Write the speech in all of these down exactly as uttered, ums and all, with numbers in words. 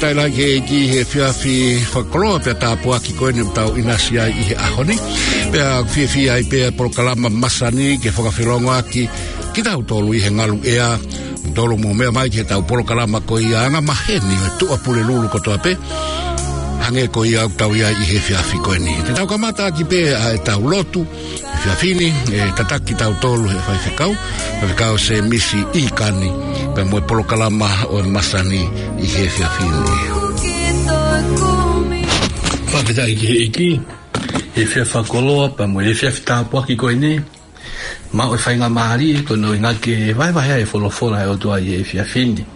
Ai la ke ki he efiafi fakakoloa pea tāpuaki ko eni ʻoku tau ʻinasi ai ʻi he ʻaho ni. Pea fiefia ai pea polokalama masani ke fakafelongoaki kitautolu ʻi he ngalu ʻea. Tolu mo meʻa mai ki he tau polokalama ko ia anga maheni ʻo e Tuʻapulelulu kotoa pē. Hangē ko ia ʻoku tau ʻi ai ʻi he efiafi ko eni. Te tau kamata ʻaki pē ʻa e tau lotu. Efiafi ni, ʻe tataki tautolu he faifekau, faifekau Semisi ʻIkani, pea mo e polokalama ʻo e masani ʻi he efiafi ni. Fakafetaʻi ki he ʻEiki, he efiafi fakakoloa, pea mo e efiafi tāpuaki ko eni, maʻu e faingamālie, ko hono ʻuhinga ke vahevahe ai e folofola ʻa e ʻOtua ʻi he efiafi ni.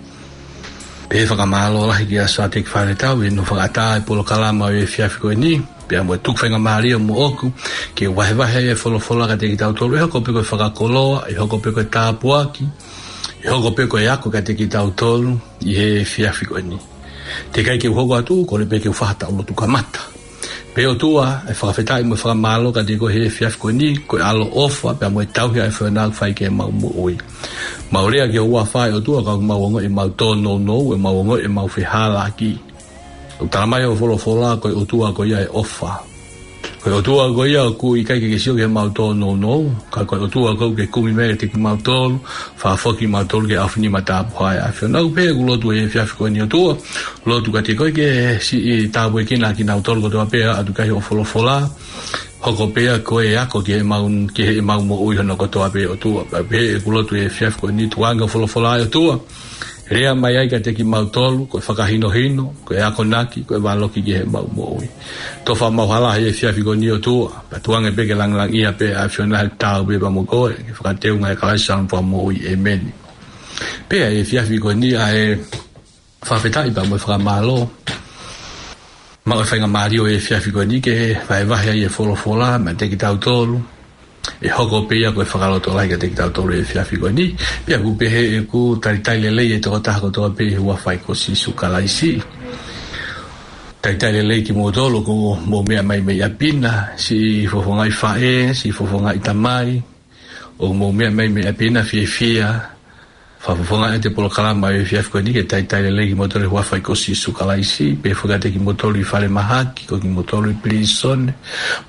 Pea fakamālō lahi kia Sateki Faletau ʻi hono fakaʻatā e polokalama ʻo e efiafi ko eni, pea mo e tuku faingamālie moʻoku, ke vahevahe e folofola kiate kitautolu, ʻe hoko pē ko e fakakoloa, ʻe hoko pē ko e tāpuaki, ʻe hoko pē ko e ako kiate kitautolu, ʻi he efiafi ko eni. Teʻeki ai ke u hoko atu, kole pē ke u fai ha tau lotu kamata. Pea ʻOtua, ʻe fakafetaʻi mo e fakamālō kiate koe he efiafi ko eni, ko e ʻaloʻofa, pea mo e tauhi ʻa e fānau fai ke mau moʻui. Mau lea ki ho huafa ʻe ʻOtua, ka mau ongoʻi ʻemau tōnounou, ʻemau ongoʻi ʻemau fehālaaki. ʻOku tala mai hoʻo folofola ko e ʻOtua ko ia ʻo e ʻofa. Ko e ʻOtua ko ia ʻoku ʻikai ke ke sio ki heʻemau tōnounou, ka ko e ʻOtua ʻoku ke kumi mai kiate kimautolu, fakafoki kimautolu ki he ʻaofinima tāpuhā ʻa e ʻAfiona. ʻOku pehē ʻeku lotu he efiafi ko eni ʻOtua, lotu kiate koe ke siʻi tāpuekina kinautolu kotoa pē ʻa ʻoku ʻatu ki ai hoʻo folofola, hoko pē ia ko e ako ki heʻemau, ki heʻemau moʻui hono kotoa pē ʻOtua. Pea pehē ʻeku lotu he efiafi ko eni tuku ange hoʻo folofola ʻe ʻOtua, lea mai ai kiate kimautolu, ko e fakahinohino, ko e akonaki, ko e valoki ki heʻemau moʻui. Tofa ʻemau hala he efiafi ko eni ʻOtua, pea tuku ange pē ke langilangiʻia pē ʻa e ʻAfiona he tau pē pea mo koe, ke fakateunga ʻe Kalaisi ʻa hono fakamoʻui, ʻēmeni. Pea he efiafi ko eni ʻa e fakafetaʻi pea mo e fakamālō. Maʻu e faingamālie ʻo e efiafi ko eni ke vahevahe ai e folofola, maʻa kitautolu. ʻE hoko pē ia ko e fakalotolahi kiate kitautolu he efiafi ko eni. Pea ʻoku pehē ʻeku talitali lelei e tokotaha kotoa pē he huafa ʻo Sīsū Kalaisi. Talitali lelei kimoutolu ʻoku mou meʻa mai mei ʻapi na, siʻi fofongaʻi faʻē, siʻi fofongaʻi tamai, ʻoku mou meʻa mai mei ʻapi na fiefia, fakafofongaʻi atu e polokalama ʻo e efiafi ko eni ke talitali lelei kimoutolu he huafa ʻo Sīsū Kalaisi, pea foki kiate kimoutolu ʻi falemahaki, ko kimoutolu ʻi pilīsone,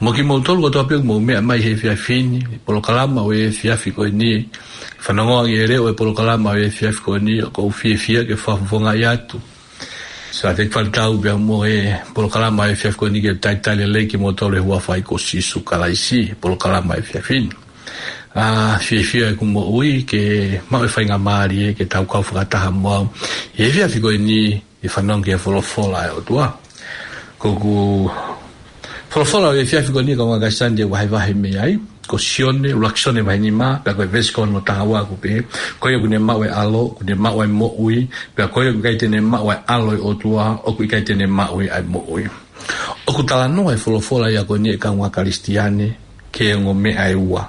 mo kimoutolu kotoa pē ʻoku mou meʻa mai he efiafi ni, polokalama ʻo e efiafi ko eni, fanongo ange e leʻo e polokalama ʻo e efiafi ko eni, ʻoku ou fiefia ke fakafofongaʻi atu. Sateki Faletau pea mo e polokalama ʻo e efiafi ko eni ke talitali lelei kimoutolu he huafa ʻo Sīsū Kalaisi, polokalama ʻo e efiafi ni. ʻA, fiefia ʻeku moʻui ke maʻu e faingamālie ke tau kau fakataha mo au he efiafi ko eni ʻi he fanongo ki he folofola ʻa e ʻOtua. Ko ʻeku folofola ʻo e efiafi ko eni kaungā Kalisitiane te u vahevahe mei ai, ko Sione, ʻuluaki Sione vahe nima, pea ko e veesi ko hono taha ua ʻoku pehē, ko ia ʻoku ne maʻu e ʻAlo, ʻoku ne maʻu e moʻui, pea ko ia ʻoku ʻikai te ne maʻu e ʻAlo ʻo e ʻOtua, ʻoku ʻikai te ne maʻu e moʻui. ʻOku talanoa e folofola ia ko eni ʻe kaungā Kalisitiane ki he ongo meʻa ʻe ua.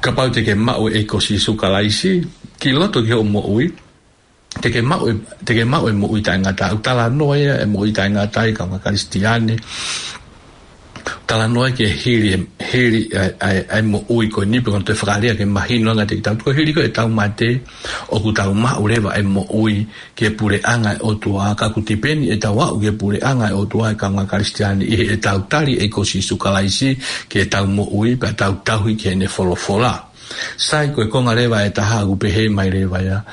Kapau te ke maʻu e ʻEiki ko Sīsū Kalaisi ki loto ki hoʻo moʻui, te ke maʻu e, te ke maʻu e moʻui taʻengata. ʻOku talanoa ia e moʻui taʻengata ʻe kaungā Kalisitiane. Talanoa ki he hili, hili ʻa e, ʻa e, ʻa e moʻui ko eni pe ko hono toe fakalea ke mahino ange kiate kitautolu ko e hili ko ē ʻetau mate, ʻoku tau maʻu leva e moʻui ki he puleʻanga ʻo e ʻOtua, ka ʻoku tipeni ʻetau aʻu ki he puleʻanga ʻo e ʻOtua ʻe kaungā Kalisitiane ʻi heʻetau tali e ʻEiki ko Sīsū Kalaisi ki heʻetau moʻui, pea tau tauhi ki heʻene folofola. Sai, ko e konga leva ʻe taha ʻoku pehē mai leva ia,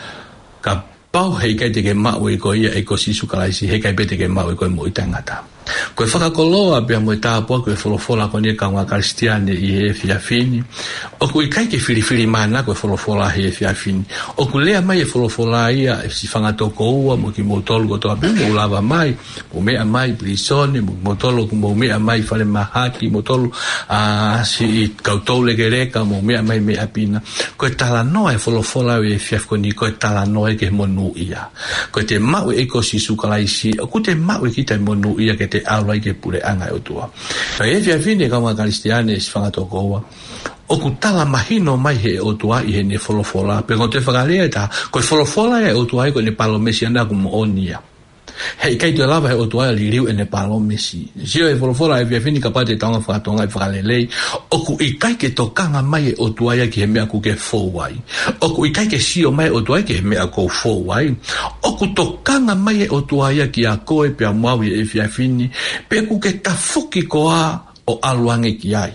kapau heʻikai te ke maʻu ʻe koe ia e ʻEiki ko Sīsū Kalaisi, heʻikai pē te ke maʻu ʻe koe e moʻui taʻengata. Ko e fakakoloa pea mo e tāpuaki ʻo e folofola ko eni ʻe kaungā Kalisitiane ʻi he efiafi ni, ʻoku ʻikai ke filifilimānako e folofola he efiafi ni. ʻOku lea mai e folofola ia ʻe siʻi fanga tokoua mo kimoutolu kotoa pē ʻoku mou lava mai, mou meʻa mai pilīsone, mo kimoutolu ʻoku mou meʻa mai falemahaki, moutolu ʻa siʻi kau toulekeleka, mou meʻa mai mei ʻapi na. Ko e talanoa e folofola ʻo e efiafi ko eni, ko e talanoa ia ki he monūʻia. Ko ʻete maʻu e ʻEiki ko Sīsū Kalaisi, ʻoku te maʻu ʻe kita e monūʻia ke te ʻalu ai ki he puleʻanga ʻo e ʻOtua. Ka ʻi he efiafi ni ʻe kaungā Kalisitiane, siʻi fanga tokoua, ʻoku tala mahino mai ʻe he ʻOtua ʻi heʻene folofola, pe ko e toe fakalea ʻe taha, ko e folofola ia ʻa e ʻOtua ia ko ʻene palōmesi ʻana ʻoku moʻoni ia. He ʻikai toe lava he ʻOtua ia ʻo liliu ʻene palōmesi. Sio he folofola he efiafi ni, kapau te tau hanga ʻo fakatokangaʻi fakalelei, ʻoku ʻikai ke tokanga mai e ʻOtua ia ki he meʻa ʻoku ke fou ai. ʻOku ʻikai ke sio mai e ʻOtua ia ki he meʻa ʻoku ou fou ai. ʻOku tokanga mai e ʻOtua ia kiate koe pea mo au he efiafi ni, pe ʻoku ke tafoki koā ʻo ʻalu ange ki ai.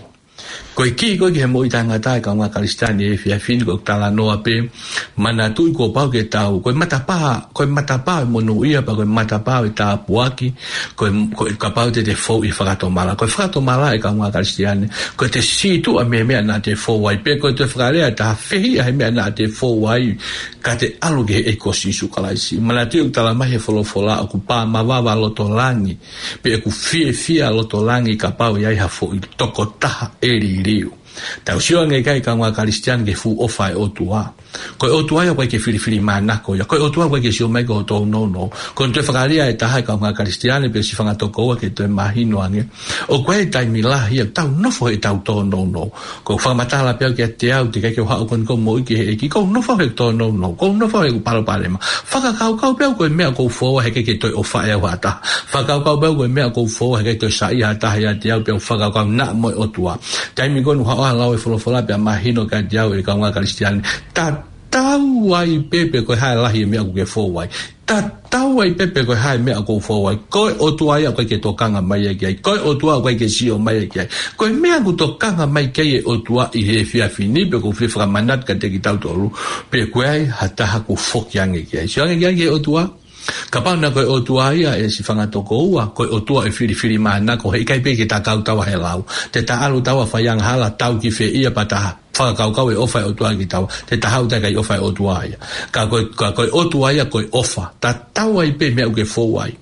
Ko e kī ko ē ki he moʻui taʻengata, e kāinga Kalisitiane, he efiafi ni, ko e talanoa pē, manatuʻi kuo pau ke tau, ko e matapā, ko e matapā ʻo e monūʻia, pea ko e matapā ʻo e tāpuaki, ko e, ko e kapau te te fou ʻi he fakatomala. Ko e fakatomala, e kāinga Kalisitiane, ko ʻete sītuʻa mei he meʻa naʻa te fou ai, pe ko ʻete fakalea ʻe taha, fehiʻa he meʻa naʻa te fou ai, ka te ʻalu ki he ʻEiki ko Sīsū Kalaisi. Manatuʻi ʻoku talamai he folofola ʻoku pā mavava loto langi, pe ʻoku fiefia loto langi kapau ʻe ʻi ai ha foʻi tokotaha ʻe liliu. Tau sio ange ki ai, kāinga Kalisitiane, ki he fuʻu ʻofa ʻa e ʻOtua. Ko e ʻOtua ia ʻoku ʻikai ke filifilimānako ia. Ko e ʻOtua ʻoku ʻikai ke sio mai ki hoʻo tōnounou. Ko hono toe fakalea ʻe taha, e kāinga Kalisitiane, pe siʻi fanga tokoua, ke toe mahino ange, ʻoku ʻi ai e taimi lahi ia ʻoku tau nofo heʻetau tōnounou. Ko e fakamatala pē au kiate au, teʻeki ai ke u haʻu ko eni ʻo moʻui ki he ʻEiki, ʻoku ou nofo he tōnounou, ʻoku ou nofo he palopalema. Fakakaukau pē au ko e meʻa ʻoku ou fou ai he ʻikai ke toe ʻofaʻi au ha taha. Fakakaukau pē au ko e meʻa ʻoku ou fou ai he ʻikai toe saiʻia ha taha ʻiate au, pea u fakakaukau naʻa mo e ʻOtua. Taimi ko eni ʻoku haʻu ai ʻo lau e folofola pea mahino kiate au, e kāinga Kalisitiane, tatau ai pē pe ko e hā e lahi e meʻa ʻoku ke fou ai. Tatau ai pē pe ko e hā e meʻa ʻoku ou fou ai. Ko e ʻOtua ia ʻoku ʻikai ke tokanga mai ia ki ai. Ko e ʻOtua ʻoku ʻikai ke sio mai ia ki ai. Ko e meʻa ʻoku tokanga mai ki ai e ʻOtua ʻi he efiafi ni, pea ʻoku ou fie fakamanatu kiate kitautolu, pe ʻoku ʻi ai ha taha ʻoku foki ange ki ai. Sio ange ki ai ki he ʻOtua. Kapau naʻe ko e ʻOtua ia, e siʻi fanga tokoua, ko e ʻOtua ʻe filifilimānako, he ʻikai pē ke ta kau taua he lau. Te ta ʻalu taua ʻo fai angahala, tau ki fē ia, pea ta fakakaukau e ʻofa e ʻOtua kiate taua, te ta haʻu taua ki he ʻofa e ʻOtua ia. Ka ko e, ka ko e ʻOtua ia ko e ʻofa. Tatau ai pē meʻa ʻoku ke fou ai.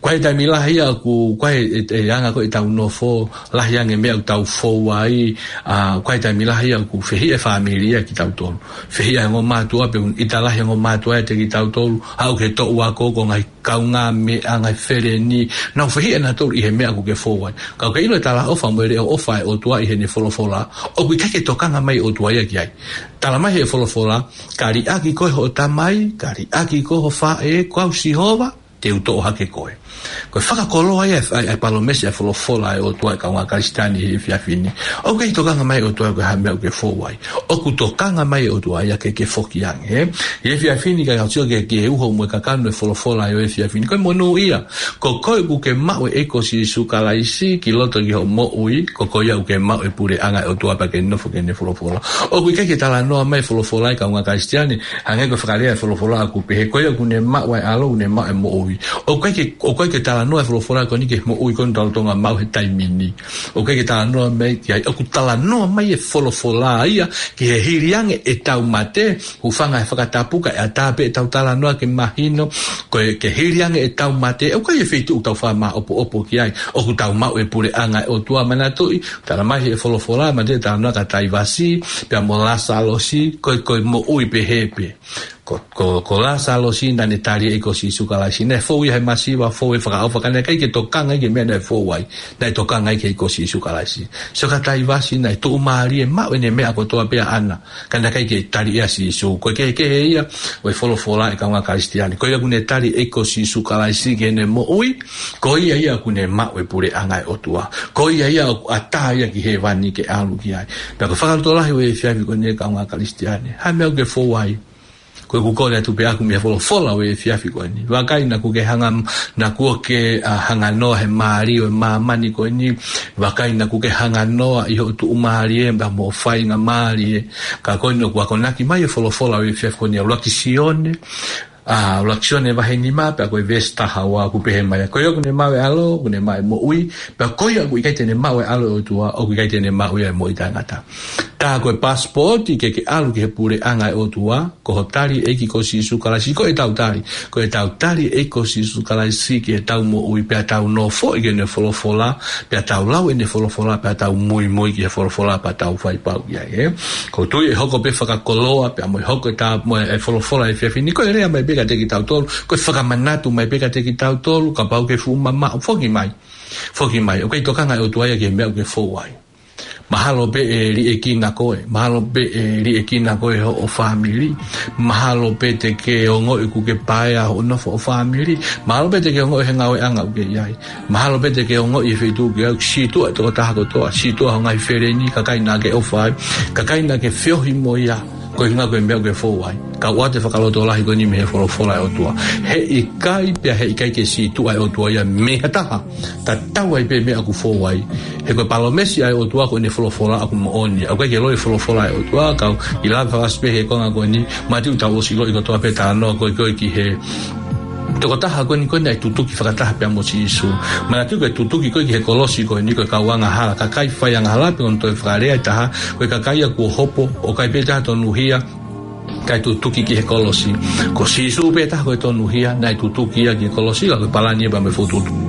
Ko e taimi lahi ia ʻoku, ko e, e, e anga ko ē ʻetau nofo, lahi ange e meʻa ʻoku tau fou ai, ʻa, ko e taimi lahi ia ʻoku fehiʻa e fāmili ia kitautolu. Fehiʻa e ongo mātuʻa, pe ʻoku ʻita lahi e ongo mātuʻa ʻiate kitautolu, haʻu ki he toʻu ako, ko e ngaahi kaungāmeʻa, ngaahi feleni, nau fehiʻa nautolu ʻi he meʻa ʻoku ke fou ai. Ka ʻoku ke ʻilo e talaʻofa mo e leʻo ʻofa e ʻOtua ʻi heʻene folofola, ʻoku ʻikai ke tokanga mai e ʻOtua ia ki ai. Talamai he folofola, ka liʻaki koe ʻe hoʻo tamai, ka liʻaki koe ʻe ho faʻē, ko au Sihova, te u toʻo hake koe. Ko e fakakoloa ia e, e, e palōmesi e folofola e ʻOtua, e kāinga Kalisitiane, he efiafi ni. ʻOku ʻikai tokanga mai e ʻOtua ia ki he meʻa ʻoku ke fou ai. ʻOku tokanga mai e ʻOtua ia ke ke foki ange, ē? He efiafi ni, ka tau sio ki he, ki he uho mo e kakano e folofola ʻo e efiafi ni, ko e monūʻia. Ko koe ʻoku ke maʻu e ʻEiki ko Sīsū Kalaisi ki loto ki hoʻo moʻui, ko koe ia ʻoku ke maʻu e puleʻanga e ʻOtua pea ke nofo ki heʻene folofola. ʻOku ʻikai ke talanoa mai e folofola, e kāinga Kalisitiane, hangē ko e fakalea e folofola ʻoku pehē, ko ia ʻoku ne maʻu ʻa e ʻAlo, ʻoku ne maʻu e moʻui. ʻOku ʻikai ke, ʻoku ʻikai ke talanoa e folofola ko eni ki he moʻui ko eni ʻoku tau lolotonga maʻu he taimi ni. ʻOku ʻikai ke talanoa mai ki ai, ʻoku talanoa mai e folofola ia ki he hili ange ʻetau mate, hūfanga he fakatapu kae ʻatā pē ʻetau talanoa ke mahino, ko e ke hili ange ʻetau mate, ʻoku ʻikai e feituʻu ʻoku tau fakamāʻopoʻopo ki ai, ʻoku tau maʻu e puleʻanga e ʻOtua. Manatuʻi, talamai he folofola, manatuʻi e talanoa kia Taivasi, pea mo Lāsalosi, ko e, ko e moʻui pehē pē. Ko, ko, ko Lāsalosi naʻa ne tali e ʻEiki ko Sīsū Kalaisi. Naʻe fou ia he masiva, fou he fakaʻofa, ka naʻe ʻikai ke tokanga ia ki he meʻa naʻe fou ai. Naʻe tokanga ia ki he ʻEiki ko Sīsū Kalaisi. Sio kia Taivasi, naʻe tuʻumālie, maʻu ʻene meʻa kotoa pē ʻaʻana, ka naʻe ʻikai ke tali ʻe Sīsū. Ko e kehekehe ia ʻo e folofola, e kāinga Kalisitiane. Ko ia ʻoku ne tali e ʻEiki ko Sīsū Kalaisi ki heʻene moʻui, ko ia ia ʻoku ne maʻu e puleʻanga e ʻOtua. Ko ia ia ʻoku ʻatā ia ki hēvani ke ʻalu ki ai. Pea ko e fakalotolahi ʻo e efiafi ko eni, e kāinga Kalisitiane, hā e meʻa ʻoku ke fou ai? Ko ʻeku kole atu pē ʻaʻaku mei he folofola ʻo e efiafi ko eni. Vakai naʻa ku ke hanga, naʻa ku ke, ʻa, hanganoa he mālie ʻo e māmani ko eni. Vakai naʻa ku ke hanganoa ʻi hoʻo tuʻumālie pea mo e faingamālie. Ka ko eni ʻoku akonaki mai e folofola ʻo e efiafi ko eni, ʻuluaki Sione, ʻa, ʻuluaki Sione vahe nima, pea ko e veesi taha ua ʻoku pehē mai, ko ia ʻoku ne maʻu e ʻAlo, ʻoku ne maʻu e moʻui, pea ko ia ʻoku ʻikai te ne maʻu e ʻAlo e ʻOtua, ʻoku ʻikai te ne maʻu ia e moʻui taʻengata. Tā ko e pasipooti ke ke ʻalu ki he puleʻanga e ʻOtua, ko hoʻo tali e ʻEiki ko Sīsū Kalaisi, ko ʻetau tali, ko ʻetau tali e ʻEiki ko Sīsū Kalaisi ki heʻetau moʻui, pea tau nofoʻi ki heʻene folofola, pea tau lau ʻene folofola, pea tau muimui ki he folofola, pea tau fai pau ki ai, ē? ʻOku ou tui ʻe hoko pē fakakoloa, pea mo e hoko e tā, mo e folofola he efiafi ni, ko e lea mai pē kiate kitautolu, ko e fakamanatu mai pē kiate kitautolu, kapau ʻoku ke fuʻu mamaʻo, foki mai. Foki mai, ʻoku ʻikai tokanga e ʻOtua ia ki he meʻa ʻoku ke fou ai. Mahalo pē ʻe liʻekina koe, mahalo pē ʻe liʻekina koe hoʻo fāmili, mahalo pē te ke ongoʻi ʻoku ke paea hoʻo nofo ʻo fāmili, mahalo pē te ke ongoʻi he ngāueʻanga ʻoku ke ʻi ai. Mahalo pē te ke ongoʻi he feituʻu ʻoku ke ʻi ai, sītuʻa e tokotaha kotoa, sītuʻa hoʻo ngaahi feleni, kakai naʻa ke ʻofa ai, kakai naʻa ke feohi mo ia, ko e ʻuhinga ko e meʻa ʻoku ke fou ai. Ka ʻoku ʻoatu e fakalotolahi ko eni mei he folofola ʻa e ʻOtua. Heʻikai pea heʻikai ke sītuʻa e ʻOtua ia mei ha taha. Tatau ai pē meʻa ʻoku fou ai. He ko e palōmesi ʻa e ʻOtua ko ʻene folofola ʻoku moʻoni. ʻOku ʻikai ke loi e folofola ʻa e ʻOtua, kau ʻi lava fakaʻosi pē he konga ko eni, Mātiu tau ʻosi loi kotoa pē talanoa ko ē ko ē ki he tokotaha ko eni ko ē naʻe tutuki fakataha pea mo Sīsū. Manatuʻi ko e tutuki ko ē ki he kolosi ko eni ko e kau angahala, kakai fai angahala pe ko hono toe fakalea ʻe taha, ko e kakai ia kuo hopo, ʻoku ʻikai pē ha tonuhia, kae tutuki ki he kolosi. Ko Sīsū pē taha ko e tonuhia, naʻe tutuki ia ki he kolosi, ka ko e palani ia pea mo e fokotuʻutuʻu.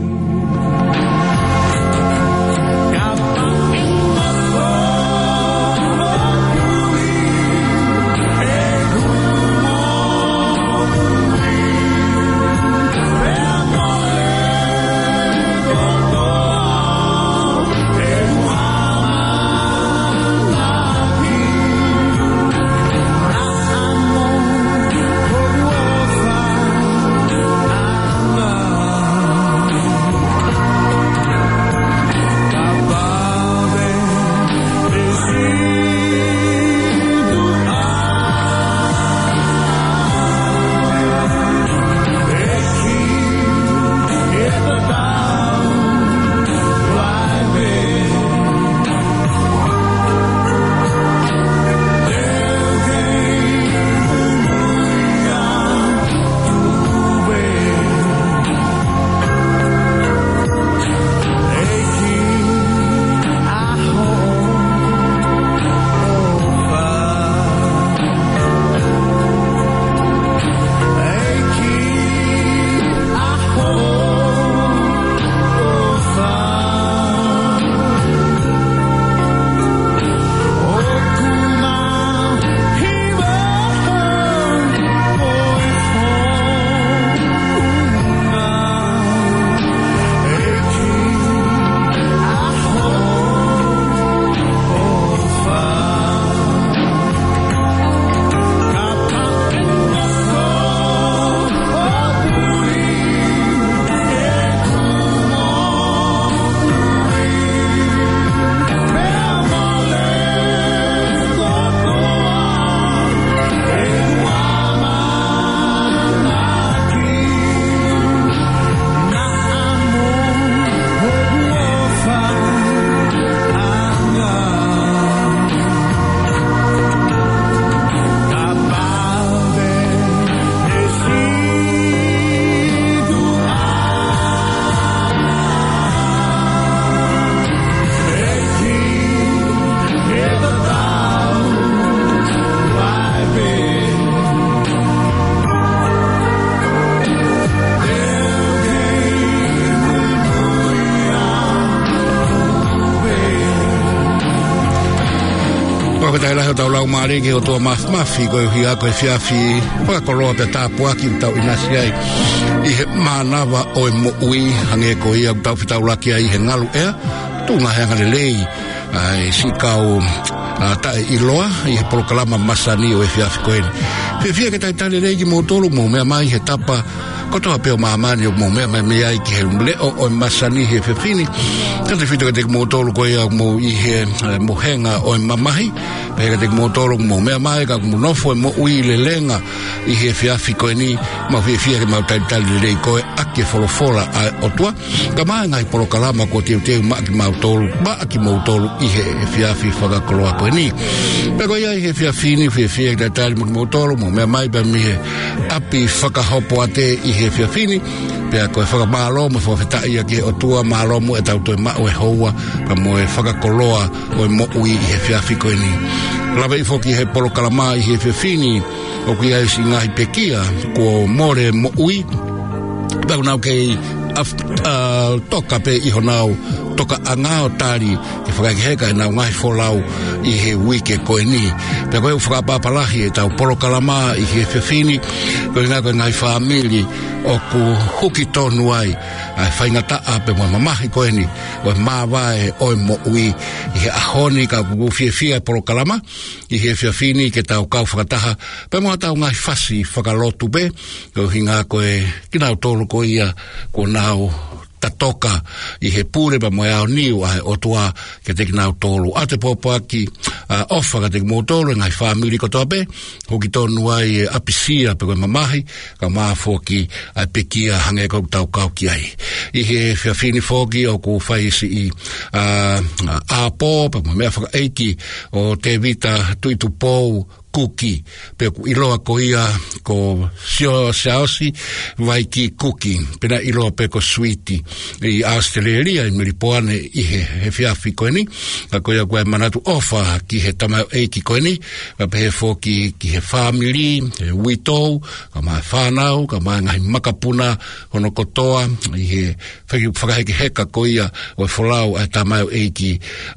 Fakafetaʻi lahi ʻo tau lau mālie ki he ʻOtua Māfimafi, koeʻuhi ko e efiafi fakakoloa pea tāpuaki ʻoku tau ʻinasi ai ʻi he mānava ʻo e moʻui, hangē ko ia ʻoku tau fetaulaki ai he ngalu ʻea, tuʻunga he angalelei ʻa e siʻi kau, ʻa, taʻeʻiloa ʻi he polokalama masani ʻo e efiafi ko eni. Fiefia ke talitali lelei kimoutolu ʻoku mou meʻa mai he tapa kotoa pē ʻo māmani ʻoku mou meʻa mai mei ai ki he leʻo ʻo e masani he efiafi ni. Tautautefito kiate kimoutolu ko ia ʻoku mou ʻi he, ʻa, mohenga ʻo e mamahi. Pehē kiate kimoutolu ʻoku mou meʻa mai ka ʻoku mou nofo he moʻui lelenga ʻi he efiafi ko eni, mau fiefia ke mau talitali lelei koe ʻaki e folofola ʻa e ʻOtua. Kae ʻumaʻā e ngaahi polokalama kuo teuteu maʻa kimautolu, maʻa kimoutolu ʻi he efiafi fakakoloa ko eni. Pea ko ia ʻi he efiafi ni, fiefia ke talitali mo kimoutolu, mou meʻa mai pea mei he ʻapi fakahopoate ʻi he efiafi ni. Pea ko e fakamālō mo e fakafetaʻi ia ki he ʻOtua, mālō muʻa ʻetau toe maʻu e houa, pea mo e fakakoloa ʻo e moʻui ʻi he efiafi ko eni. Lave foki he polokalama ʻi he efiafi ni, ʻoku ʻi ai siʻi ngaahi pekia kuo mole moʻui. Pea ʻoku nau kei af-, ʻa, toka pē ʻi honau tokaʻanga ʻo tali ke fakahekeheka ʻenau ngaahi folau ʻi he uike ko eni. Pea ko e ʻū fakaʻapaʻapa lahi ʻetau polokalama ʻi he efiafi ni, ko e ʻuhinga ko e ngaahi fāmili ʻoku huki tonu ai ʻa e faingataʻa pea mo e mamahi ko eni ʻo e māvae ʻo e moʻui. ʻI he ʻaho ni ka ʻoku fiefia e polokalama ʻi he efiafi ni ke tau kau fakataha pea mo ʻetau ngaahi fasi fakalotu pē, ko e ʻuhinga ko e kinautolu ko ia kuo nau tatoka ʻi he pule pea mo e aoniu ʻa e ʻOtua kiate kinautolu. ʻOatu e pōpoaki, ʻa, ʻofa kiate kimoutolu e ngaahi fāmili kotoa pē, huki tonu ai e ʻapisia pe ko e mamahi, kaeʻumaʻā foki ʻa e pekia hangē ko ʻetau kau ki ai. ʻI he efiafi ni foki ʻoku fai siʻi, ʻa, ʻa, ʻapi pea mo e meʻafakaʻeiki ʻo Tēvita Tuʻitupou Kuki, pe ʻoku ʻiloa ko ia ko Sio Siaosi Vaiki Kuki, pe naʻe ʻiloa pē ko Suiti ʻi ʻAositelēlia, ʻi Melipoane ʻi he, he efiafi ko eni. Ka ko ia ʻoku ʻi ai e manatu ʻofa ki he tamaioʻeiki ko eni, kae pehē foki ki he fāmili, he uitou, kaeʻumaʻā e fānau, kaeʻumaʻā e ngaahi makapuna hono kotoa, ʻi he fai-, fakahekeheka ko ia ʻo e folau ʻa e tamaioʻeiki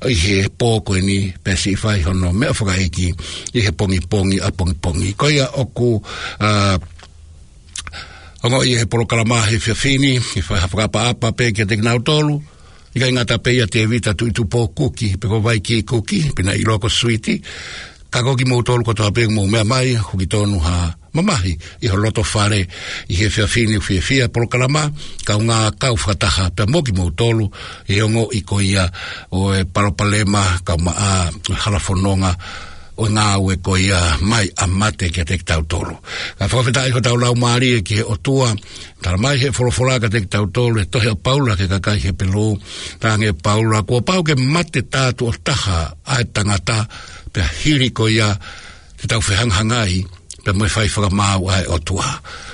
ʻi he pō ko eni, pea siʻi fai hono meʻafakaʻeiki ʻi he pongipongi ʻapongipongi. Ko ia ʻoku, ʻa, ongoʻi ʻe he polokalama he efiafi ni, ke fai ha fakaʻapaʻapa pē kiate kinautolu, ʻikai ngata pē ʻia Tēvita Tuʻitupou Kuki, pe ko Vaiki Kuki, pe naʻe ʻiloa ko Suiti, ka ko kimoutolu kotoa pē ʻoku mou meʻa mai, huki tonu ha mamahi ʻi ho loto fale ʻi he efiafi ni, fiefia e polokalama, kaungā kau fakataha pea mo kimoutolu ʻi he ongoʻi ko ia ʻo e palopalema kaeʻumaʻā e halafononga ʻo e ngāue ko ia mai ʻa mate kiate kitautolu. Ka fakafetaʻi hotau laumālie ki he ʻOtua, tala mai he folofola kiate kitautolu he tohi ʻa Paula ki he kakai Hepelū, talaange ʻe Paula, kuo pau ke mate tā tuʻo taha ʻa e tangata, pea hili ko ia ke tau fehangahangai pea mo e fai fakamaau ʻa e ʻOtua.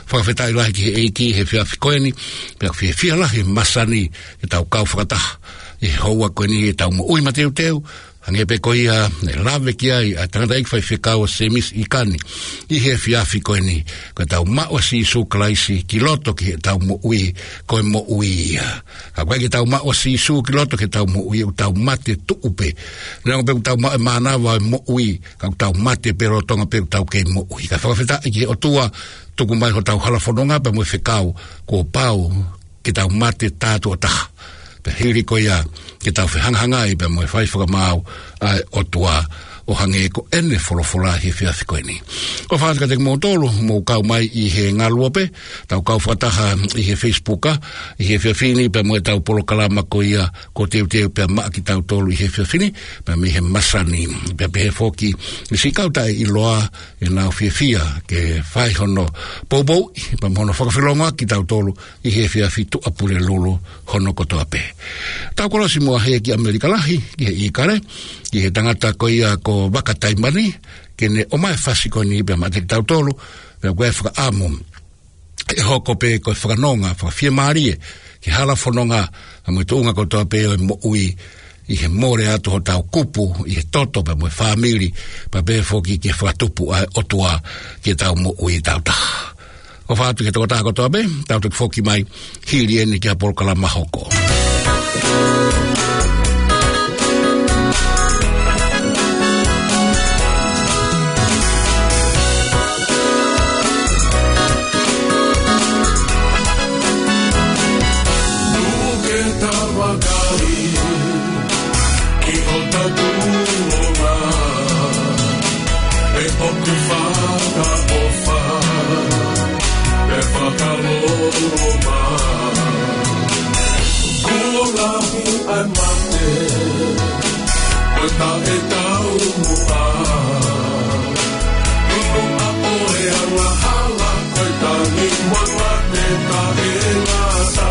Fakafetaʻi lahi ki he ʻEiki he efiafi ko eni, pea fiefia lahi e masani ke tau kau fakataha ʻi he houa ko eni ʻetau moʻui mateuteu, hangē pē ko ia naʻe lave ki ai ʻa e tangataʻeiki faifekau ʻa Semisi ʻIkani ʻi he efiafi ko eni, ko ʻetau maʻu ʻa Sīsū Kalaisi ki loto ki heʻetau moʻui, ko e moʻui ia. Ka ʻoku ʻikai ke tau maʻu ʻa Sīsū ki loto ki heʻetau moʻui, ʻoku tau mate tuʻu pē. Neongo pē ʻoku tau maʻu e mānava ʻo e moʻui, ka ʻoku tau mate pē lolotonga pē ʻoku tau kei moʻui. Ka fakafetaʻi ki he ʻOtua, tuku mai hotau halafononga pea mo e fekau, kuo pau ke tau mate tā tuʻo taha, pea hili ko ia ke tau fehangahangai pea mo e fai fakamaau ʻa e ʻOtua, ʻo hangē ko ʻene folofola he efiafi ko eni. ʻOfa atu kiate kimoutolu ʻoku mou kau mai ʻi he ngaluope, tau kau fakataha ʻi he Facebook, ʻa, ʻi he efiafi ni pea mo ʻetau polokalama ko ia kuo teuteu pea maʻa kitautolu ʻi he efiafi ni, pea mei he masani, pea pehē foki ki siʻi kau taʻeʻiloa ʻoku nau fiefia ke fai hono poupouʻi pea mo hono fakafilongoaki kitautolu ʻi he efiafi Tuʻapulelulu hono kotoa pē. Tau kolosi muʻa hē ki ʻAmelika lahi, ki he ʻIkale, ki he tangata ko ia ko Vaka Taimani, ke ne ʻomai e fasi ko eni pea maʻa kitautolu, pea ko e fakaʻamu ʻe hoko pē ko e fakanonga fakafiemālie ki he halafononga, pea mo e tuʻunga kotoa pē ʻo e moʻui, ʻi he mole atu hotau kupu ʻi he toto pea mo e fāmili, pea pehē foki ki he fakatupu ʻa e ʻOtua ki heʻetau moʻui tau taha. ʻOfa atu ki he tokotaha kotoa pē, tau toki foki mai hili eni ki ha polokalama hoko. Tuku ke tau vakai ki hotau tuʻunga, ʻe ʻoku fakaʻofa, ʻe fakaloloma. Kuo lahi ʻa e mate, ko e taʻetaumuʻa. Tuku ʻa ʻoe angahala, ko e tangi mo e mate taʻengata.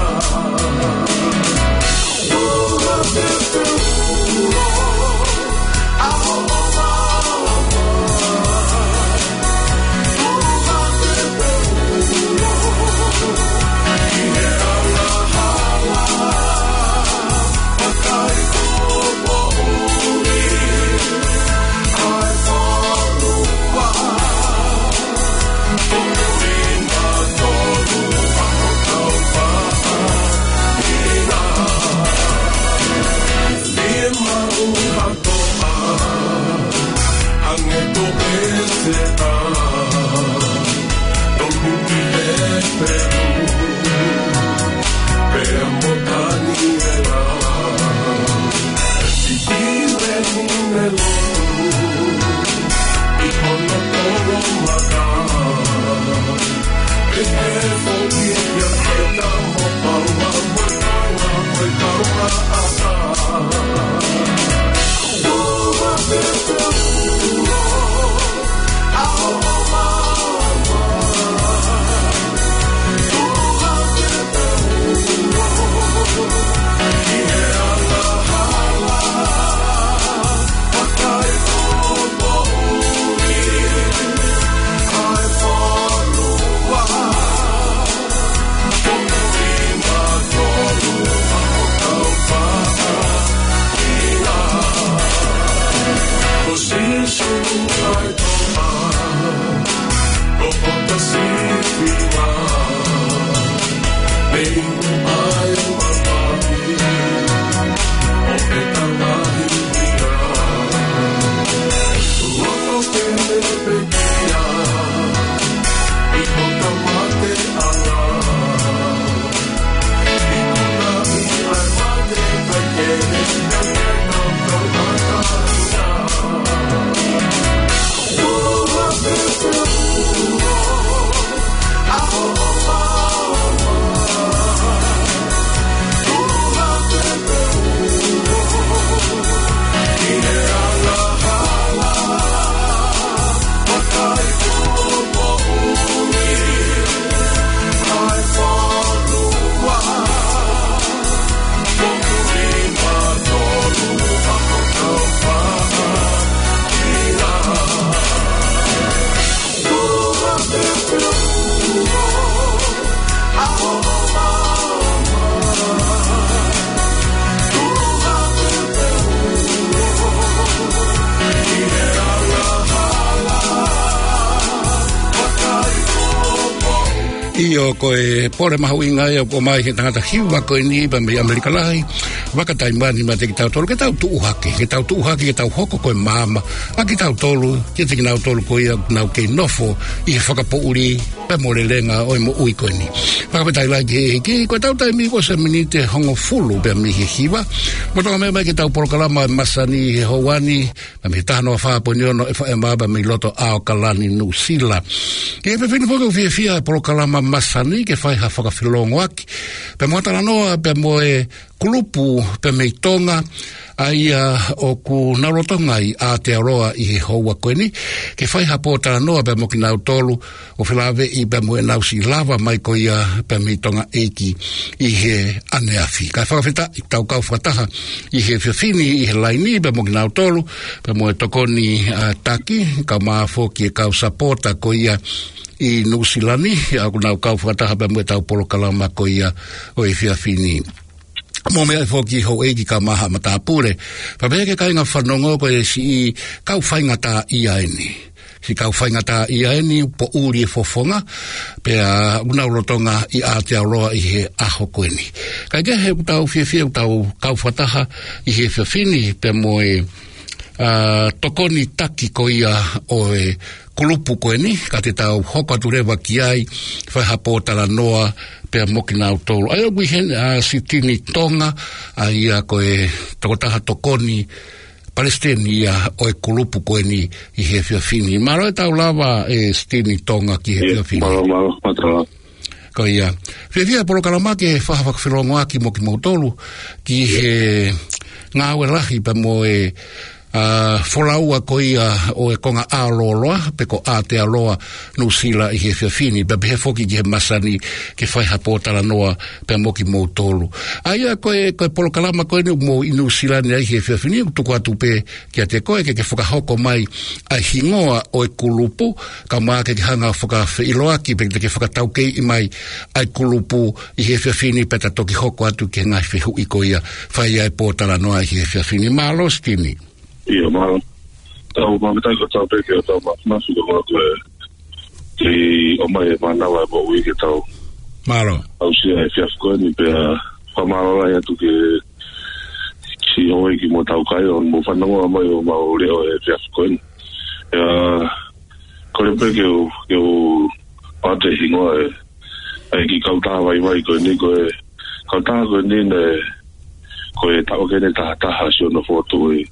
ʻIo, ko e pole mahuʻinga ia ʻoku ʻomai he tangata hiva ko eni pea mei ʻAmelika Lahi, Vaka Taimani, maʻa kitautolu, ke tau tuʻu hake, ke tau tuʻu hake, ke tau hoko ko e maama ʻa kitautolu kiate kinautolu ko ia ʻoku nau kei nofo ʻi he fakapoʻuli pea mo e lelenga ʻo e moʻui ko eni. Fakafetaʻi lahi ki he ʻEiki, ko ʻetau taimi kuo ʻosi e miniti ʻe hongofulu pea mei he hiva. Mo tonga mai mai ki heʻetau polokalama ʻo e masani he houa ni, mei he taha noa fā poini ono F M pea mei loto ʻAokalani, Nuʻusila. Ki he efiafi ni foki ʻoku fiefia e polokalama masani ke fai ha fakafeʻiloaki pea mo ha talanoa pea mo e kulupu pea mei Tonga, ʻa ia ʻoku nau lolotonga ʻi Aotearoa ʻi he houa ko eni, ke fai ha pōtalanoa pea mo kinautolu ʻoku felāveʻi pea mo ʻenau siʻi lava mai ko ia pea mei Tonga ʻEiki ʻi he ʻaneafi. Kae fakafetaʻi ʻetau kau fakataha ʻi he efiafi ni ʻi he laini pea mo kinautolu, pea mo e tokoni, ʻa, taki, kae ʻumaʻā foki e kau sapota ko ia ʻi Nuʻusila ni, ʻa, ʻoku nau kau fakataha pea mo ʻetau polokalama ko ia ʻo e efiafi ni. Mo e meʻa foki houʻeiki kae ʻumaʻā haʻa matāpule. Pea pehē ki he kāinga fanongo ko e siʻi kau faingataʻaʻia eni. Siʻi kau faingataʻaʻia eni, poʻuli e fofonga, pea ʻoku nau lolotonga ʻi Aotearoa ʻi he ʻaho ko eni. Kae kehe ʻoku tau fiefia ʻetau kau fakataha ʻi he efiafi ni pea mo e, ʻa, tokoni taki ko ia ʻo e kulupu ko eni, ka te tau hoko atu leva ki ai, fai ha pōtalanoa pea mo kinautolu. ʻA ia ʻoku ʻi heni ʻa Sitini Tonga, ʻa ia ko e tokotaha tokoni palesiteni ia ʻo e kulupu ko eni ʻi he efiafi ni. Mālō e tau lava ʻe Sitini Tonga ki he efiafi ni. Mālō, mālō, mālō. Ko ia. Fiefia e polokalama ke fai ha fakafeʻiloaki mo kimoutolu ki he ngāue lahi pea mo e, ʻa, folaua ko ia ʻo e konga ʻAo Lōloa, pe ko Aotearoa Nuʻusila ʻi he efiafi ni, pea pehē foki ki he masani ke fai ha pōtalanoa pea mo kimoutolu. ʻA ia ko e, ko e polokalama ko eni ʻoku mou ʻi Nuʻusila ni ai he efiafi ni, ʻoku tuku atu pē kiate koe ke ke fakahoko mai ʻa e hingoa ʻo e kulupu, kae ʻumaʻā ke ke hanga ʻo fakafeʻiloaki pe te ke fakataukeiʻi mai ʻa e kulupu ʻi he efiafi ni pea ta toki hoko atu ki he ngaahi fehuʻi ko ia fai ai e pōtalanoa ʻi he efiafi ni. Mālō Sitini. ʻIo, mālō. Tau māfana ko tau pē ke tau ma-, mafi ko mālō ko e ki ʻomai e mānava e moʻui ke tau. Mālō. Aʻusia e efiafi ko eni pea fakamālō lahi atu ki he siʻi houʻeiki mo tau kai ʻo mou fanongo mai ʻo mau leʻo he efiafi ko eni. ʻIa, kole pē ke u, ke u pate hingoa e, e kiʻi kautaha vaivai ko eni ko e, kautaha ko eni ne, ko e taʻu ko eni taha taha siʻono fokotuʻu e,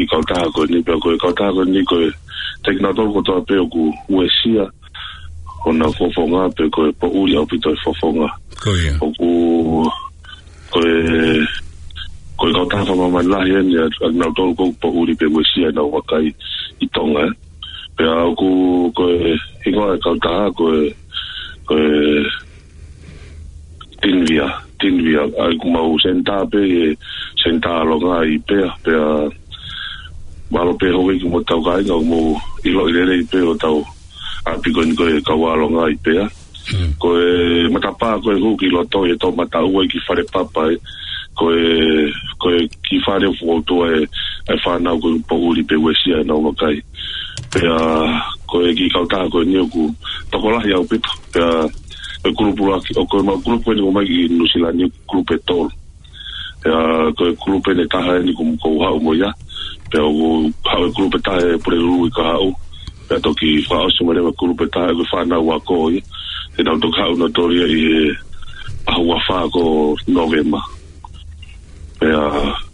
e kautaha ko eni pea ko e kautaha ko eni ko e, te kinautolu kotoa pē ʻoku uesia hona fofonga pe ko e poʻuli ʻaupito e fofonga. Ko ia. ʻOku, ko e, ko e kautaha fakamāmani lahi eni ʻa, ʻa kinautolu ʻoku poʻuli pe uesia ʻenau vakai ʻi Tonga, ē. Pea ʻoku, ko e hingoa e kautaha, ko e, ko e Tinvia, Tinvia, ʻa ia ʻoku mau senitā pē he senitā ʻalonga ʻi Pea, pea mālō pē houʻeiki mo tau kāinga ʻoku mou ʻiloʻi lelei pē hotau ʻapi ko eni ko e kau ʻalonga ʻi Pea. Hmm. Ko e matapā ko e hū ki loto ʻi he toʻomataʻu ʻi he kiʻi fale papa ē. Ko e, ko e kiʻi fale ʻoku fokotuʻu ai e fānau ʻoku poʻuli pe uesia ʻenau vakai. Pea ko e kiʻi kautaha ko eni ʻoku tokolahi ʻaupito. Pea ko e kulupu lahi, ʻo ko e mau kulupu eni ʻoku ʻomai ki Nuʻusila ni kulupu ʻe tolu. Pea ko e kulupu eni ʻe taha eni ʻoku ou haʻu mo ia. Pea ʻoku haʻu e kulupu ʻe taha ʻe Pulelulu ʻi Kahaʻu. Pea toki fakaʻosi mai leva e kulupu ʻe taha ʻe he fānau ako ia. Te nau toki haʻu nautolu ia ʻi he ʻaho ua fā ko Nōvema. Pea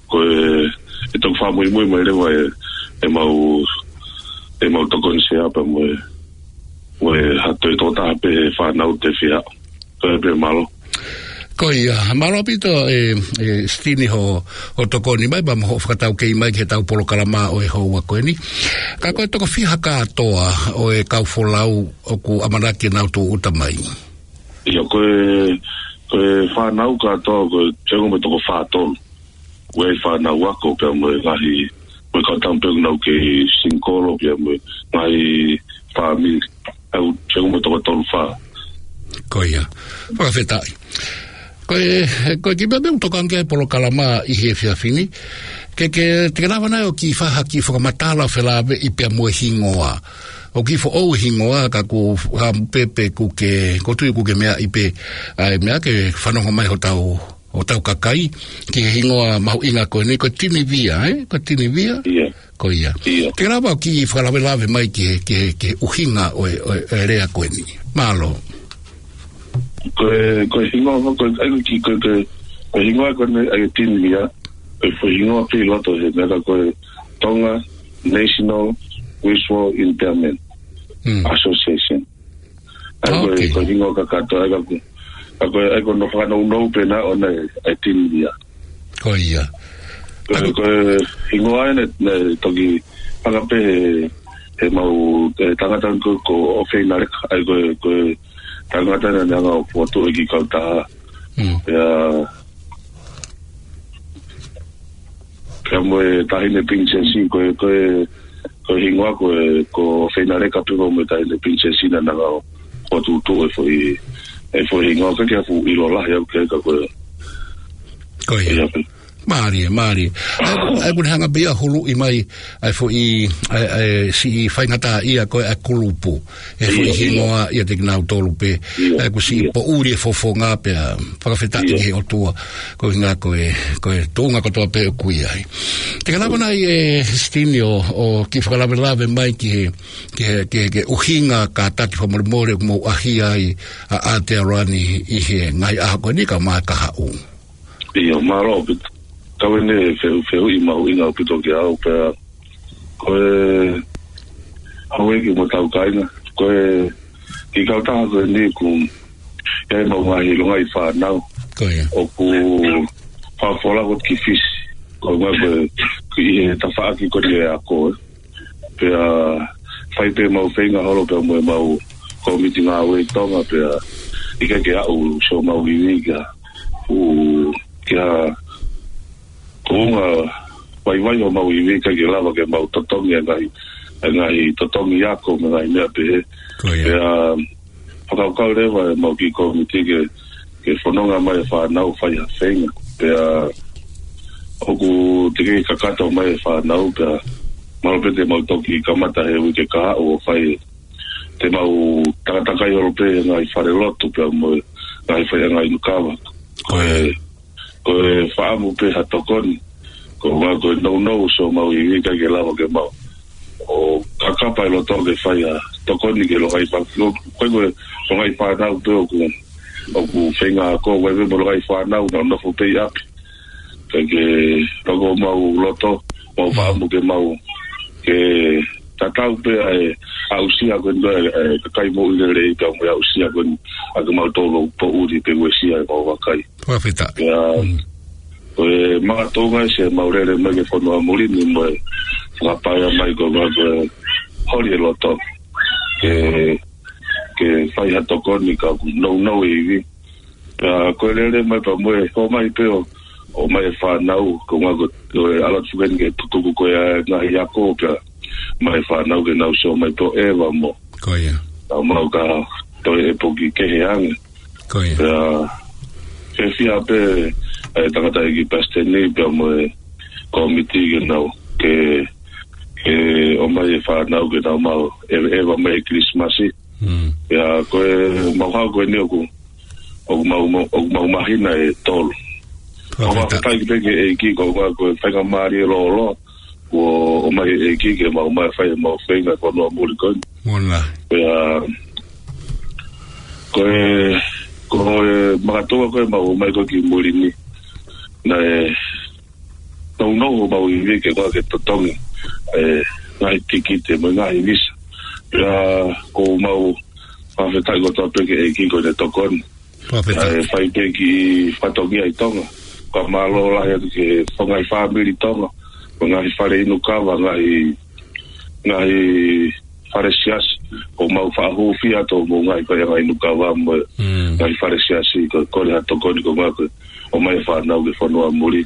ko e, ʻe toki fakamuimui mai leva e, ʻemau, ʻemau tokoni sea pea mo e, mo e ha toe tokotaha pē he fānau te fia. Ko ia pē, mālō. Ko ia, mālō ʻaupito ē, ē, Sitini hoʻo, hoʻo tokoni mai, pea mo hoʻo fakataukei mai ki heʻetau polokalama ʻo e houa ko eni. Ka ko e toko fiha kātoa ʻo e kau folau ʻoku ʻamanaki ke nau tūʻuta mai? ʻIo, ko e, ko e fānau kātoa, ko e teunga mo e toko fā tolu. Ko e fānau ako pea mo e ngaahi, mo e kau tama pē ʻoku nau kei single pea mo e ngaahi fāmili. ʻOku teunga mo e toko tolu fā. Ko ia. Fakafetaʻi. Ko e, ko e kiʻi meʻa ʻoku tokanga ki ai e polokalama ʻi he efiafi ni. Ke, ke, te ke lava nai ʻo kiʻi fai ha kiʻi fakamatala felāveʻi pea mo e hingoa ʻoku kiʻi foʻou hingoa ka ʻoku, ka pē pē ʻoku ke, ʻoku ou tui ʻoku ke meaʻi pē, ʻa e meʻa ke fanongo mai hotau, hotau kakai, ki he hingoa mahuʻinga ko eni, ko e Tinivia, ē? Ko e Tinivia? ʻIo. Ko ia. ʻIo. Te ke lava ʻo kiʻi fakalavelave mai ki he, ki he, ki he ʻuhinga ʻo e, ʻo e, ʻo e lea ko eni. Mālō. Ko e, ko e hingoa, ko e, ʻa ia ko e, ko e, ko e hingoa ko eni ʻa e Tinivia, ko e foʻi hingoa pē ʻi loto he meʻa ko e Tonga National Wishful Impairment Mm. Association. ʻA ia ko e, Ok. ko e hingoa kakato, ʻa ia ko e, ʻa ia ko e, ʻa ia ko hono fakanounou pē naʻe ʻoʻona ʻa e, ʻa e Tinivia. Ko ia. Ko e, ko e hingoa ʻeni, naʻe toki hanga pē he, he mau, he tangata ko, ko ʻOfeinaleka, ʻa ia ko e, ko e tangata naʻa ne hanga ʻo fokotuʻu e kiʻi kautaha. Mm. Pea, pea mo e Taʻahine Pilinisesi, ko e, ko e, ko e hingoa ko e, ko ʻOfeinaleka pē mo e Taʻahine Pilinisesi naʻa ne hanga ʻo fokotuʻutuʻu e foʻi, e foʻi hingoa, ʻikai ke u fuʻu ʻilo lahi au ki ai ka ko e Ko ia. Ia pē. Mālie, mālie. ʻA ia, ʻa ia ʻoku ne hanga pē ia ʻo huluʻi mai, ʻa e foʻi, ʻa e, ʻa e siʻi faingataʻaʻia ko ē ʻa e kulupu. ʻE foʻi Ia, ia. hingoa ia ʻiate kinautolu pē. Ia, ʻA ia ʻoku siʻi ia. poʻuli e fofonga pea fakafetaʻi Ia. ki he ʻOtua. Ko e hingoa ko e, ko e tuʻunga kotoa pē ʻoku ʻi ai. Te ke lava nai ē Sitini ʻo, ʻo kiʻi fakalavelave mai ki he, ki he, ki he, ki he ʻuhinga kātaki fakamolemole ʻoku mou ʻaʻahi ai ʻa, ʻa Aotearoa ni ʻi he ngaahi ʻaho ko eni kae ʻumaʻā e kahaʻu. ʻIo, mālō ʻaupito. Kau ʻeni fehu, fehuʻi mahuʻinga ʻaupito kiate au pea ko e houʻeiki mo hotau kāinga. Ko e kiʻi kautaha ko eni ʻoku ʻi ai ʻemau ngaahi longaʻi fānau. Ko ia. ʻOku fakafola ko ē ki Fisi. Ko e ngaahi ko e, ko e ʻi he tafaʻaki ko eni ʻo e ako, ē. Pea fai pē ʻemau feinga holo pea mo ʻemau kōmiti ngāue ʻi Tonga pea ʻikai ke aʻu siʻomau ivi ki ha, u, ki ha tuʻunga vaivai ʻo homau ivi, ʻikai ke lava ke mau totongi e ngaahi, e ngaahi totongi ako mo e ngaahi meʻa pehē. Ko ia. Pea fakakaukau leva ʻemau kiʻi kōmiti ke, ke fononga mai e fānau fai ha feinga. Pea ʻoku teʻeki kakato mai e fānau pea mahalo pē te mau toki kamata he uike kahaʻu ʻo fai, te mau takatakai holo pē he ngaahi falelotu pea mo e ngaahi faiʻanga inu kava. Ko e, ko e fakaʻamu pē ha tokoni. Ko e ngaahi ko e nounou siʻomau ivi ʻikai ke lava ke mau ʻo kakapa e loto ke fai ha tokoni ki he longaʻi fā-, ko e, ko e longaʻi fānau pē ʻoku, ʻoku feinga ako, ʻoku ʻi ai pē mo e longaʻi fānau naʻa nau nofo pē ʻi ʻapi. Ka ke loko homau loto, mau Mm. fakaʻamu ke mau, ke tatau pē ʻa e aʻusia ko eni ʻa e, ʻa e kakai moʻui lelei pea mo e aʻusia ko eni ʻa kimautolu poʻuli pē uesia ʻemau vakai. Fakafetaʻi. Pea, Mm. ko e makatuʻunga ʻi siʻemau lele mai ki he fonua muli ni mo e fakapaea mai ko e ngaahi ko e holi e loto. Ke, ke fai ha tokoni ka ʻoku nounou e ivi. Pea ko e lele mai pea mo e ʻomai pē ʻo, ʻomai e fānau, ko e ngaahi ko e ʻalu atu foki eni ke tutuku ko e ngaahi ako pea ʻomai e fānau ke nau sio mai pē ʻo ʻeva mo. Ko ia. Naʻa mau ka toe ʻepoki kehe ange. Ko ia. Pea, fiefia pē, e tangataʻeiki palesiteni pea mo e kōmiti ke nau, ke, ke ʻomai e fānau ke nau maʻu e, ʻeva mai he Kilisimasi. Mm. Pea, ko e mau hau ko eni ʻoku, ʻoku mau, ʻoku mau māhina ʻe tolu. Fakafetaʻi. Fakafetaʻi pē ki he ʻEiki, ko e, ko e faingamālie lōloa, ʻoku ʻomai ʻe he ʻEiki ke mau mai fai ʻemau feinga fonua muli ko eni. Mona. Pea, ko e, ko e makatuʻunga ko ē ʻemau mai ko ē ki muli ni. Naʻe nounou homau ivi ke ngāue ke totongi, e, ngaahi tikite mo e ngaahi visa. Pea ʻoku mau fakafetaʻi kotoa pē ki he ʻEiki ko ʻene tokoni. Fakafetaʻi. E, fai pē kiʻi fatongia ʻi Tonga. Ka mālō lahi atu ki he ngaahi fāmili Tonga, mo e ngaahi fale inu kava, ngaahi, ngaahi fale siasi, ʻoku mau fakahūfia atu mo e ngaahi faiʻanga inu kava mo e Mm. ngaahi fale siasi, ko e kole ha tokoni ko e ngaahi ko e ʻomai e fānau ki he fonua muli.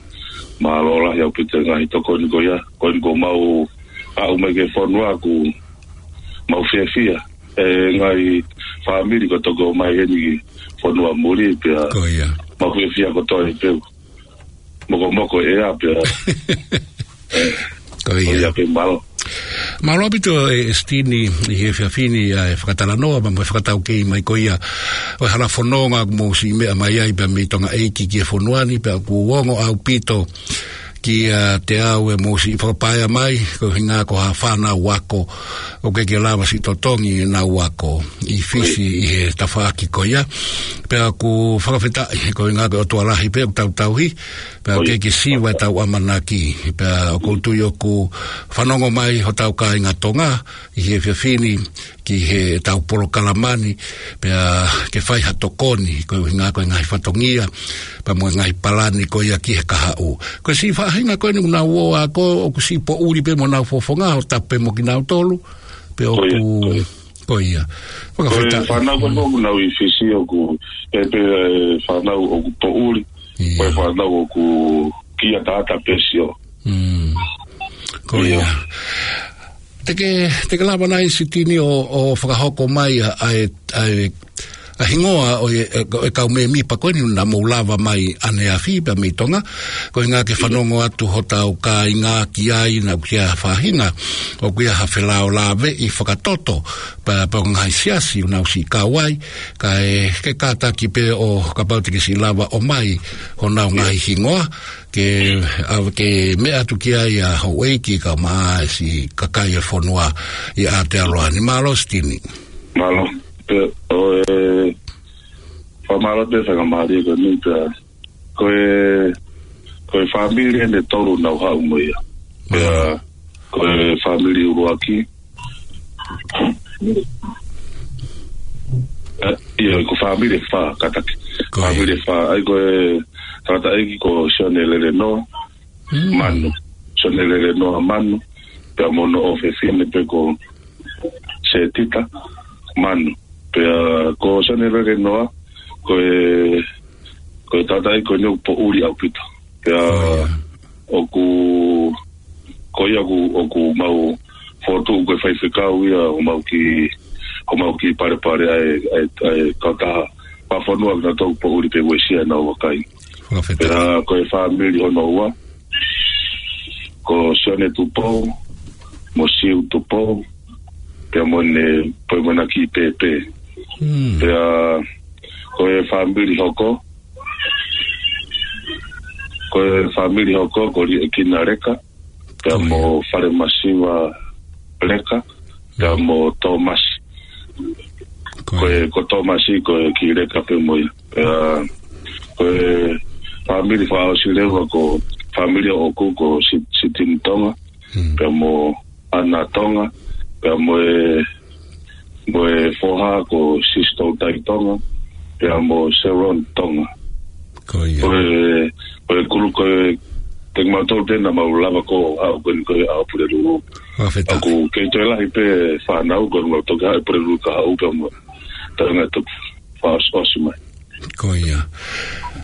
Mālō lahi ʻaupito e ngaahi tokoni ko ia, ko eni kuo mau aʻu mai ki he fonua ʻoku mau fiefia. E ngaahi fāmili ko ē toki ō mai heni ki he fonua muli pea Ko ia. mau fiefia kotoa pē. Mokomoko e ʻea pea. Ko ia. Ko ia pē mālō. Mālō ʻaupito e Sitini ʻi he efiafi ni ʻa e fakatalanoa, pea mo e fakataukei mai ko ia ʻo e hala fononga ʻoku mou siʻi meʻa mai ai pea mei Tonga ʻEiki ki he fonua ni, pea ʻoku ongo ʻaupito kiate au ʻemou siʻi fakapaea mai, ko e ʻuhinga ko ha fānau ako, ʻoku ʻikai ke lava siʻi totongi ʻenau ako ʻi Fisi ʻi he tafaʻaki ko ia. Pea ʻoku fakafetaʻi, ko e ʻuhinga ko e ʻOtua lahi pē ʻoku tau tauhi, pea ʻoku ʻikai ke siva ʻetau ʻamanaki, pea ʻoku ou tui ʻoku fanongo mai hotau kāinga Tonga ʻi he efiafi ni ki heʻetau polokalama ni, pea ke fai ha tokoni, ko e ʻuhinga ko e ngaahi fatongia, pea mo e ngaahi palani ko ia ki he kahaʻu. Ko e siʻi faʻahinga ko eni ʻoku nau ō ako, ʻoku siʻi poʻuli pē mo honau fofonga, ʻo tapu pē mo kinautolu, pea ʻoku, ko ia. Ko e fānau ko ē ʻoku nau ʻi Fisi ʻoku, ʻe pē, ʻe fānau ʻoku poʻuli, ko e fānau ʻoku kia tata pē sio. Ko ia. Te ke, te ke lava nai Sitini ʻo, ʻo fakahoko mai ʻa, ʻa e, ʻa e, ʻa e hingoa ʻo e, ʻo e kau mēmipa ko eni naʻa mou lava mai ʻaneafi pea mei Tonga, ko e ʻuhinga ke fanongo atu hotau kāinga ki ai naʻa ʻoku ʻi ai ha faʻahinga, ʻoku ʻi ai ha felāveʻi fakatoto, pea, pea ʻoku ngaahi siasi ʻoku nau siʻi kau ai, kae ke kātaki pē ʻo kapau te ke siʻi lava ʻomai honau ngaahi hingoa, ke, ʻa, ke meʻa atu ki ai ʻa houʻeiki kae ʻumaʻā e siʻi kakai e fonua ʻi Aotearoa ni. Mālō Sitini. Mālō. Pea, ʻo e, fakamālō pē fakamālō ko eni pea, ko e, ko e fāmili ʻe tolu naʻa ku haʻu mo ia. Pea, ko e fāmili ʻuluaki, ʻIo, ko e fāmili ʻe fā, kātaki. Fāmili ʻe fā, ʻa ia ko e tangataʻeiki ko Sione Lelenoa Manu. Sione Lelenoa Manu, pea mo hono ʻofefine pē ko Setita Manu. Pea ko Sione Lelenoa, ko e, ko e tangataʻeiki ko eni ʻoku poʻuli ʻaupito. Pea ʻoku, ko ia ʻoku, ʻoku mau fokotuʻu ko e faifekau ia, ʻo mau kiʻi, ʻo mau kiʻi palepale ʻa e, ʻa e, ʻa e kautaha fakafonua kinautolu ʻoku poʻuli pea uesia ʻenau vakai. Pea ko e fāmili hono ua, ko Sione Tupou, mo Siu Tupou, pea mo ʻene, pea mo ʻena kiʻi pēpē. Pea ko e fāmili hoko, ko e fāmili hoko, ko Liʻekina Leka, pea mo Falemasiva Leka, pea mo Tōmasi. Ko e, ko Tōmasi, ko e kiʻi Leka pē mo ia. Pea, ko e fāmili fakaʻosi leva ko e fāmili ʻoʻoku ko Si-, Sitini Tonga, pea mo ʻAna Tonga, pea mo e, mo e foha ko Sisto Tai Tonga, pea mo Sharon Tonga. Ko ia. Ko e, ko e kulu ko e, te mau tolu pē naʻa mau lava ko ʻaho ko eni ko e ʻaho Pulelulu. Fakafetaʻi. ʻOku kei toe lahi pē fānau ko eni mau toki haʻu Pulelulu ka haʻu pea mo. Tau ngai toki fakaʻosiʻosi mai. Ko ia.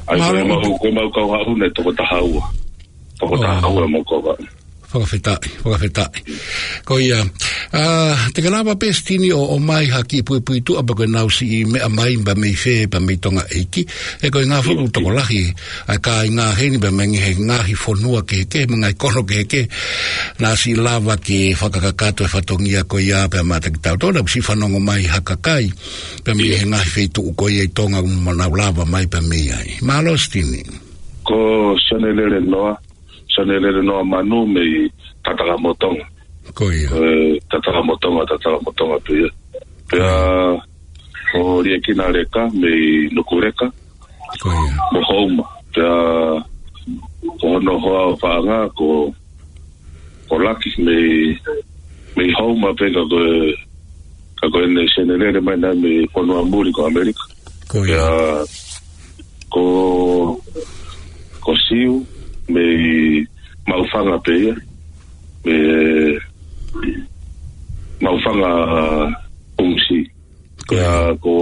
ʻA ia ko e mau, ko e mau kau haʻu naʻe toko taha ua. Toko taha ua mau kau haʻu. Fakafetaʻi, fakafetaʻi. Ko ia, ʻa, te ke lava pē Sitini ʻo, ʻomai ha kiʻi puipuituʻa pe ko e naʻa nau siʻi meʻa mai pea mei fē pea mei Tonga ʻEiki. He ko e ngaahi fuʻu tokolahi ʻa e kāinga heni pea mei he ngaahi fonua kehekehe, mo e ngaahi kono kehekehe, naʻa siʻi lava ke fakakakato e fatongia ko ia pea maʻatautolu, naʻa siʻi fanongo mai ha kakai pea mei he ngaahi feituʻu ko ia ʻi Tonga ʻoku nau lava mai pea mei ai. Mālō Sitini. Ko Sione Lelenoa, Sione Lelenoa Manu mei Tatakamotonga. Ko ia. E, Tatakamotonga, Tatakamotonga pē ia. Pea ko Liʻekina Leka mei Nukuleka. Ko ia. Mo Houma. Pea ko hono hoa ʻo fānau ko, ko Laki mei, mei Houma pē ka ko e, ka ko ʻene Sione Lele mai naʻe mei fonua muli ko ʻAmelika. Ko ia. Pea ko, ko Siu mei Maʻufanga pē ia, mei Maʻufanga, Pungusi. Ko ia. Pea ko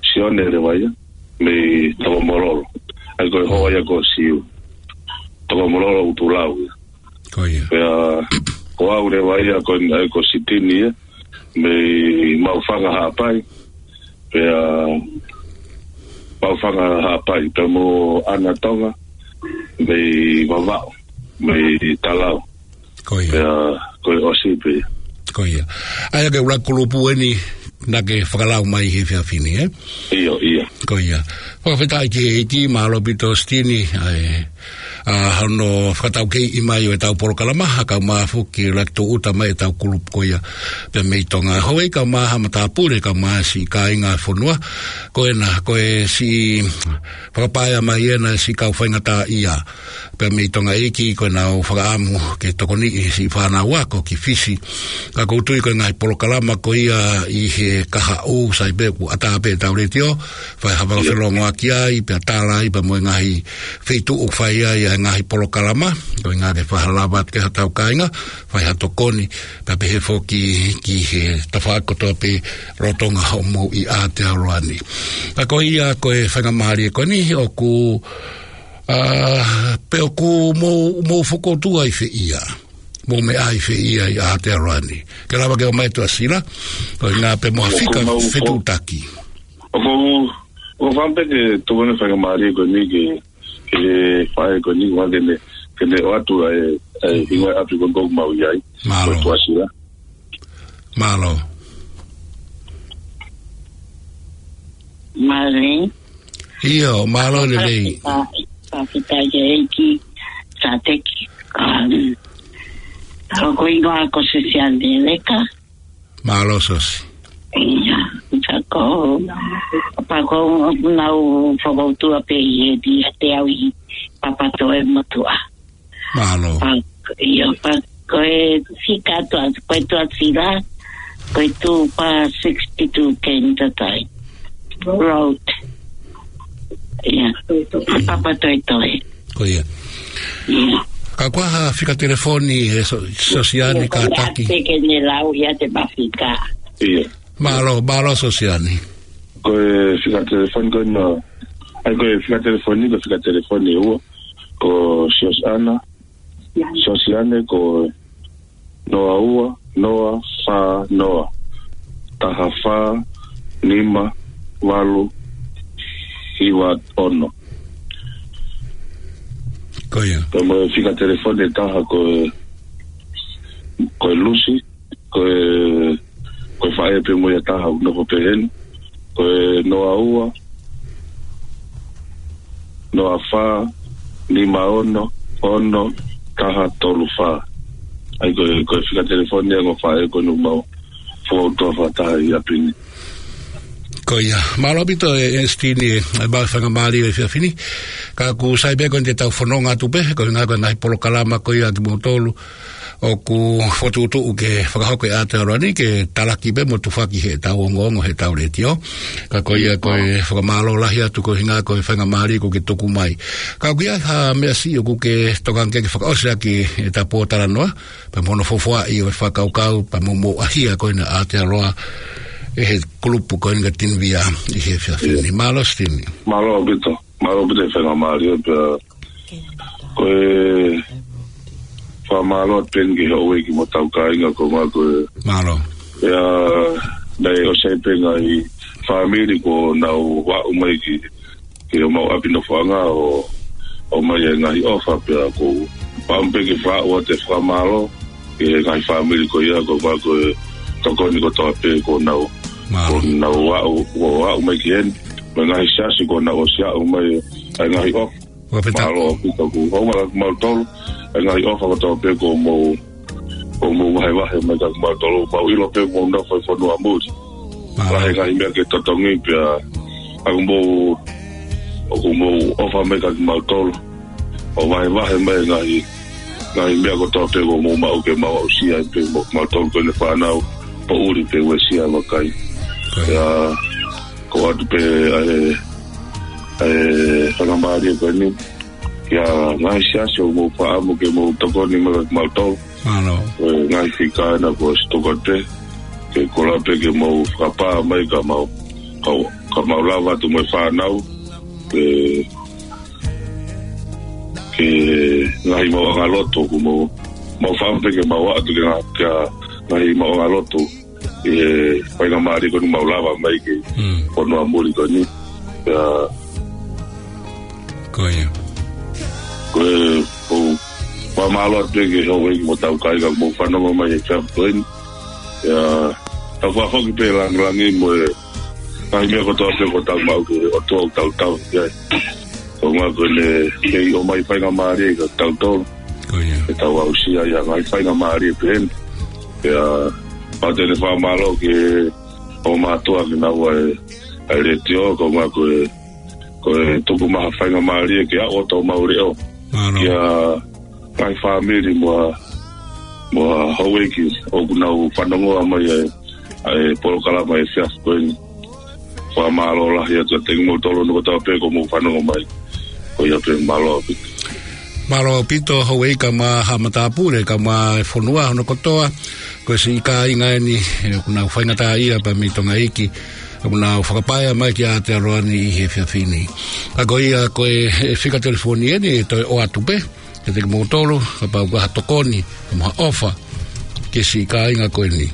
Sione leva ia mei Tokomololo. ʻA ia ko e hoa ia ko Siu. Tokomololo ʻUtulau ia. Ko ia. Pea ko au leva ia ko, ʻa ia ko Sitini ia mei Maʻufanga Haʻapai. Pea Maʻufanga Haʻapai, pea mo ʻAna Tonga mei Vavaʻu, mei Talau. Ko ia. Pea ko e ʻosi pē. Ko ia. ʻA ia ko e ʻuluaki kulupu eni naʻa ke fakalau mai he efiafi ni, ē? ʻIo, ʻio. Ko ia. Fakafetaʻi ki he ʻEiki, mālō ʻaupito Sitini, ʻa e, ʻa hono fakataukeiʻi mai ʻo ʻetau polokalama, ʻa e kau mai foki ʻuluaki tūʻuta mai ʻetau kulupu ko ia pē mei Tonga. Houʻeiki, kau mai ha matāpule, kau mai siʻi kāinga fonua, ko ena, ko e siʻi fakapaea mai ena siʻi kau faingataʻaʻia pē mei Tonga ʻEiki, ko ʻenau fakaʻamu ke tokoniʻi siʻi fānau ako ki Fisi. Ka ʻoku ou tui ko e ngaahi polokalama ko ia ʻi he kahaʻu, sai pē ʻoku ʻatā pē ʻetau letiō, fai ha fakafelongoaki ai, pea tala ai pē mo e ngaahi feituʻu ʻoku fai ai ʻa e ngaahi polokalama, ko e ʻuhinga ke fakalava atu ki haʻatau kāinga, fai ha tokoni, pea pehē foki ki he tafaʻaki kotoa pē lolotonga hoʻomou ʻi Aotearoa ni. Ka ko ia ko e faingamālie ko eni ʻoku, ʻa, pe ʻoku mou, mou fokoutua ʻi fē ia. Mou meʻa ʻi fē ia ʻi Aotearoa ni. Ke lava ke ʻomai Tuʻasila, ko e ʻuhinga pē mo ha fika fetuʻutaki. ʻOku, ʻoku ou fakaʻamu pē ke tuku ʻa e faingamālie ko eni ke ke faʻē ko eni ʻoku ke ne, ke ne ʻoatu ʻa e, ʻa e hingoa ʻapi ko eni ʻoku mau ʻi ai. Mālō. Ko Tuʻasila. Mālō. Mālō. ʻIo, mālō lelei. Fakafetaʻi, fakafetaʻi ki he ʻEiki, Sāteki. Um, ko e hingoa ko Sosiane Leka. Mālō Sosi. ʻIa, pea ko, pea ko ʻenau fokoutua pē ʻi he ʻiate au ʻi Papatoetoe motuʻa. Mālō. Pea, ʻio, pea ko e fika Tuʻa, ko e Tuʻasila, ko e two pa sixty-two Kentata Road. ʻIa, Papatoetoe. Ko ia. ʻIa. Ka ko e hā ha fika telefoni ʻe So-, Sosiane, kātaki? Pea ke ne lau ia te mafika. ʻIa. Mālō, mālō Sosiane. Ko e fika telefoni ko ena, ʻa ia ko e fika telefoni, ko e fika telefoni ʻe ua. Ko Sosiana, Sosiane ko noa ua, noa fā noa, taha fā, nima, valu, hiva, ono. Ko ia. Pea mo e fika telefoni ʻe taha ko e, ko e Lusi, ko e, ko e faʻē pē mo ia ʻe taha ʻoku nofo pē heni. Ko e noa ua, noa fā, nima ono, ono, taha tolu fā. ʻA ia ko e, ko e fika telefoni ʻa e ongo faʻē ko eni ʻoku mau fokoutua fakataha ʻi ʻapi ni. Ko ia, mālō ʻaupito ʻe, ʻe Sitini, ʻa e, ʻa e faingamālie ʻo e efiafi ni. Ka ʻoku sai pē ko eni te tau fononga atu pē, ko e ʻuhinga ko e ngaahi polokalama ko ia kimoutolu ʻoku fokotuʻutuʻu ke fakahoko ʻi Aotearoa ni ke talaki pē mo tufaki heʻetau ongoongo heʻetau letiō. Ka ko ia ko e fakamālō lahi atu ko e ʻuhinga ko e faingamālie kuo ke tuku mai. Ka ʻoku ʻi ai ha meʻa siʻi ʻoku ke tokanga ke ke fakaʻosi ʻaki ʻeta pōtalanoa, pea mo hono fuofua ʻi he fakakaukau, pea mo hoʻomou ʻaʻahi ko ena ʻa Aotearoa ʻi he kulupu ko eni ka Tinivia ʻi he efiafi ni. Mālō Sitini. Mālō ʻaupito. Mālō ʻaupito e faingamālie pea ko e fakamālō atu pē eni ki he houʻeiki mo hotau kāinga ko ē, ko e. Mālō. ʻIa, naʻe ʻosi pē ngaahi fāmili kuo nau aʻu mai ki, ki homau ʻapi nofoʻanga ʻo, ʻomai e ngaahi ʻofa pea ʻoku ou fakaʻamu pē ke fakaaʻu atu e fakamālō ki he ngaahi fāmili ko ia ko ē, ko e tokoni kotoa pē kuo nau, Mālō. kuo nau aʻu, kuo aʻu mai ki heni. Mo e ngaahi siasi kuo nau ʻosi aʻu mai ʻa e ngaahi ʻofa. Fakafetaʻi. Mālō ʻaupito ʻoku ʻomai kimautolu ʻa e ngaahi ʻofa kotoa pē kuo mou, kuo mou vahevahe mai kiate kimautolu. Mau ʻilo pē ʻoku mou nofo ʻi fonua muli. Mālō. Vahe ngaahi meʻa ke totongi pea ʻoku mou, ʻoku mou ʻofa mai kiate kimautolu ʻo vahevahe mai ngaahi, ngaahi meʻa kotoa pē kuo mou maʻu ke mau aʻusia ai pē mo kimautolu ko eni fānau, poʻuli pē uesia vakai. Ko ia. Pea ʻoku ʻoatu pē ʻa e, ʻa e faingamālie ko eni ki he ngaahi siasi ʻoku mou fakaʻamu ke mou tokoni mai kiate kimautolu. Mālō. Ko e ngaahi fika ena kuo ʻosi tuku atu pē, ke kole pē ke mou fakapā mai ka mau, ka, ka mau lava atu mo e fānau, ke, ki he ngaahi maʻuʻanga lotu ʻoku mou, mau fakaʻamu pē ke mau ʻoatu ki he ngaahi, ki he ngaahi maʻuʻanga lotu ʻi he faingamālie ko eni mau lava mai ki, Mm. fonua muli ko eni. Pea Ko ia. Ko e, ʻoku ou Fakamālō atu pē ki he houʻeiki mo hotau kāinga ʻoku mou fanongo mai he efiafi ko eni. ʻIo, tau fakafoki pē e langilangi mo e ngaahi meʻa kotoa pē kuo tau maʻu ki he ʻOtua ʻoku tau tauhi ai. Ko e ʻuhinga ko ʻene kei ʻomai faingamālie kiate kitautolu. Ko ia. Ke tau aʻusia ʻa e ngaahi faingamālie pehē ni. ʻIo, pea te ne fakamālō ki he ongo mātuʻa ke nau ʻai e, ʻai e letiō, ko e ʻuhinga ko e, ko e tuku mai ha faingamālie ke aʻu ʻo tau maʻu leʻo. Mālō. Kia ngaahi fāmili mo e, mo e houʻeiki ʻoku nau fanongo mai ʻa e, ʻa e polokalama he efiafi ko eni. Fakamālō lahi atu kiate kimoutolu hono kotoa pē ʻoku mou fanongo mai. Ko ia pē, mālō ʻaupito. Mālō ʻaupito, houʻeiki kae ʻumaʻā haʻa matāpule, kae ʻumaʻā e fonua hono kotoa. Ko e siʻi kāinga eni, ʻoku nau faingataʻaʻia pea mei Tonga iiki, ʻoku nau fakapaea mai ki Aotearoa ni ʻi he efiafi ni. Ka ko ia, ko e, e fika telefoni eni, ʻe toe ʻoatu pē kiate kimoutolu, kapau ʻoku ʻi ai ha tokoni, mo ha ʻofa, ki he siʻi kāinga ko eni.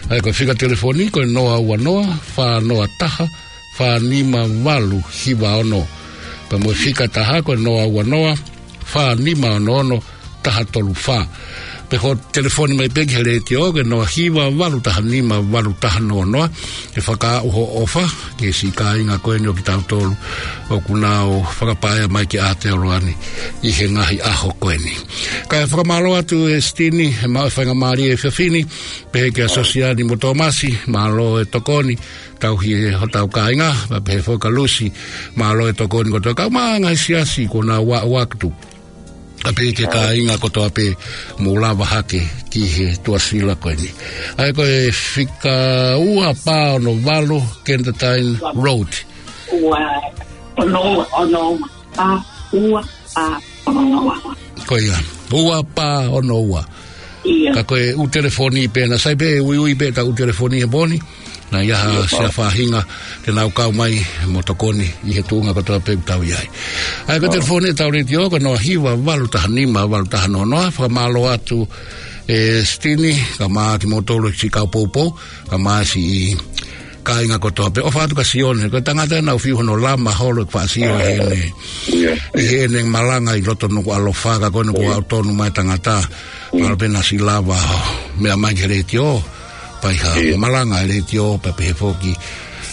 ʻA ia ko e fika telefoni, ko e noa ua noa, fā noa taha, fā nima valu hiva ono. Pea mo e fika taha, ko e noa ua noa, fā nima ono ono, taha tolu fā. Pe ko e telefoni mai pē ki he letiō, ko e noa hiva valu taha nima valu taha noa noa. ʻE fakaaʻu hoʻo ʻofa ki he siʻi kāinga ko eni ʻo kitautolu ʻoku nau fakapaea mai ki Aotearoa ni ʻi he ngaahi ʻaho ko eni. Kae fakamālō atu ʻe Sitini, he maʻu e faingamālie he efiafi ni, pehē kia Sosiani mo Tōmasi, mālō e tokoni, tauhi e hotau kāinga, pea pehē foki kia Lusi, mālō e tokoni kotoa, kae ʻumaʻā e ngaahi siasi kuo nau aʻu atu. Pea pehē ki he kāinga kotoa pē, mou lava hake ki he tuʻasila ko eni. ʻA ia ko e fika ua pā ono valu Kensington Road. Ua, ono ua, ono ua, pā, ua, pā, ono ua. Ko ia, ua pā ono ua. ʻIo. Ka ko e ʻū telefoni pē, naʻa sai pē uiui pē ʻetau ʻū telefoni he pō ni. Naʻa ʻi ai ha siʻa faʻahinga te nau kau mai mo tokoni ʻi he tuʻunga kotoa pē ʻoku tau ʻi ai. ʻA ia ko e telefoni ʻetau letiō, ko e noa hiva valu taha nima valu taha noa noa, fakamālō atu ʻe Sitini, kae ʻumaʻā kimoutolu siʻi kau poupou, kae ʻumaʻā siʻi kāinga kotoa pē. ʻOfa atu kia Sione, ko e tangata naʻa ku fiu hono lama holo ʻeku faʻa sio ʻi heʻene, ʻi heʻene malanga ʻi loto Nukuʻalofa, ka ko eni kuo aʻu tonu mai e tangata. Mālō pē naʻa siʻi lava ʻo meʻa mai ki he letiō, pea ʻi ha malanga e letiō, pea pehē foki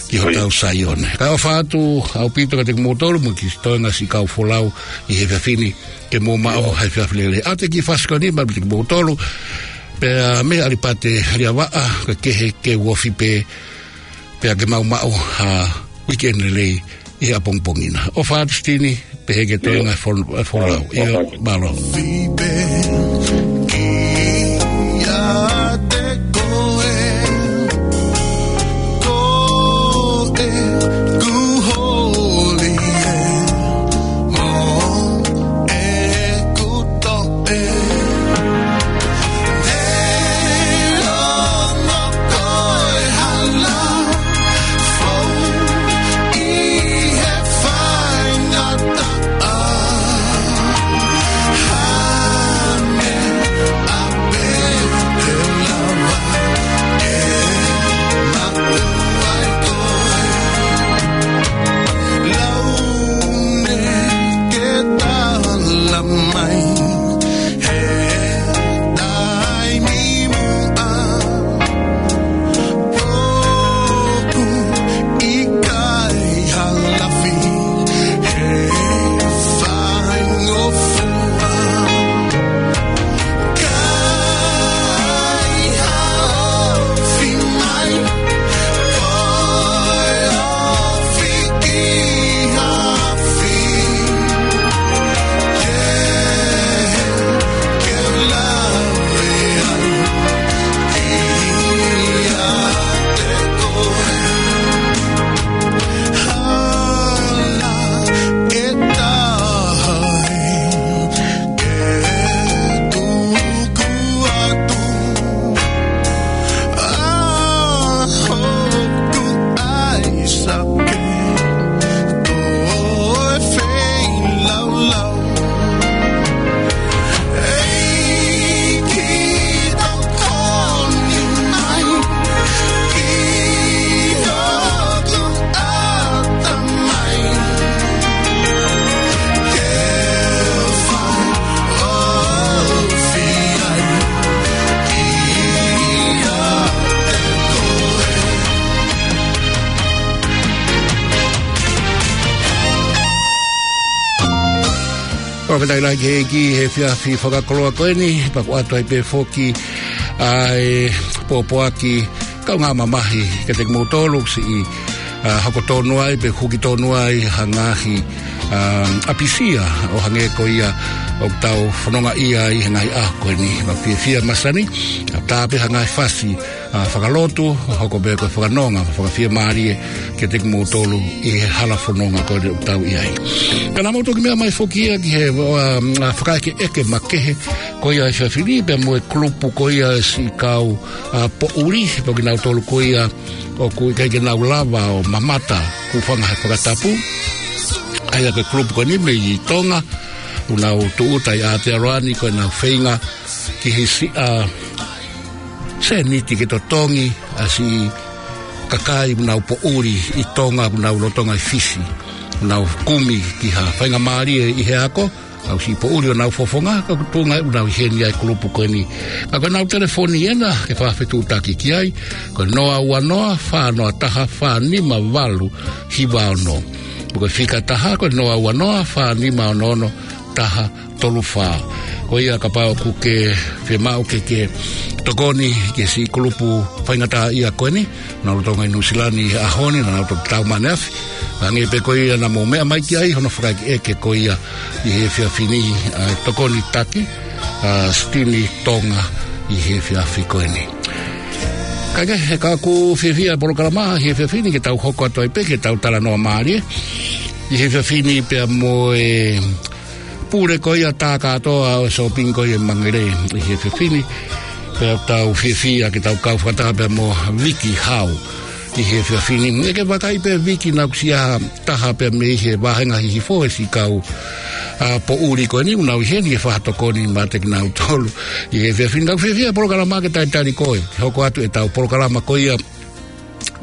ki hotau Saione. Kae ʻofa atu ʻaupito kiate kimoutolu mo e kiʻi toenga siʻi kau folau ʻi he efiafi ni, ke mou maʻu ha efiafi lelei. ʻAtu e kiʻi fasi ko eni maʻa kimoutolu, pea mei he ʻAlipate Liavaʻa, ko e kehe ke u ofi pē, pea ke mou maʻu ha weekend lelei ʻi he ʻapongipongi na. ʻOfa atu Sitini, pehē ki he toenga fol-, folau. ʻIo, mālō. Fakatailaiki he ʻEiki he efiafi fakakoloa ko eni, pea ʻoku ʻoatu ai pē foki ʻa e pōpoaki kaungā mamahi kiate kimoutolu siʻi, ʻa, hoko tonu ai, pe huki tonu ai ha ngaahi, ʻa, ʻapisia ʻo hangē ko ia ʻoku tau fononga ai he ngaahi ʻaho ko eni. Mau fiefia masani, ʻa, tā pē ha ngaahi fasi, ʻa, fakalotu, hoko pē ko e fakanonga, fakafiemālie kiate kimoutolu ʻi he hala fononga ko eni ʻoku tau ʻi ai. Ka naʻa mau toki meʻa mai foki ia ki he, ʻa, ʻa, fakaʻekeʻeke makehe ko ia he efiafi ni pea mo e kulupu ko ia siʻi kau, ʻa, poʻuli, pea ko kinautolu ko ia ʻoku ʻikai ke nau lava ʻo mamata, kuo fanga he fakatapu. ʻA ia ko e kulupu ko eni mei Tonga, ʻoku nau tūʻuta ʻi Aotearoa ni ko ʻenau feinga ki he siʻa sēniti ke totongi ʻa siʻi kakai ʻoku nau poʻuli ʻi Tonga, ʻoku nau lolotonga ʻi Fisi, ʻoku nau kumi ki ha faingamālie ʻi he ako, ʻa e siʻi poʻuli ʻo nau fofonga, ka ʻoku tuʻunga ʻoku nau ʻi heni ʻa e kulupu ko eni. Ka ko ʻenau telefoni ena ke fakafetuʻutaki ki ai, ko e noa ua noa, fā noa taha, fā nima valu, hiva ono. Mo e fika taha, ko e noa ua noa, fā nima ono ono, taha tolu fā. Ko ia kapau ʻoku ke fiemaʻu ke ke tokoni ki he siʻi kulupu faingataʻaʻia ko eni, naʻa nau lolotonga ʻi Nuʻusila ni he ʻaho ni, naʻa nau toki tau mai ʻaneafi. Hangē pē ko ia naʻa mou meʻa mai ki ai, hono fakaʻekeʻeke ko ia ʻi he efiafi ni, ʻa e tokoni taki, ʻa Sitini Tonga ʻi he efiafi ko eni. Kae kehe, he ka ʻoku fiefia e polokalama he efiafi ni ke tau hoko atu ai pē ke tau talanoa mālie ʻi he efiafi ni pea mo e pule ko ia tā kātoa ʻo e sōpingi ko ia ʻi Mangere ʻi he efiafi ni. Pea tau fiefia ke tau kau fakataha pea mo Viki Hau ʻi he efiafi ni. ʻE ke vakai pē Viki naʻa ku ʻosi ʻi ha taha pea mei he vāhenga hihifo he siʻi kau, ʻa, poʻuli ko eni ʻoku nau ʻi heni ke fakatokoni maʻa kinautolu ʻi he efiafi ni. Ka ʻoku fiefia e polokalama ke talitali koe ke hoko atu ʻetau polokalama ko ia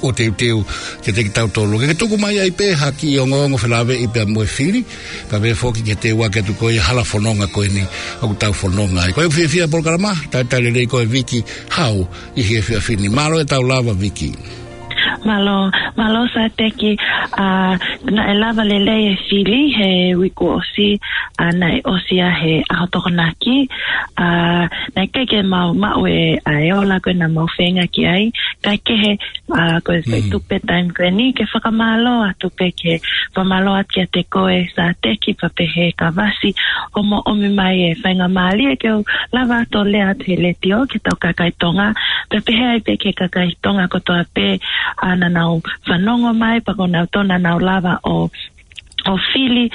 ʻo teuteu kiate kitautolu. Ke ke tuku mai ai pē ha kiʻi ongoongo felāveʻi pea mo e fili, pea pehē foki ke teuaki atu ko ia e hala fononga ko eni ʻoku tau fononga ai. Ko ia ʻoku fiefia e polokalama, talitali lelei koe Viki Hau ʻi he efiafi ni. Mālō e tau lava Viki. Mālō, mālō Sateki, ʻa, naʻe lava lelei e fili he uike kuo ʻosi, ʻa, naʻe ʻosi ia he ʻaho Tokonaki, ʻa, naʻe ʻikai ke mau maʻu e, ʻa, e ola ko ē naʻa mau feinga ki ai, kae kehe, ʻa, ko e Mm. tupe taimi ko eni ke fakamālō atu pē ke fakamālō atu kiate koe Sateki pea pehē Kavasi hoʻomo ʻomi mai e faingamālie ke u lava atu ʻo lea atu he letiō ki he tau kakai Tonga, pea pehē ai pē ki he kakai Tonga kotoa pē, ʻa, naʻa nau fanongo mai, pea ko kinautolu naʻa nau lava ʻo ʻo fili,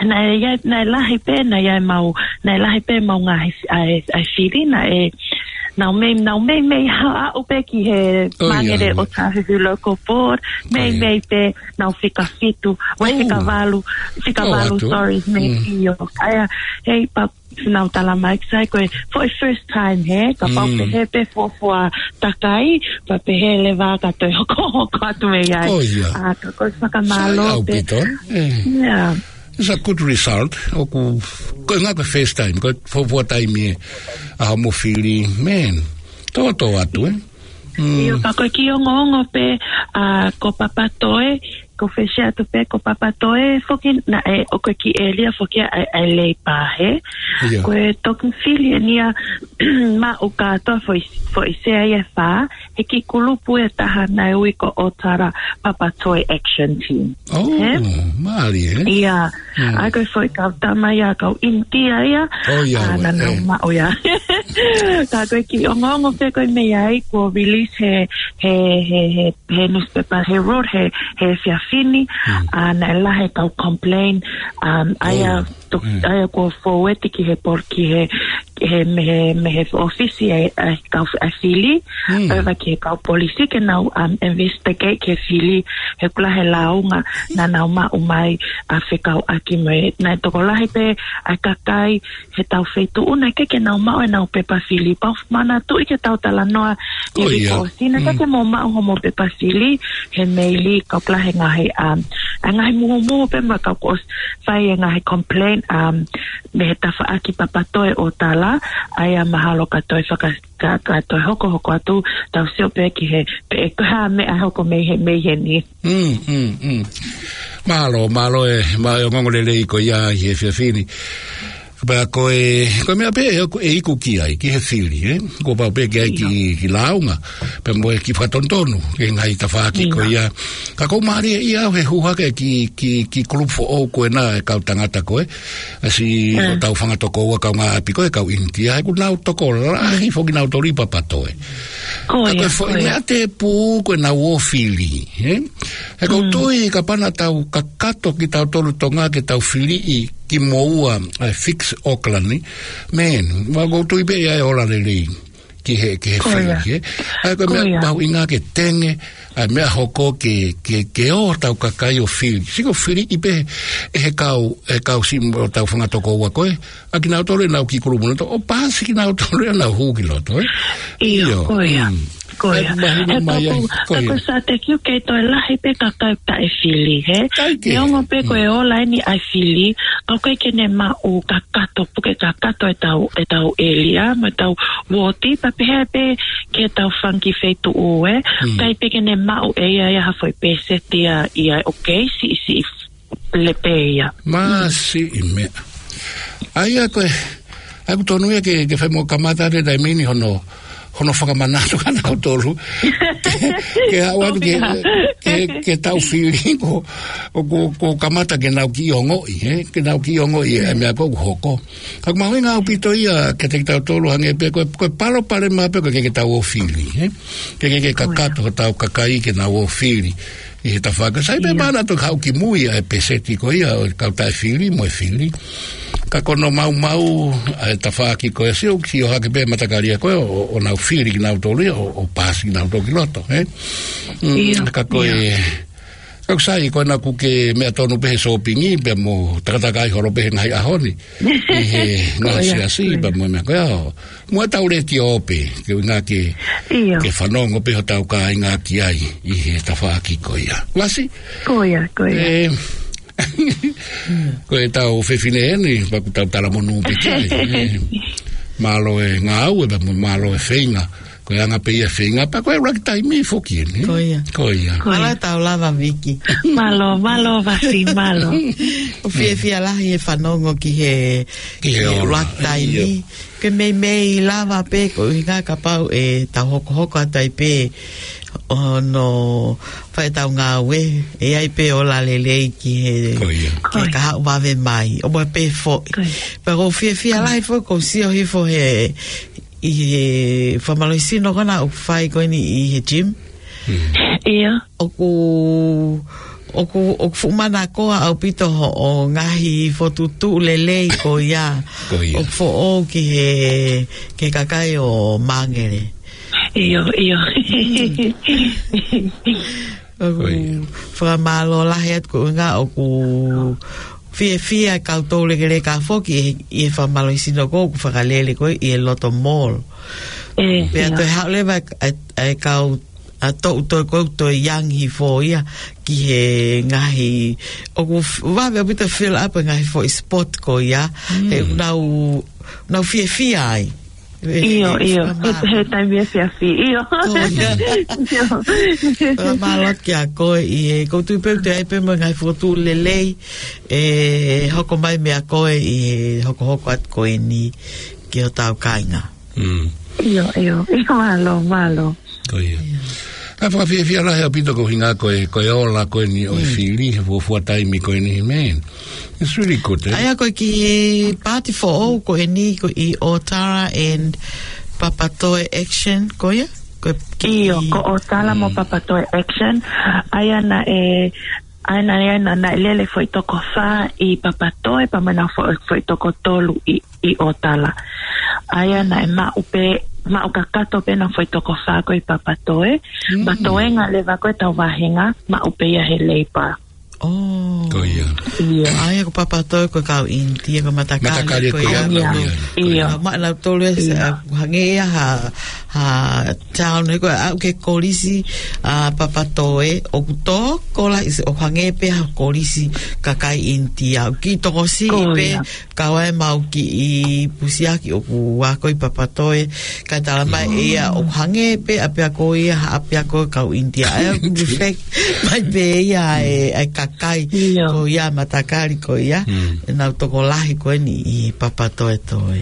naʻe, naʻe lahi pē, naʻe mau, naʻe lahi pē mau ngaahi, ʻa e, ʻa e fili, naʻe, nau mei, nau meimei ha aʻu pē ki he ʻOi, Mangere ʻoiauē. ʻOtahuhu Local Board, ʻOi. meimei pē, nau fika fitu, vai Oh. fika valu, fika Oh, valu, atu. sorry, mei Mm. io. ʻA ia, hei, pea nau tala mai ki sai ko e, for the first time, he, kapau Mm. pehē pē fuofua takai, pea pehē leva ka toe hokohoko atu mei ai. ʻOi, ia. ʻA, ka ko e fakamālō Sai pē. ʻaupito, eh. Yeah. It's a good result. ʻOku, ko e ngaahi ko e first time, ko e fuofua taimi ē, ʻa hoʻomo fili, man. Tōtōatu, eh. Mm. ʻIo, ka ko e kiʻi ongoongo pē, ʻa, ko Papatoe, ko Fesiatu pē, ko Papatoe, foki naʻe, ʻoku kiʻi ʻēlia foki ʻa e, ʻa e Leipa he. ʻIo. Ko e toki fili eni ia maʻu kātoa foʻi, foʻi sea ia ʻe fā, he kiʻi kulupu ʻe taha naʻe ui ko ʻOtara Papatoe Action Team. Oh, He? mālie, eh? ʻIa, Mm. ʻa ko e foʻi kau tama ia kau ʻInitia ia. Oh, ia, ʻA, naʻa nau eh. maʻu ia. Ka ko e kiʻi ongoongo pē ko e mei ai, kuo release he, he, he, he, he newspaper, he road, he, he efiafi ni. Mm. ʻA, naʻe lahi e kau complain, um, ʻa ia Oh. to, Mm. ʻa ia kuo forward ki he pol-, ki he, he, mei he, mei he ʻōfisi ʻa e, ʻa e kau f-, ʻa e fili, Mm. ʻo ʻeva ki he kau polisi ke nau, um, investigate ki he fili, he ʻoku lahi e lāunga naʻa nau maʻu mai ʻa fekauʻaki mo e, naʻe tokolahi pē ʻa e kakai he tau feituʻu naʻe ʻikai ke nau maʻu ʻenau pepa fili. Pea u manatuʻi ki he tau talanoa ʻi Oh, he uike ia. kuo ʻosi naʻe Mm. ʻikai ke mau maʻu hoʻomo pepa fili, he meili ka ʻoku lahi e ngaahi, um, ʻa e ngaahi muhumuhu pē mo e kau kuo ʻosi fai e ngaahi complain, um, mei he tafaʻaki Papatoe ʻOtara, ʻa ia mahalo ka toe faka-, ka, ka toe hokohoko atu, tau sio pē ki he, pe ʻe ko e hā e meʻa ʻe hoko mei he, mei heni. Mm, mm, mm. Mālō, mālō e, mālō e ongoongo lelei ko ia ʻi he efiafi ni. Pea ko e, ko e meʻa pē ʻe, ʻe iku ki ai, ki he fili, ē? Kuo pau pē ke ʻi ai ki, ki lāunga, pea mo e kiʻi fakatonutonu, ki he ngaahi tafaʻaki ko ia. Ka ʻoku ou mālieʻia au he hū hake ki, ki, ki he kulupu foʻou ko ena ʻa e kau tangata ko ē, ʻa siʻotau fanga tokoua kaungāʻapi ko ē, kau ʻInitia, he ʻoku nau tokolahi foki kinautolu ʻi Papatoe. Ka ko e foʻi meʻa tēpū ko ʻenau ō fili, ē? He ʻoku ou tui kapau naʻa tau kakato kitautolu Tonga ke tau filiʻi kimoua ʻa e Fix Auckland, man, ma ʻoku ou tui pē ʻe ʻi ai e ola lelei ki he, ki he fili, ē? ʻA ia ko e meʻa mahuʻinga ke tenge, ʻa e meʻa hoko ke, ke, ke ō hotau kakai ʻo fili. Sio ko e filiʻi pē ʻe he kau, ʻe he kau siʻi mo ʻetau fanga tokoua ko ē, ʻa kinautolu ʻenau kiʻi kulupu nautolu, ʻo paasi kinautolu ʻenau hū ki loto, ē? ʻIo, ko ia. Ko ia. He mahino mai ai, ko ia. Ka ko e sātekiu kei toe lahi pē kakai taʻe fili, hē? Neongo pē ko e ola eni ʻa e fili, ka ʻoku ʻikai ke ne maʻu kakato, puke kakato ʻetau, ʻetau ʻēlia, mo ʻetau uooti, pea pehē pē ki heʻetau fanga kiʻi feituʻu, ē? ʻIkai pē ke ne maʻu ʻe ia ia ha foʻi pēseti ia, ia ʻoku kei siʻisiʻi lepe ia. Māsiʻi meʻa. ʻA ia ko e, ʻa ia ʻoku tonu ia ke, ke fai mo kamata ʻa e taimi ni hono, hono fakamanatu kinautolu. Ke, ke aʻu atu ke, ke, ke tau fili ko, ko, ko, ko kamata ke nau kiʻi ongoʻi, ē? Ke nau kiʻi ongoʻi ʻa e meʻa ko ē ʻoku hoko. Ka ʻoku mahuʻinga ʻaupito ia kiate kitautolu hangē pē ko e, ko e palopalema pē ko e ke, ke tau ō fili, ē? Ke, ke, ke kakato hotau kakai ke nau ō fili ʻi he tafaʻaki. Sai pē pea naʻa tau haʻu ki mui ʻa e pēseti ko ia ʻo e kau taʻe fili mo e fili. Ka ko hono maumau ʻa e tafaʻaki ko ē, sio, sio hake pē matakali ia ko ē ʻo, ʻo nau fili kinautolu ia ʻo, ʻo paasi kinautolu ki loto, ē? Mm, ka ko e, ka ʻoku sai, ko ena ʻoku ke meʻa tonu pē he sōpingi, pea mo takatakai holo pē he ngaahi ʻaho ni. ʻI he ngaahi siasi, pea mo e meʻa ko ia ʻo. Mo ʻetau letiō pē, ke ʻuhinga ke, ke fanongo pē hotau kāinga ki ai ʻi he tafaʻaki ko ia. Lasi? Ko ia, ko ia. Ē, ko ʻetau fefine eni, pea ʻoku tau talamonū pē ki ai. Ē, mālō e ngāue, pea mo mālō e feinga. Ko e anga pē ia e feinga, pea ko e ʻuluaki taimi foki eni. Ko ia. Ko ia. Mālō e tau lava, Viki. Mālō, mālō, Vasi, mālō. ʻOku fiefia lahi e fanongo ki he, ki he ʻuluaki taimi. Ke meimei lava pē ko e ʻuhinga kapau ʻe tau hokohoko atu ai pē hono fai ʻetau ngāue, ʻe ʻi ai pē ola lelei ki he, ki he kahaʻu vave mai, ʻo mo pē foʻi. Pea ʻoku ou fiefia lahi foki ʻoku ou sio hifo he, ʻi he fakamālohisino ko ena ʻoku fai ko eni ʻi he gym. ʻIo. ʻOku, ʻoku, ʻoku fuʻu manakoa ʻaupito hoʻo ngaahi fokotuʻutuʻu lelei ko ia. Ko ia. ʻOku foʻou ki he, ki he kakai ʻo Māngere. ʻIo, ʻio. ʻOku fakamālō lahi atu ko e ʻuhinga ʻoku fiefia kau toulekeleka foki ʻi he, ʻi he fakamālohisino ko ē ʻoku fakalele ko ē ʻi he Loto Mall. Pea toe haʻu leva ʻa e, ʻa e kau ʻa toʻu toe ko ē toe young hifo ia ki he ngaahi, ʻoku f-, vave ʻaupito fill up e ngaahi foʻi spot ko ia. He ʻoku nau, nau fiefia ai. ʻIo, ʻio. He, he taimi efiafi, ʻio. Ko ia. ʻIo. Fakamālō atu kia koe ʻi he, ʻoku ou tui pē ʻoku toe ʻi ai pē mo e ngaahi fokotuʻu lelei ʻe hoko mai meia koe ʻi he hokohoko atu ko eni ki hotau kāinga. ʻIo, ʻio. ʻIo, mālō, mālō. Ko ia. ʻA e fakafiefia lahi ʻaupito ko e ʻuhinga ko e, ko e ola ko eni ʻo e fili he fuofua taimi ko eni, man. It's really good, eh? ʻA ia ko e kiʻi paati foʻou ko eni ko e ʻOtala and Papatoe Action, ko ia? Ko e kiʻi ʻIo, ko ʻOtala mo Papatoe Action. ʻA ia naʻe, ʻa ia naʻe, naʻe, naʻe lele foʻi toko fā ʻi Papatoe, pea mo e foʻi, foʻi toko tolu ʻi ʻi ʻOtala. ʻA ia naʻe maʻu pē, maʻu kakato pē ʻena foʻi toko fā ko ē ʻi Papatoe. Pea toenga leva ko ē ʻetau vāhenga, maʻu pē ia he Labour. Ko ia. ʻA ia ko Papatoe ko e kau ʻInitia, ko e matakali. Matakali ko ia. ʻIo. Ko ia. Maʻanautolu ē, ʻoku hangē ia ha, ha town, he ko e aʻu ki he kolisi ʻa Papatoe, ʻoku tokolahi, ʻoku hangē pē ha kolisi kakai ʻInitia. ʻOku kiʻi tokosiʻi pē, kau ai ʻemau kiʻi pusiaki ʻoku ako ʻi Papatoe, kae talamai ʻe ia ʻoku hangē pē ʻapiako ia ha ʻapiako kau ʻInitia. ʻA ia ʻoku reflect mai pē ia e, e ka kai. Ko ia matakali ko ia. Mm. Nau tokolahi ko eni ʻi Papatoetoe.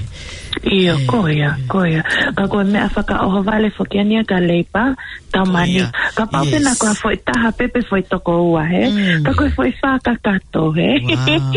Io, ko ia, ko ia. Ka ko e meʻa fakaʻohovale foki eni ia ka Leipa, Taumani. Ko ia. Kapau pē naʻa ko ha foʻi taha pē pe foʻi toko ua, he? Mm. Ka ko e foʻi fā kakato, he? Wow.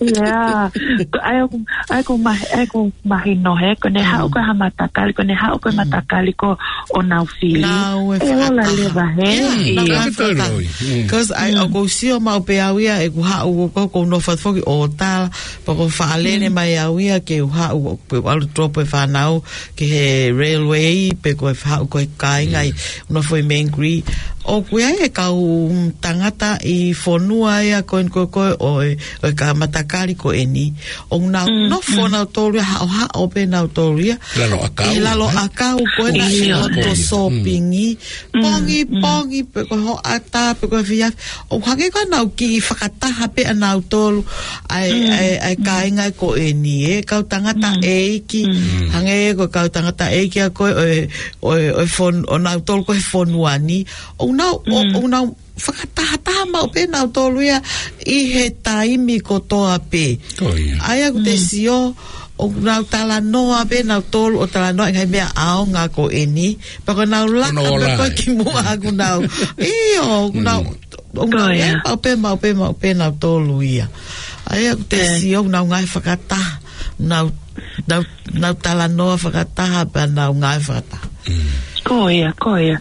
Ia. Ko ai ʻoku, ai ʻoku mahi-, ai ʻoku mahino, he? Ko ʻene haʻu ko ha matakali, ko ʻene haʻu ko e matakali ko ʻenau fili. Nau e fakataha. Ola leva, he? Ia, nau e fakataha. Ia. Because ai, ʻoku ou sio maʻu pē au ia, ʻeku haʻu ko, ko, ko nofo foki ʻo tala, pea ko e fakalele mai au ia ke u haʻu, pe ʻalu drop e fānau, ki he railway, pe ko e haʻu ko e kāinga ʻi, nofo ʻi Mangere. ʻOku ʻi ai e kau, mm, tangata ʻi fonua ia ko eni ko, ko ʻo e, ʻo e kau matakali ko eni. ʻOku nau nofo nautolu ia, haʻohaʻo pē nautolu ia. Lalo ʻakau, ʻi lalo ʻakau ko eni, ʻi loto sōpingi. Pongipongi, pe ko e hoʻatā, pe ko e efiafi. ʻOku hangē ko ʻenau kiʻi fakataha pē ʻanautolu, ʻa e, ʻa e, ʻa e kāinga ko eni, ē, kau tangata ʻeiki. Hangē ko e kau tangata ʻeiki ʻa ko ē, ʻo e, ʻo e, ʻo e fon-, ʻo nautolu ko e fonua ni. ʻOku nau, ʻo, ʻoku nau fakatahataha maʻu pē nautolu ia ʻi he taimi kotoa pē. Ko ia. ʻA ia ʻoku te sio, ʻoku nau talanoa pē nautolu, ʻo talanoa ʻi he ngaahi meʻa ʻaonga ko eni. Pea ko ʻenau laka pē ko ē ki muʻa ʻoku nau. ʻIo, ʻoku nau ʻoku nau ngāue maʻu pē, maʻu pē, maʻu pē nautolu ia. ʻA ia ʻoku te sio, ʻoku nau ngāue fakataha. Nau, nau, nau talanoa fakataha, pea nau ngāue fakataha. Ko ia, ko ia.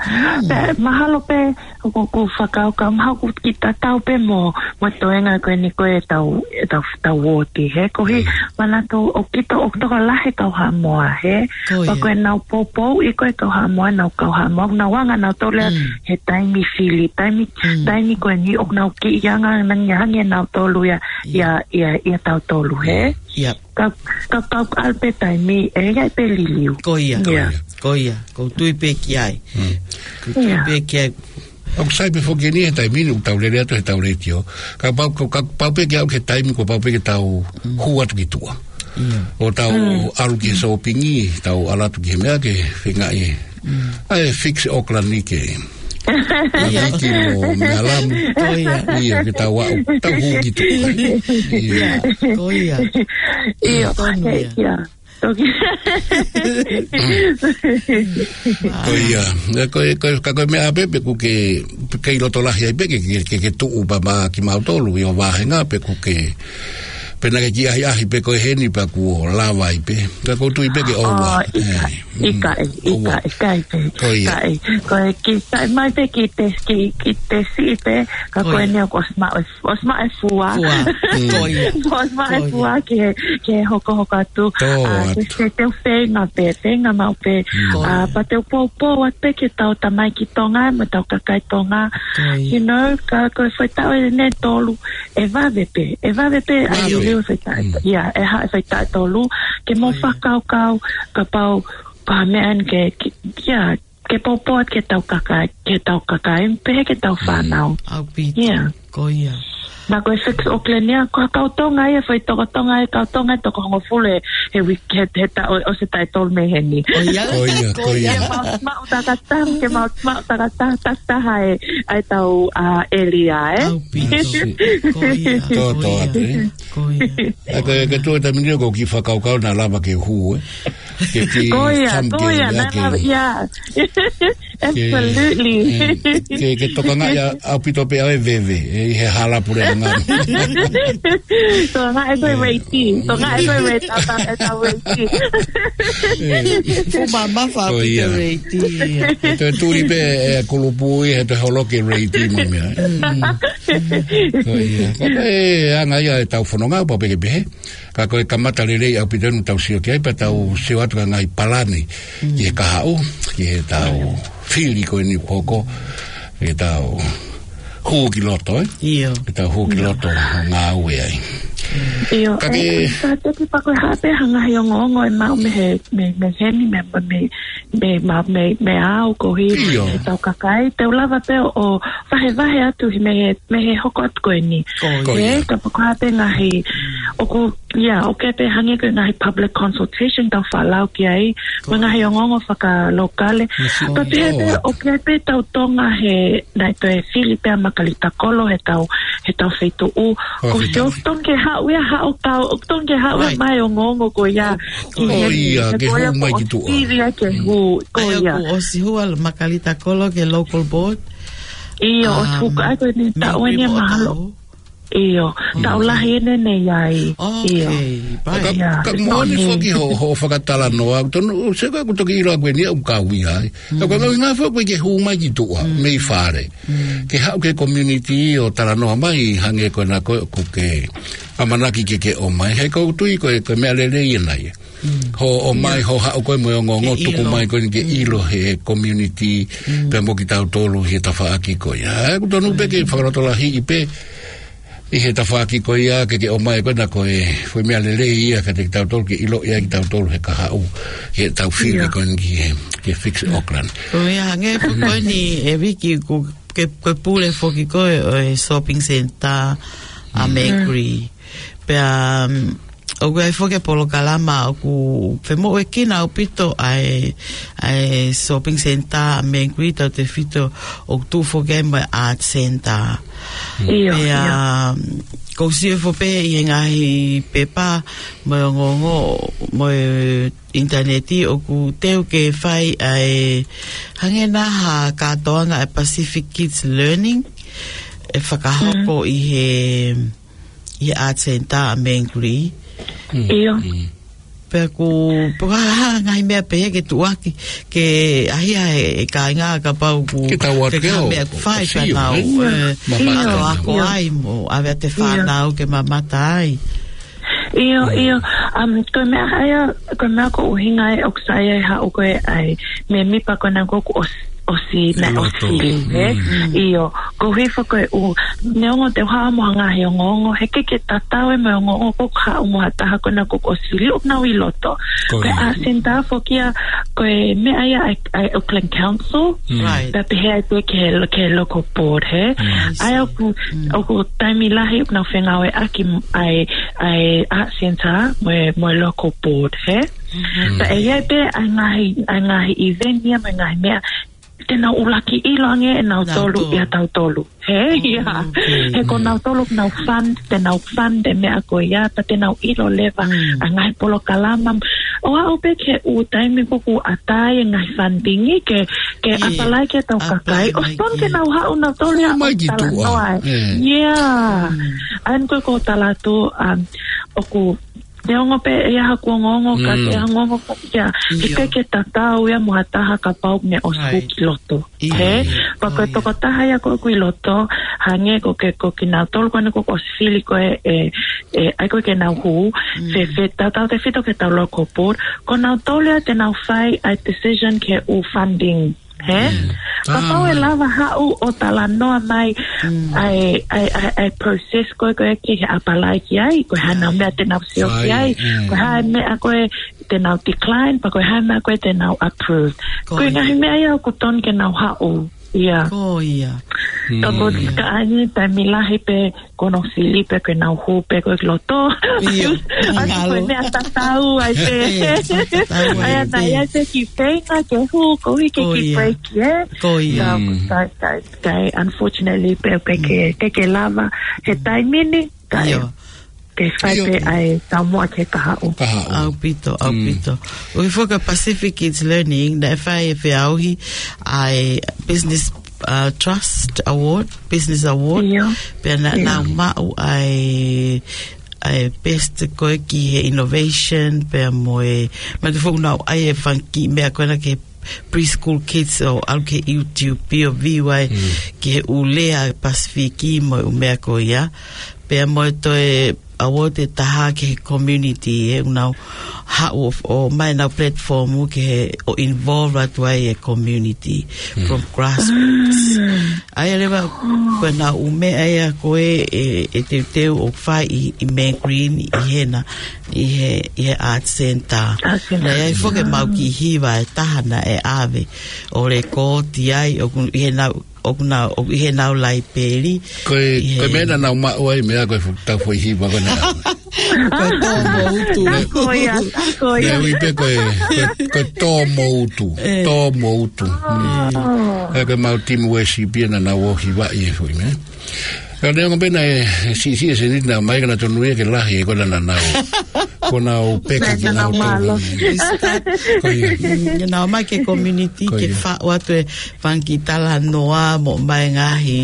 Pea mahalo pē, ʻoku, ʻoku fakakaukau, mahalo ʻoku kiʻi tatau pē mo, mo e toenga ko eni ko e tau, e tau, tau uooti, he? Ko e manatu ʻoku kei tokolahi kau Haʻamoa, he? Ko ia. Pea ko ʻenau poupou ʻi ko e kau Haʻamoa, nau kau Haʻamoa, nau anga nautolu ia he taimi fili, taimi, taimi ko eni ʻoku nau kiʻi anga nangi hangē nautolu ia, ia, ia, ia tautolu, he? Ia. Ka, ka, ka, ka ʻalu pē taimi, ʻe ʻi ai pē liliu. Ko ia, ko ia, ko ia. ʻOku ou tui pē ki ai. ʻOku ou tui pē ki ai. ʻOku sai pē foki eni he taimi ni ʻoku tau lele atu he tau letiō. Kapau, ka, kapau pē ke aʻu ki he taimi, kuo pau pē ke tau hū atu ki tuʻa. ʻO tau ʻalu ki he sōpingi, tau ʻalu atu ki he meʻa ke feingaʻi. ʻAi fix Auckland ni ke. Ia. Viki mo Mealamu. Ko ia. Ia, ke tau aʻu, tau hū ki tuʻa. Ia. Ia, ko ia. Ia. Tonu ia. Ia. Toki. Ko ia. Ia, ko e, ko e, ka ko e meʻa pē, pe ʻoku ke, kei loto lahi ai pē, ke, ke, ke, ke tuʻu pē maʻa kimautolu, ʻi ho vāhenga, pe ʻoku ke, pe naʻa ke kiʻi ʻahiʻahi pē ko eni pea kuo lava ai pē. Ka ʻoku ou tui pē ke ʻoua. ʻIkai, ʻikai, ʻikai, ʻikai pē. Ko ia. ʻIkai. Ko e kiʻi taʻe mai pē kiʻi te, kiʻi, kiʻi tesi pē, ka ko eni ʻoku ʻosi maʻu ʻOsi maʻu e fua. Fua. Ko ia. ʻOsi maʻu e fua ki he, ki he hokohoko atu. Tō atu. Te, te u feinga pē, feinga maʻu pē. Ko ia. Pea te u poupou atu pē ki he tau tamaiki Tonga, mo e tau kakai Tonga. Ko ia. You know, ka ko e faitau ʻe ne tolu, ʻe vave pē, ʻe vave pē, ʻa e liliu faitau. Ia, ʻe haʻu e faitau ʻe tolu, ke mau fakakaukau, kapau, pā meʻa eni ke, ke, ia, ke poupou atu ki he tau kakai, ki he tau kakai, pehē ki he tau fānau. ʻAupito. Ia. Ko ia. Naʻa ko e fix Auckland ia, ko e kau Tonga ia, foʻi toko Tonga ia, kau Tonga ia toko hongofulu he, he wiki, he, he taʻu, ʻosi e taʻu ʻe tolu mei heni. Ko ia. Ko ia, ko ia. Ke mau maʻu takataha, ke mau maʻu takataha, takataha e, ʻa e tau, ʻa, ʻēlia, ē? ʻAupito. Ko ia, tō, ko tō ia. Atu, ē? Ko ia. ʻA ia ko e, ko e tuʻu e taimi ni ʻoku ou kiʻi fakakaukau naʻa lava ke hū, ē? Ke kiʻi come down ia, naʻa ke lava, ia. Absolutely. Ke, ke, ke tokangaʻi ʻaupito pē ʻa e veve, ē, ʻi he hala puleʻanga. Tokangaʻi ko e reiti, tokangaʻi ko e reiti, ʻa e tau reiti. Fuʻu mamafa ʻaupito e reiti. Ko ia. He toe tuli pē e kulupu ia, he toe holoki e reiti mo e meʻa. Ko ia. Ko e anga ia e tau fononga, pau pē ke pehē. Ka ko e kamata lelei ʻaupito eni tau sio ki ai pea tau sio atu ki he ngaahi palani ki he kahaʻu, ki he tau fili ko eni ʻoku hoko, ki he tau hū ki loto, ē? ʻIo. Ki he tau hū ki loto ʻo ngāue ai. ʻIo, ka ke, ē, ka te ki pako ha pē ha ngaahi ongoongo ʻe maʻu mei he, mei, mei heni, mei, mei, mei, mei, mei, mei au ko hi, ʻio, he tau kakai, te u lava pē ʻo vahevahe atu he mei he, mei he hoko atu ko eni. Ko ia. Ē, ka pako ha pē ngaahi, ʻoku, ia, ʻoku ʻi ai pē hangē ko e ngaahi public consultation tau faʻa lau ki ai, mo e ngaahi ongoongo fakalokale. Ka pehē pē, ʻoku ʻi ai pē tau Tonga he, naʻe toe fili pē ʻa Makalita Kolo he tau, he tau feituʻu. Ko e feituʻu. Ko e tonga ke haʻu ia, haʻu kau, tonga ke haʻu ia mai ongoongo ko ia. Ko ia, ke hū mai ki tuʻa. Ko ia. ʻOku ʻosi hū ʻa Makalita Kolo ki he local board. ʻIo, ʻosi hū ka ko eni taʻu eni mahalo. ʻIo, taʻu lahi ʻeni ʻi ai. ʻIo. Ka, ka moʻoni foki hoʻo, hoʻo fakatalanoa, tonu, se ka ʻoku toki ʻilo ʻa ko eni ʻoku kau ia ai. Ka ko e ngaahi foki ke hū mai ki tuʻa, mei fale. Ke haʻu ki he community ʻo talanoa mai, hangē ko ena ko, ko ke ʻamanaki ke ke ʻomai. He ʻoku ou tui ko e, ko e meʻa lelei ʻena ia. Hoʻo ʻomai, hoʻo haʻu ko ē mo e ongoongo tuku mai ko eni ke ʻilo he community, pea mo kitautolu he tafaʻaki ko ia. ʻOku tonu pē ke fakalotolahiʻi pē, ʻi he tafaʻaki ko ia ke ke ʻomai ko ena ko e, ko e meʻa lelei ia kiate kitautolu ke ʻilo ia kitautolu he kahaʻu, he tau fili ko eni ki he, ki he Fix Auckland. Ko ia hangē foki ko eni ʻe Viki ko ke, ko e pule foki ko e, ʻo e shopping centre ʻa Mercury. Pea, ʻoku ʻi ai foki e polokalama ʻoku femoʻuekina ʻaupito ʻa e, ʻa e shopping centre ʻa Mercury tautefito ʻoku tuʻu foki ai mo e art centre. ʻIo, pea, ʻoku ou sio foki pē ʻi he ngaahi pepa mo e ongoongo mo e ʻinitaneti ʻoku teu ke fai ʻa e hangē na ha kātoanga ʻa e Pacific Kids Learning ʻe fakahoko ʻi he, ʻi he art centre ʻa Mercury. ʻIo. Pea ʻoku, pea ʻoku ʻi ai ha ngaahi meʻa pehē ke tuʻuaki, ke ʻahiʻahi e kāinga kapau ʻoku ke tau atu ke ʻo, meʻa ʻoku fai pea nau, ē, mamata. Ako ai mo, ʻave ʻa e fānau ke mamata ai. ʻIo, ʻio, um, ko e meʻa ia, ko e meʻa ko e ʻuhinga ē ʻoku sai ai haʻu ko ē ʻa e mēmipa ko ena ʻoku ʻosi, ʻosi, naʻe ʻosi fili, ē? ʻIo, ko e hifo ko e ʻū, neongo te u haʻu mo ha ngaahi ongoongo, he ʻikai ke tatau ē mo e ongoongo ʻoku haʻu mo ha taha ko ena ʻoku ʻosi fili ʻoku nau ʻi loto. Ko e art centre foki ia, ko e meʻa ia ʻa e, ʻa e Auckland Council, pea pehē ai pē ki he, ki he local board, hē? ʻA ia ʻoku, ʻoku taimi lahi ʻoku nau fengāueʻaki ʻa e, ʻa e art centre mo e, mo e local board, hē? Pea ʻe ʻi ai pē ʻa e ngaahi, ʻa e ngaahi event ia mo e ngaahi meʻa, te nau ʻuluaki ʻilo ange ʻe nautolu ia tautolu. Hē, ia. He ko nautolu ʻoku nau fund, te nau fund e meʻa ko ia, pea te nau ʻilo leva ʻa e ngaahi polokalama. ʻO aʻu pē ki he ʻū taimi ʻoku ʻatā ai e ngaahi funding ke, ke apply ki he tau kakai. ʻOsi tonu ke nau haʻu nautolu ia ʻo talanoa. Ia. ʻA ia ko e ko e tala atu, um, ʻoku neongo pē ʻe ʻi ai haku ongoongo, ka ʻi ai ha ongoongo ka ia, ʻikai ke tatau ia mo ha taha kapau ʻoku ne ʻosi hū ki loto. Hē? Pea ko e tokotaha ia ko ē ʻoku ʻi loto, hangē ko ke, ko kinautolu ko ena ʻoku ʻosi fili ko ē, ē, ē, ʻa ia ko ē ke nau hū, fēfē, tautautefito ki he tau local board, ko nautolu ia te nau fai ʻa e decision ki he ʻū funding. Hē? Kapau ʻe lava haʻu ʻo talanoa mai ʻa e, ʻa e, ʻa e, ʻa e process ko ē, ko ē ke apply ki ai, ko e hā nau meʻa te nau sio ki ai, ko e hā e meʻa ko ē te nau decline, pea ko e hā e meʻa ko ē te nau approve. Ko e ngaahi meʻa ia ʻoku tonu ke nau haʻu. Ia. Ko ia. Ka ko e ka ʻai ni taimi lahi pē ko ena ʻoku fili pē ko ena ʻoku hū pē ko ē ki loto. ʻIo. ʻAi ko e meʻa tatau ai pē. ʻAi ana ia te ki feinga ke hū ko ē ke ki break, ē? Ko ia. Ka, ka, ka, unfortunately pē, pē ke, ke, ke lava he taimi ni, ka ke fai pē ʻa e taumuʻa ki he kahaʻu. ʻAupito, ʻaupito. ʻOku ʻi ai foki e Pacific Kids Learning, naʻe fai e feʻauhi ʻa e Business, uh, Trust Award, Business Award. Pea naʻa nau maʻu ʻa e, ʻa e best ko ē ki he innovation, pea mo e, ma te fou nau ʻai e fanga kiʻi meʻa ko ena ki he preschool kids ʻo ʻalu ki he YouTube ʻo view ai ki he ʻū lea Pasifiki mo e ʻū meʻa ko ia. Pea mo e toe award ʻe taha ki he community, ʻoku nau haʻu ʻo, ʻo ʻomai ʻenau platform ke he, ʻo involve atu ai e community from grassroots. ʻA ia leva, ko ʻenau meʻa ia ko ē, ʻe, ʻe teuteu ʻo fai ʻi, ʻi Mangreen, ʻi hena, ʻi he, ʻi he Art Centre. Art Centre. Naʻe ʻi ai foki ʻemau kiʻi hiva ʻe taha naʻe ʻave ʻo lēkooti ai, ʻoku ʻi heʻenau, ʻoku nau, ʻoku ʻi heʻenau laipeli. Ko e, ʻi he ko e meʻa naʻa nau maʻu ai meʻa ko e fu-, tau foʻi hiva ko ena. Ko e Tō Moutu. Ko ia, ko ia. Naʻe ui pē ko e, ko e, ko e Tō Moutu. ʻE. Tō Moutu. Mm. ʻE ko ʻemau team worship ia naʻa nau ʻosi vaʻi e foʻi meʻa. Ka neongo pē naʻe siʻisiʻi e seniti naʻe ʻomai ka naʻe tonu ia ke lahi e ko ena naʻa nau. Ko ʻenau peka ki heʻenau mālohi. Ko ia. Mm, naʻe ʻomai ki he community ke faʻu atu e fanga kiʻi talanoa mo ʻomai ngaahi,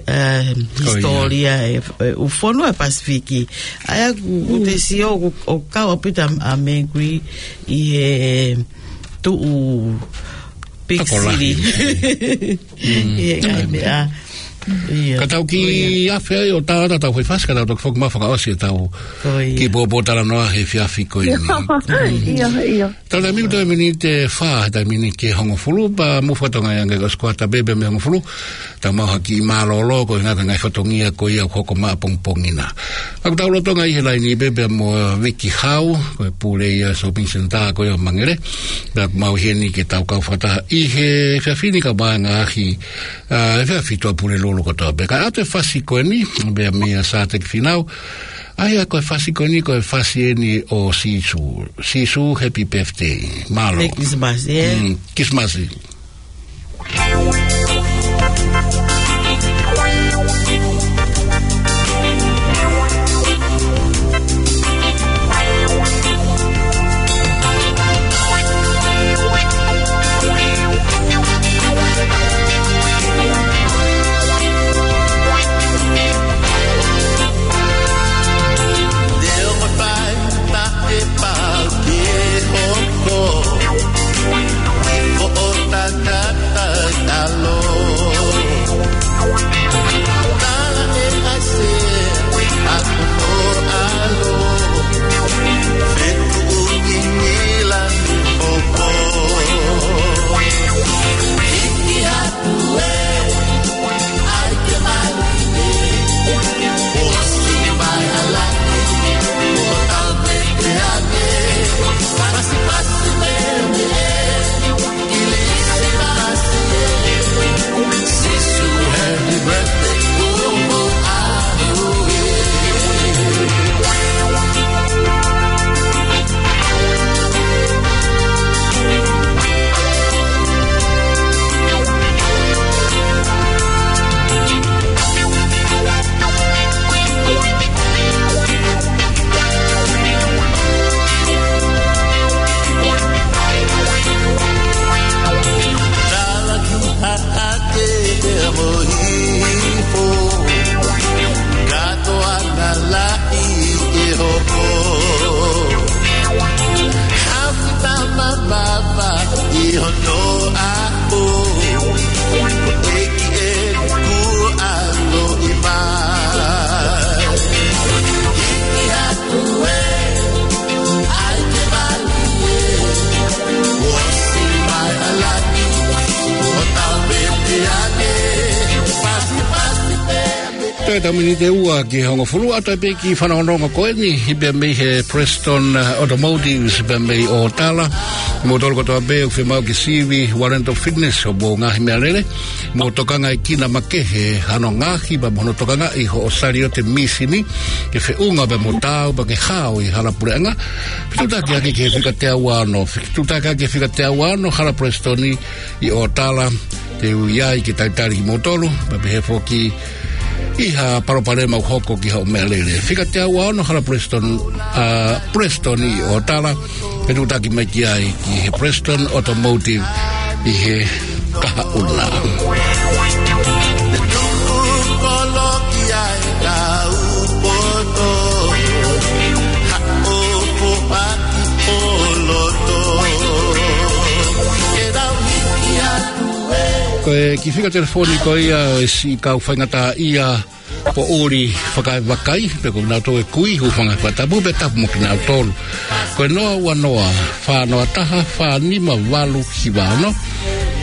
eh, hisitōlia e, e ʻū fonua ʻo e Pasifiki. ʻA ia ʻoku, ʻoku te sio ʻoku, ʻoku kau ʻaupito ʻa, ʻa Mangreen ʻi he tuʻu big city. ʻI he ngaahi meʻa. Ka tau kiʻi afe ai ʻo tau ʻatā ʻetau foʻi fasi, ka tau toki foki mai fakaʻosi ʻetau kiʻi pōpōtalanoa he efiafi ko eni. ʻIo, ʻio. Tau taimi ko e miniti ʻe fā, taimi ni ki he hongofulu, pea mou fakatokangaʻi ange ko e ʻosi kuata pē pea mei he hongofulu, tau maʻu ha kiʻi mālōlō koeʻuhi ko e ngaahi fatongia ko ia ʻoku hoko mai ʻapongipongi na. Ka ʻoku tau lolotonga ʻi he laini pē pea mo Viki Hau, ko e pule ia Shopping Centre ko ia ʻo Mangere. Pea ʻoku mau ʻi heni ke tau kau fakataha ʻi he efiafi ni kae ʻumaʻā e ngaahi, ʻa, efiafi Tuʻapulelulu kotoa pē. Kae ʻoatu e fasi ko eni, pea meia Sāteki Fīnau. ʻA ia ko e fasi ko eni, ko e fasi eni ʻo Sīsū. Sīsū, happy birthday. Mālō. Merry Christmas, ē? Mm, Christmas. Te o mapai, ta e pau ke hoko. Ko o ta ka ta alo. Tala e ase, a ko o alo. Fetuʻu ki Mila ni popo. Hiki atu e, ai ke mali e. O si mai ala, o tau me te ane. Pasi pasi me me. Haʻake pea mo hifo, katoa na lahi ke hoko. Hafi tama papa ʻi hono ʻaho, ʻEiki ʻeku ʻaloʻi mai. Hiki atu e, ai ke mali e, o si mai ala ni, o tau me te ane, pasi pasi pe. Toe tau miniti ʻe ua ki he hongofulu, ʻoatu pē kiʻi fanongonongo ko eni, ʻi pē mei he Preston, uh, Automotives, pē mei ʻOtala. Moutolu kotoa pē ʻoku fiemaʻu ke sivi warrant of fitness ʻo hoʻomou ngaahi meʻalele. Mou tokangaʻi kina makehe hano ngaohi pea mo hono tokangaʻi hoʻo saliote mīsini ke feʻunga pea mo taau pea ke hao ʻi hala puleʻanga. Fetuʻutaki ake ki he fika teau ono, fetuʻutaki ake ki he fika teau ono, hala Preston ʻi ʻOtala, te u ʻi ai ke talitali kimoutolu, pea pehē foki ʻi ha palopalema ʻoku hoko ki hoʻo meʻalele. Fika teau ono, hala Preston, ʻa, Preston ʻi ʻOtala, fetuʻutaki mai ki ai ki he Preston Automotive ʻi he kahaʻu na. Ko e kiʻi fika telefoni ko ia ʻo e siʻi kau faingataʻaʻia Poʻuli Fakaevakai, pea ko kinautolu e kui, hūfanga he fakatapu, pea tapu mo kinautolu. Ko e noa ua noa, fā noa taha, fā nima valu hiva ono.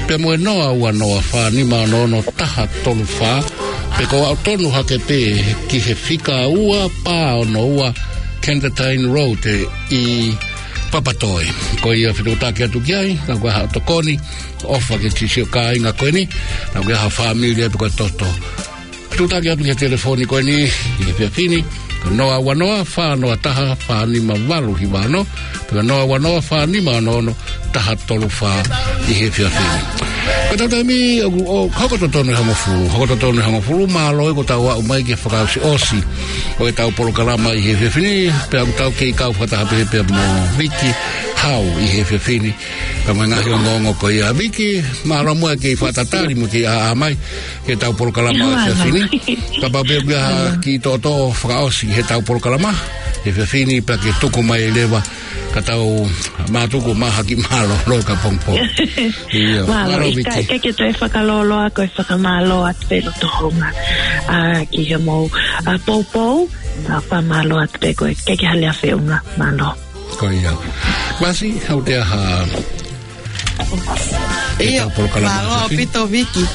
Pea mo e noa ua noa, fā nima ono ono, taha tolu fā. Pea ko au tonu hake pē ki he fika ua pā ono ua Canterbury Road ʻi Papatoetoe. Ko ia fetuʻutaki atu ki ai, ka ko e hā tokoni, ʻofa ke sisio kāinga ko eni, ka ko e hā fāmili ʻe pe ko e toto. Fetuʻutaki atu ki he telefoni ko eni, ʻi he efiafi ni, noa ua noa, fā noa taha, fā nima valu hiva ono, pe ko noa ua noa, fā nima ono ono, taha tolu fā ʻi he efiafi ni. Ko ʻetau taimi, ʻo, ʻo, hoko totonu e hongofulu, hoko totonu e hongofulu, mālō e ko tau aʻu mai ki he fakaʻosiʻosi ʻo ʻetau polokalama ʻi he efiafi ni, pea ʻoku tau kei kau fakataha pē pea mo Viki Hau ʻi he efiafi ni, pea mo e ngaahi ongoongo ko ia. Viki, mālō muʻa e kei fakatatali mo e kei ʻā mai ki heʻetau polokalama ʻo e efiafi ni. Kapau pē ʻoku ʻi ai ha kiʻi toʻotoʻo fakaʻosi heʻetau polokalama ʻi he efiafi ni, pea ke tuku mai leva, ka tau mātuku mahaki mālōlō ka pongipongi. Ia, mālō, mālō, Viki. Ka, ka ke toe fakalōloa ko e fakamālō atu pē loto hounga, ā, ki he mou, ā, poupou, ā, fakamālō atu pē ko e ke ke hale a feʻunga, mālō. Ko ia. Vasi, hau te aha. ʻIo, ʻetau polokalama mālō ʻaupito, Viki.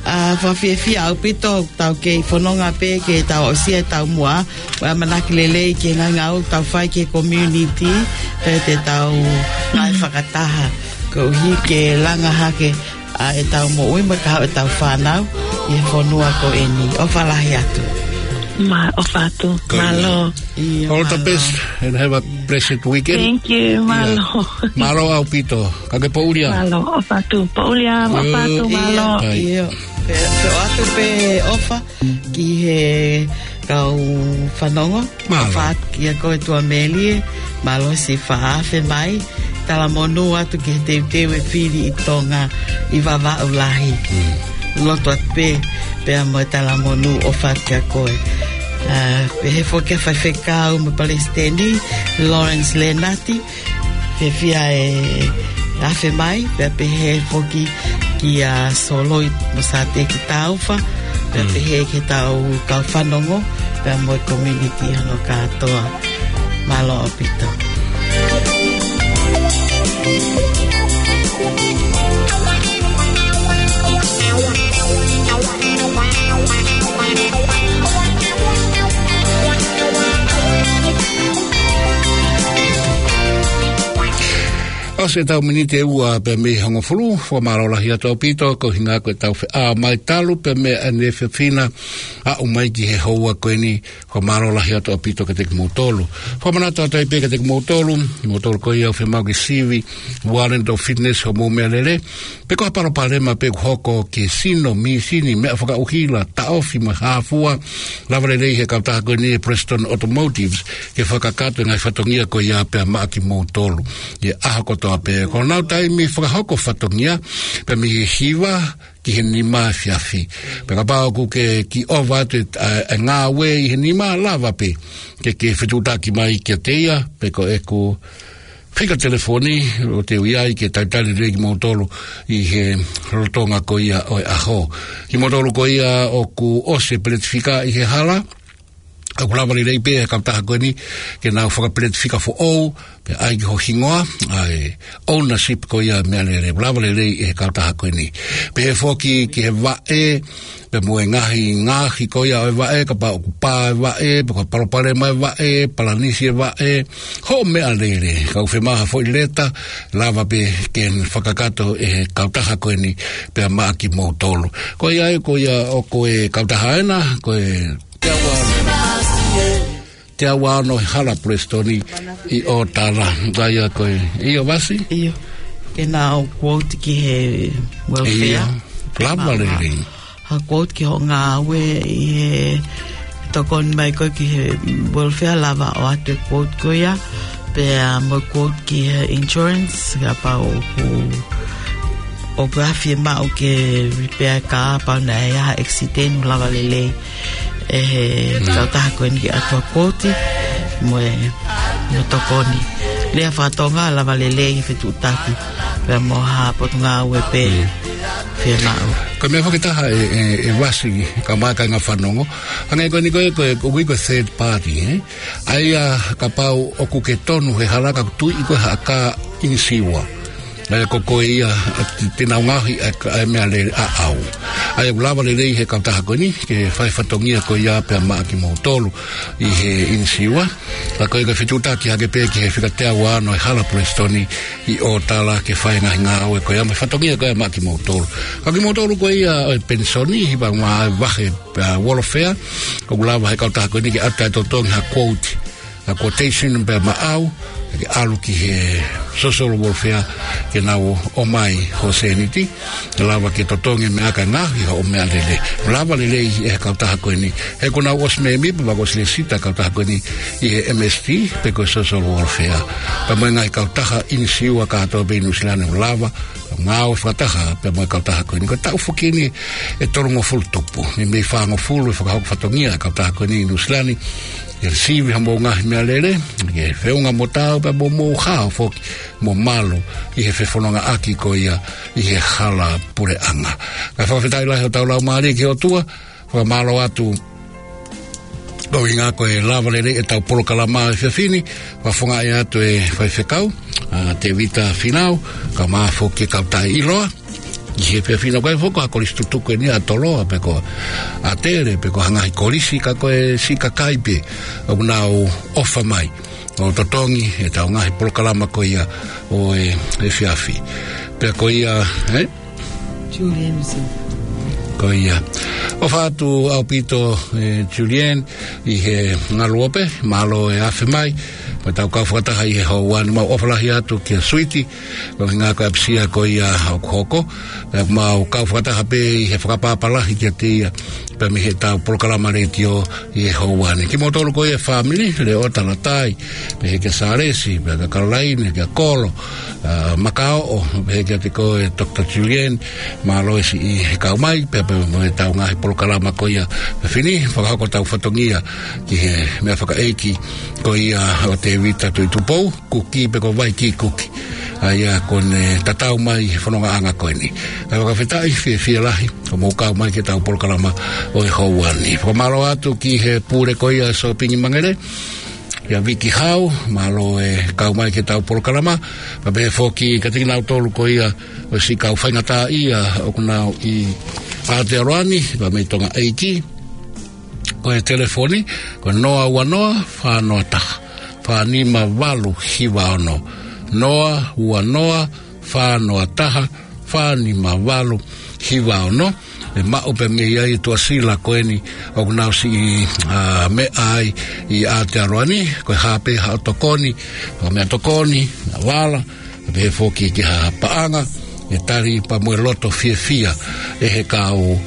Ā, fakafiefia ʻaupito, tau kei fononga pē ke tau ʻosi e taumuʻa, ʻo e ʻamanaki lelei ki he ngaahi ngāue ʻoku tau fai ki he community, pea te tau ngāue fakataha, koeʻuhi ke langa hake ʻa ʻetau moʻui mo e kahaʻu ʻetau fānau ʻi he fonua ko eni. ʻOfa lahi atu. Mā, ʻofa atu. Ko ia. Mālō. ʻIo, mālō. All the best and have a blessed weekend. Thank you, mālō. Mālō ʻaupito. Ka ke poʻuli ā. Mālō, ʻofa atu. Poʻuli ā, ʻofa atu, mālō. ʻIo, ʻio. Pea, pea ʻoatu pē ʻofa ki he kau fanongo. Mālō. ʻOfa atu kia koe Tuʻamelie, mālō siʻi fakaafe mai. Talamonū atu ki he teuteu e fili ʻi Tonga ʻi Vavaʻu Lahi. Mm. Lotu atu pē, pea mo e talamonū ʻofa atu kia koe. Ā, pehē foki ki he faifekau mo e palesiteni, Lawrence Lenati, fiefia e afe mai, pea pehē foki kia Soloi mo Sate ki Taufa, pea pehē ki he tau kau fanongo, pea mo e community hono kātoa. Mālō ʻaupito. ʻOsi ʻetau miniti ʻe ua pē mei he hongofulu, fakamālō lahi atu ʻaupito, ko e ʻuhinga ko ʻetau feʻao mai talu pē mei he efiafi na, aʻu mai ki he houa ko eni, fakamālō lahi atu ʻaupito kiate kimoutolu. Fakamanatu atu ai pē kiate kimoutolu, kimoutolu ko ia ʻoku fiemaʻu ke sivi, warrant of fitness hoʻomou meʻalele, pe ko ha palopalema pē ʻoku hoko ki he sino, mīsini, meʻa fakaʻuhila, taʻofi mo e hā fua, lava lelei ʻe he kautaha ko eni e Preston Automotives ke fakakakato e ngaahi fatongia ko ia pea maʻa kimoutolu ʻi he ʻaho kotoa pē. Ko honau taimi fakahoko fatongia pē mei he hiva ki he nima efiafi. Pea kapau ʻoku ke kiʻi ʻova atu e, ʻa, e ngāue ʻi he nima, lava pē ke, ke fetuʻutaki mai kiate ia, pe ko ʻeku fika telefoni, ʻo te u ʻi ai ke talitali lelei kimoutolu ʻi he lolotonga ko ia ʻo e ʻaho. Kimoutolu ko ia ʻoku ʻosi e peleti fika ʻi he hala, ʻoku lava lelei pē ʻe he kautaha ko eni ke nau fakapeleti fika foʻou, pea ʻai ki ho hingoa, ʻa e ownership ko ia meʻalele, lava lelei ʻe he kautaha ko eni. Pehē foki ki he vaʻe, pea mo e ngaahi, ngaahi ko ia ʻo e vaʻe, kapau ʻoku pā e vaʻe, pe ko e palopalema e vaʻe, palanisi e vaʻe, hoʻo meʻalele, ka ʻoku fiemaʻu ha foʻi leta, lava pē ke fakakakato ʻe he kautaha ko eni, pea maʻa kimoutolu. Ko ia ai, ko ia ʻoku ʻi ai e kautaha ena, ko e teau ua ono, teau ua ono he hala Preston ʻi ʻOtara. Ka ia ko e, ʻio Vasi? ʻIo. Ke nau quote ki he welfare. ʻIo. Lava lelei. Ha quote ki hoʻo ngāue ʻi he tokoni mai ko ē ki he welfare, lava ʻo ʻoatu e quote ko ia. Pea mo e quote ki he insurance, kapau ʻoku, ʻoku ʻi ai e fiemaʻu ke repair e kā, kapau naʻe ʻi ai ha accident, lava lelei ʻe he kautaha ko eni ke ʻoatu ha quote mo e, mo e tokoni. Lea faka-Tonga, lava lelei e fetuʻutaki pea mo ha potungāue pē. Ia naʻu. Ko e meʻa foki ʻe taha ʻe, ʻe, ʻe vasi, ka mai ka nga fanongo. Hangē ko eni ko e, ko e, ko e, ko e third party, ē? ʻA ia kapau ʻoku ke tonu he hala ka tui ko e haka inisiua. ʻA ia ko koe ia, ʻa, te, te nau ngaohi ʻa e, ʻa e meʻalele ʻaʻau. ʻA ia ʻoku lava lelei he kautaha ko eni, ke fai fatongia ko ia pea maʻa kimoutolu ʻi he inisiua. Ka ko e ka fetutaki hake pē ki he fika teau ua ono ʻe hala Pulesitoni ʻi ʻOtala ke fai ngaahi ngāue ko ia mo e fatongia ko ia maʻa kimoutolu. Ka kimoutolu ko ia ʻo e penisoni, hiva ngā vahe, ʻa, welfare, ʻoku lava he kautaha ko eni ke ʻatu ʻa e totongi ha quote, ha quotation pea maʻau, ke ʻalu ki he social welfare, ke nau ʻomai ho sēniti, ke lava ke totongi meʻa ka ngaohi hoʻo meʻalele. Lava lelei ʻe he kautaha ko eni. He kuo nau ʻosi mēmipa, pea kuo ʻosi lēsisita kautaha ko eni ʻi he M S T, pe ko e social welfare. Pea mo e ngaahi kautaha inisiua kātoa pē ʻi Nuʻu Sila ni ʻoku lava, ngāue fakataha pea mo e kautaha ko eni. Ko e taʻu foki eni ʻe tolungofulu tupu. Meimei fāngofulu ʻe fakahoko fatongia e kautaha ko eni ʻi Nuʻu Sila ni. ʻE sivi ha mou ngaahi meʻalele, ke feʻunga mo taau pea mo mou hao foki mo malu ʻi he fefonongaʻaki ko ia ʻi he hala puleʻanga. Ka fakafetaʻi lahi hotau laumālie ki he ʻOtua, fakamālō atu ko e ʻuhinga ko e lava lelei ʻetau polokalama he efiafi ni, fakafofongaʻi atu e faifekau, ʻa, Tevita Finau, kae ʻumaʻā foki e kau taʻeʻiloa, ʻi he efiafi ni ko e foki ha kolisi tutuku eni ʻa Toloa, pe ko ʻAtele, pe ko ha ngaahi kolisi ka ko e siʻi kakai pē, ʻoku nau ʻofa mai ʻo totongi ʻetau ngaahi polokalama ko ia ʻo e, efiafi. Pea ko ia, ē? Julian Smith. Ko ia. ʻOfa atu ʻaupito, ē, Julian, ʻi he ngaluope, mālō e afe mai, mo ʻetau kau fakataha ʻi he houa ni, mau ʻofa lahi atu kia Suiti, ko e ʻuhinga ko e ʻapisia ko ia ʻoku hoko, pea mau kau fakataha pē ʻi he fakapapālangi kiate ia, pea mei heʻetau polokalama letiō ʻi he houa ni. Kimoutolu ko ia fāmili, Leota Latai, pehē kia Salesi, pehē kia Caroline, kia Kolo, ʻa, Makaoʻo, pehē kiate koe Doctor Julian, mālō e siʻi he kau mai, pea pea mo ʻetau ngaahi polokalama ko ia, pea fini, fakahoko ʻetau fatongia ki he meʻa fakaʻeiki ko ia ʻo Tevita Tuʻitupou Kuki pe ko Vaiki Kuki. ʻA ia kuo ne tatau mai he fonongaʻanga ko eni. Kae fakafetaʻi fiefia lahi, ko mou kau mai ki heʻetau polokalama ʻo e houa ni. Fakamālō atu ki he pule ko ia Sōpingi Mangere, ʻia Viki Hau, mālō e kau mai ki heʻetau polokalama, pea pehē foki kiate kinautolu ko ia ʻosi kau faingataʻaʻia ʻoku nau ʻi Aotearoa ni, pea mei Tonga ʻEiki, ko e telefoni, ko e noa ua noa, fā noa taha, fā nima valu hiva ono, noa ua noa, fā noa taha, fā nima valu hiva ono, ʻe maʻu pē mei ai e tuʻasila ko eni ʻoku nau siʻi, ʻa, meʻa ai ʻi Aotearoa ni, ko e hā pē haʻo tokoni, ko e meʻa tokoni, ʻa vala, pehē foki ki ha paʻanga, ʻe tali pea mo e loto fiefia ʻe he kau,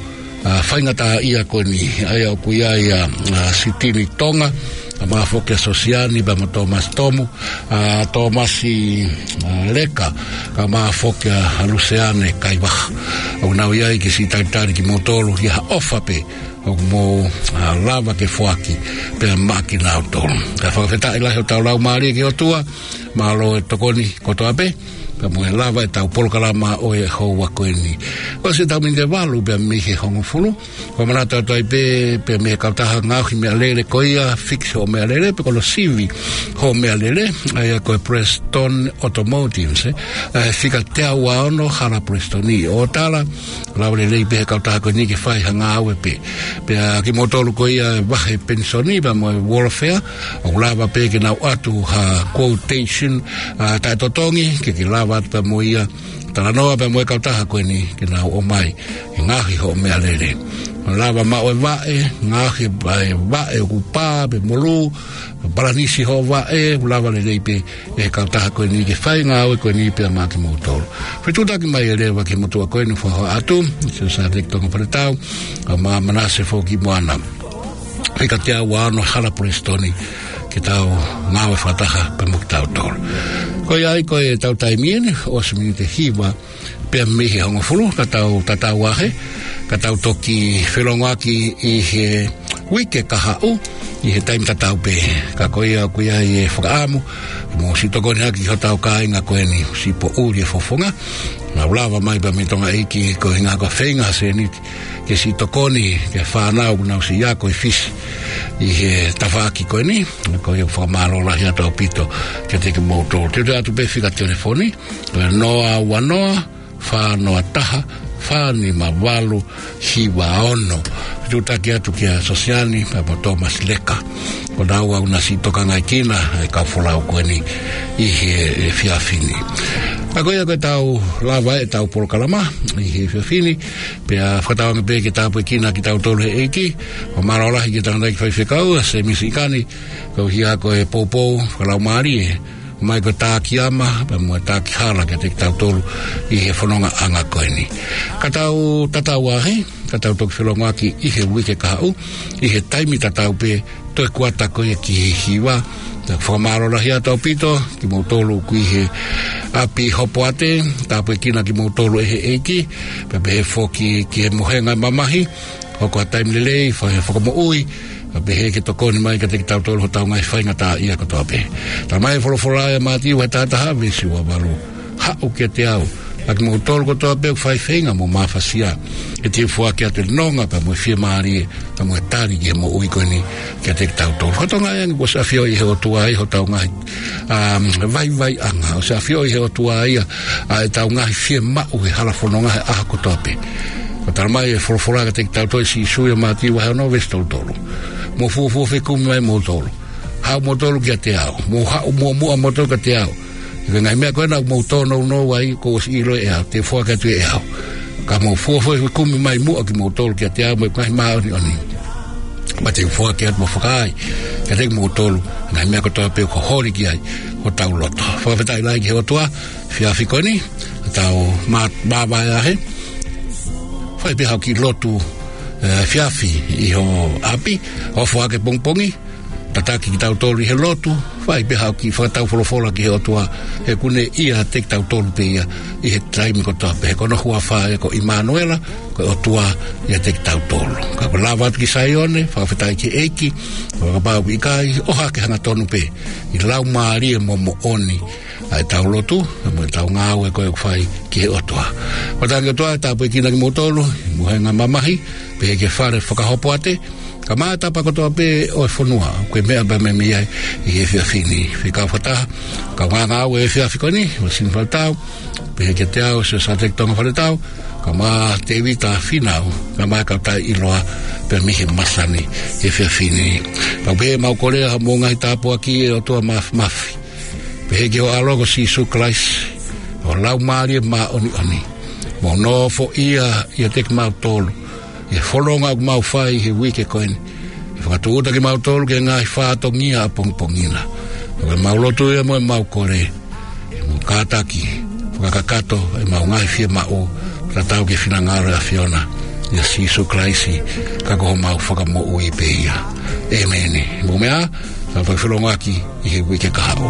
ʻa, faingataʻaʻia ko eni, ʻa ia ʻoku ʻi ai ʻa, ʻa, Sitini Tonga, kae ʻumaʻā foki ʻa Sosiani, pea mo Tōmasi Tomu, ʻa, Tōmasi, ʻa, Leka, kae ʻumaʻā foki ʻa Luseane Kaivaha. ʻOku nau ʻi ai ke siʻi talitali kimoutolu, ʻi ha ʻofa pē ʻoku mou, ʻa, lava ke foaki pea maʻa kinautolu. Kae fakafetaʻi lahi hotau laumālie ki he ʻOtua, mālō e tokoni kotoa pē, pea mo e lava ʻetau polokalama ʻo e houa ko eni. ʻOsi ʻetau miniti ʻe valu pea mei he hongofulu, ko e manatu atu ai pē, pea mei he kautaha ngaohi meʻalele ko ia, fix hoʻo meʻalele, pe ko hono sivi hoʻo meʻalele, ʻa ia ko e Prestone Automotives, ē? ʻA e fika teau ua ono, hala Prestone ʻi ʻOtala, lava lelei pē he kautaha ko eni ke fai ha ngāue pē. Pea kimoutolu ko ia vahe penisoni pea mo e welfare, ʻoku lava pē ke nau ʻatu ha quotation, ʻa, taʻetotongi, ke ke lava atu pea mo ia, talanoa pea mo e kautaha ko eni, ke nau ʻomai, ʻe ngaohi hoʻo meʻalele. Lava maʻu e vaʻe, ngaohi e vaʻe ʻoku pā, pe molū, palanisi hoʻo vaʻe, ʻoku lava lelei pē ʻe he kautaha ko eni ke fai ngāue ko eni pea maʻa kimoutolu. Fetuʻutaki mai ʻe leva ki he motuʻa ko eni ʻoku fakahā atu, Siaosi Tonga Faletau, kae ʻumaʻā Manase Foki Moana. Fika teau ua ono hala Prestone, ke tau ngāue fakataha pea mo kitautolu. Ko ia ai ko ʻetau taimi eni, ʻosi miniti ʻe hiva pea mei he hongofulu, ka tau tatau ā hē, ka tau toki felongoaki ʻi he uike kahaʻu, ʻi he taimi tatau pē. Ka ko ia ʻoku ʻi ai e fakaʻamu ke mou siʻi tokoni hake ki hotau kāinga ko eni, siʻi poʻuli e fofonga. Nau lava mai pē mei Tonga ʻEiki ko e ʻuhinga ko e feinga ha sēniti ke siʻi tokoni ki he fānau ʻoku nau siʻi ako ʻi Fisi ʻi he tafaʻaki ko eni. Ko ia ʻoku fakamālō lahi atu ʻaupito kiate kimoutolu. Te u toe ʻoatu pē fika telefoni, ko e noa ua noa, fā noa taha, fā nima valu, hiva ono. Fetuʻutaki atu kia Sosiani pea mo Thomas Leka. Ko naua ʻoku na siʻi tokangaʻi kinaua e kau folau ko eni ʻi he efiafi ni. Ka ko ia ko ʻetau lava ʻetau polokalama ʻi he efiafi ni, pea fakatauange pē ke tāpuekina kitautolu ʻe he ʻEiki. Fakamālō lahi ki he tangataʻeiki faifekau, ʻa Semisi ʻIkani, ko ia ko e poupou fakalaumālie mai ko Tākiama, pea mo Tākihala kiate kitautolu ʻi he fonongaʻanga ko eni. Ka tau tatau ā heni, ka tau toki felongoaki ʻi he uike kahaʻu, ʻi he taimi tatau pē, toe kuata ko ia ki he hiva. Tau fakamālō lahi atu ʻaupito kimoutolu ʻoku ʻi he ʻapi Hopoate, tāpuekina kimoutolu ʻe he ʻEiki, pea pehē foki ki he mohenga mamahi, hoko ha taimi lelei, fai ha fakamoʻui, pea pehē ke tokoni mai kiate kitautolu hotau ngaahi faingataʻaʻia kotoa pē. Talamai ʻe he folofola ʻia Mātiu vahe taha taha veesi ua valu: Haʻu kiate au, ʻa kimoutolu kotoa pē ʻoku fai feinga mo mafasia, ke te u foaki atu e nonga pea mo e fiemālie, pea mo e tali ki he moʻui ko eni kiate kitautolu. Ko e tokanga ia ʻoku ʻosi ʻafioʻi ʻe he ʻOtua ia hotau ngaahi, um, vaivaiʻanga, ʻosi ʻafioʻi ʻe he ʻOtua ia ʻa ʻetau ngaahi fiemaʻu he hala fononga he ʻaho kotoa pē. Ko e talamai ʻe he folofola kiate kitautolu ʻe Sīsū ʻia Mātiu vahe ono veesi tolu tolu: Mou fuofua fekumi mai moutolu. Haʻu moutolu kiate au. Mou haʻu muʻomuʻa moutolu kiate au. He ko e ngaahi meʻa ko ena ʻoku mou tōnounou ai kuo ʻosi ʻiloʻi ʻe au, te u foaki atu ʻe au. Ka mou fuofua fekumi mai muʻa kimoutolu kiate au mo e ngaahi māʻoniʻoni, pea te u foaki atu mo fakaai kiate kimoutolu e ngaahi meʻa kotoa pē ʻoku holi ki ai hotau loto. Fakafetaʻi lahi ki he ʻOtua, efiafi ko eni, tau mā-, māvae ā heni. Fai pē haʻo kiʻi lotu, eh, efiafi ʻi ho ʻapi, ʻo foaki pongipongi, tataki kitautolu ʻi he lotu, fai pē haʻo kiʻi fakataufolofola ki he ʻOtua, he ʻoku ne ʻiate kitautolu pē ia ʻi he taimi kotoa pē. He ko hono huafa ia ko ʻImanuela, ko e ʻOtua ʻiate kitautolu. Ka ko e lava atu ki Saione, fakafetaʻi ki he ʻEiki, ʻo kapau ʻoku ʻikai, ʻohake hangatonu pē ʻi he laumālie mo e moʻoni ʻa ʻetau lotu, mo ʻetau ngāue ko ē ʻoku fai ki he ʻOtua. Fakatauange ʻe he ʻOtua ke tāpuekina kimoutolu ʻi he mohenga mamahi, pehē ki he fale fakahopoate, kae ʻumaʻā e tapa kotoa pē ʻo e fonua ʻoku ke meʻa pē mei ai ʻi he efiafi ni. Fekau fakataha, kau ngāue efiafi ko eni, ʻo Sini Faletau, pehē kiate au, Siosiua Teki Tonga Faletau, kae ʻumaʻā Tēvita Fīnau, kae ʻumaʻā e kau taʻeʻiloa pē mei he masani efiafi ni. Kau pehē ʻemau kole ʻa hoʻomou ngaahi tāpuaki ʻe ʻOtua Māfimafi. Pehē ki ho ʻAlo ko Sīsū Kalaisi, ʻo e Laumālie Māʻoniʻoni, mo nofoʻia ʻiate kimautolu ʻi he fononga ʻoku mau fai he uike ko eni. ʻE fakatūʻuta kimautolu ki he ngaahi fatongia ʻapongipongi na. Ko ʻemau lotu ia mo ʻemau kole, ke mou kātaki, fakakakato ʻemau ngaahi fiemaʻu, tatau ki he finangalo ʻo e ʻAfiona, ʻia Sīsū Kalaisi, ka ko homau Fakamoʻui pē ia. ʻĒmeni. Mou meʻa ā, tau toe felongoaki ʻi he uike kahaʻu.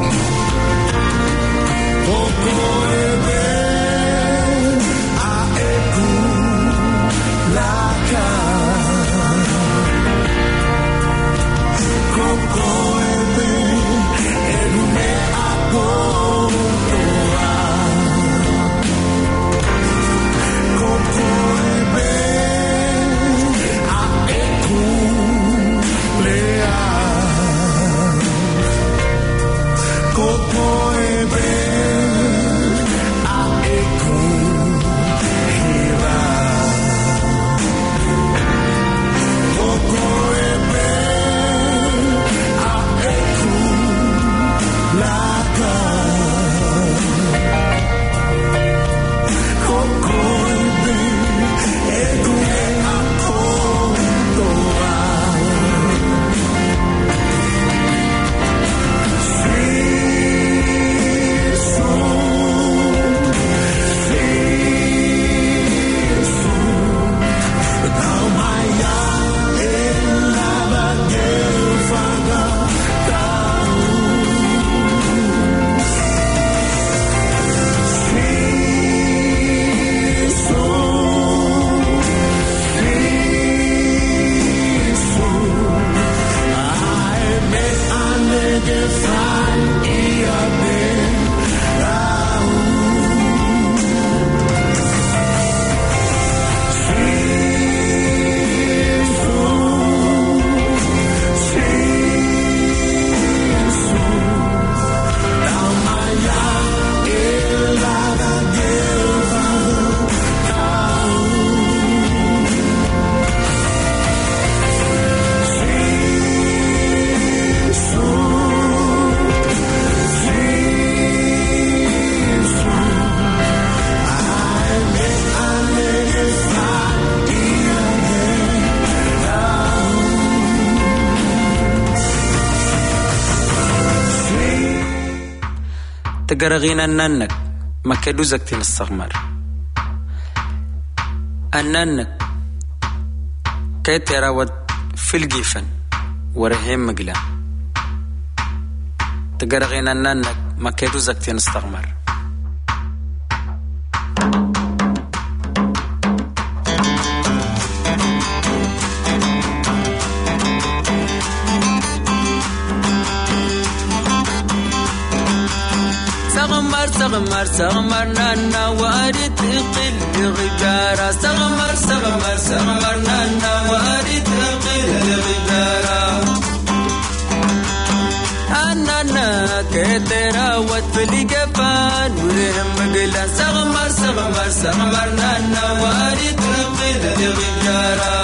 Tagalog in Anannak, Makeduzak Tinas Sakmar. Anannak, Keterawat Filgifan, Warehemegla. Tagalog in Anannak, Makeduzak Tinas Sakmar. Sakmar, Sakmar, Sakmar nana wari tikil ligidara. Sakmar, Sakmar, Sakmar nana wari tikil ligidara. Anannak, Keterawat Filgifan, Warehemegla. Sakmar, Sakmar, Sakmar nana wari tikil ligidara.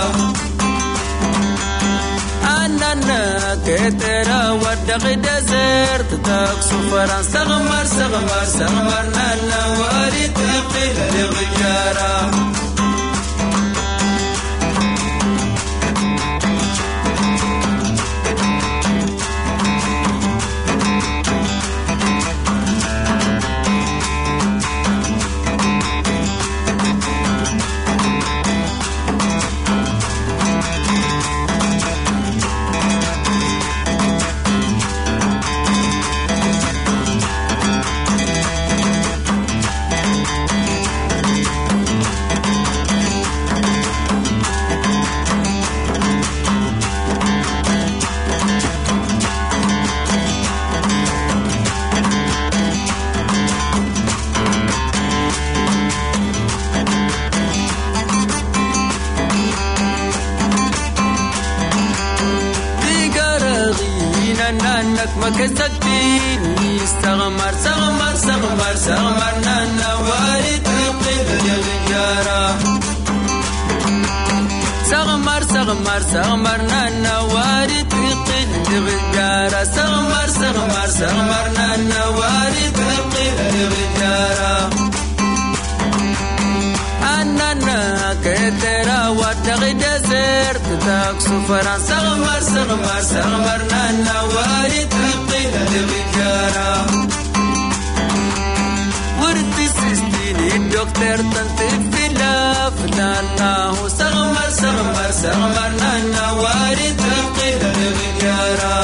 Anannak, Keterawat daki desert, tak sufaran. Sakmar, Sakmar, Sakmar nana wari tikil ligidara. Tagalog in Anannak, Makeduzak Tinas Sakmar, Sakmar, Sakmar, Sakmar nana wari tikil ligidara. Sakmar, Sakmar, Sakmar nana wari tikil ligidara. Sakmar, Sakmar, Sakmar nana wari tikil ligidara. Anannak, Keterawat daki desert, tak sufaran. Sakmar, Sakmar, Sakmar nana wari tikil ligidara. Wari tisistini dokter tanti filaf nana hu. Sakmar, Sakmar, Sakmar nana wari tikil ligidara.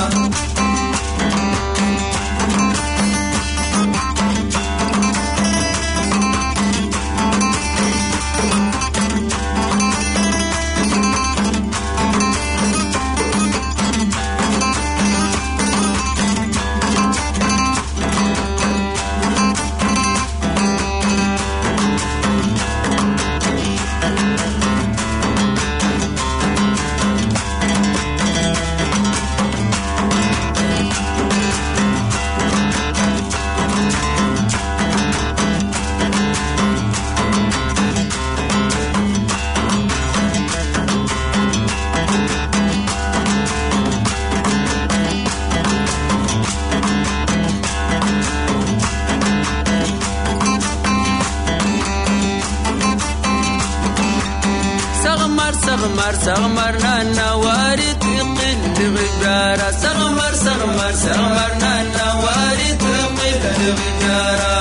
Sakmar, Sakmar, Sakmar nana wari tikil ligidara. Sakmar, Sakmar, Sakmar nana wari tikil ligidara.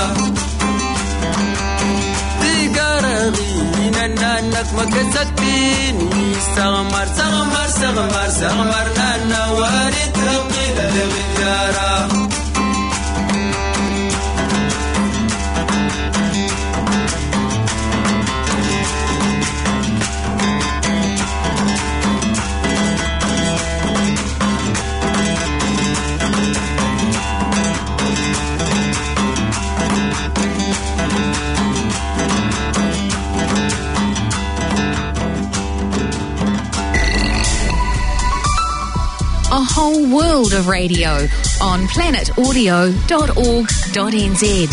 Tagalog in Anannak, Makeduzak Tinas Sakmar, Sakmar, Sakmar, Sakmar nana wari tikil ligidara. Whole world of radio on planet audio dot org dot N Z.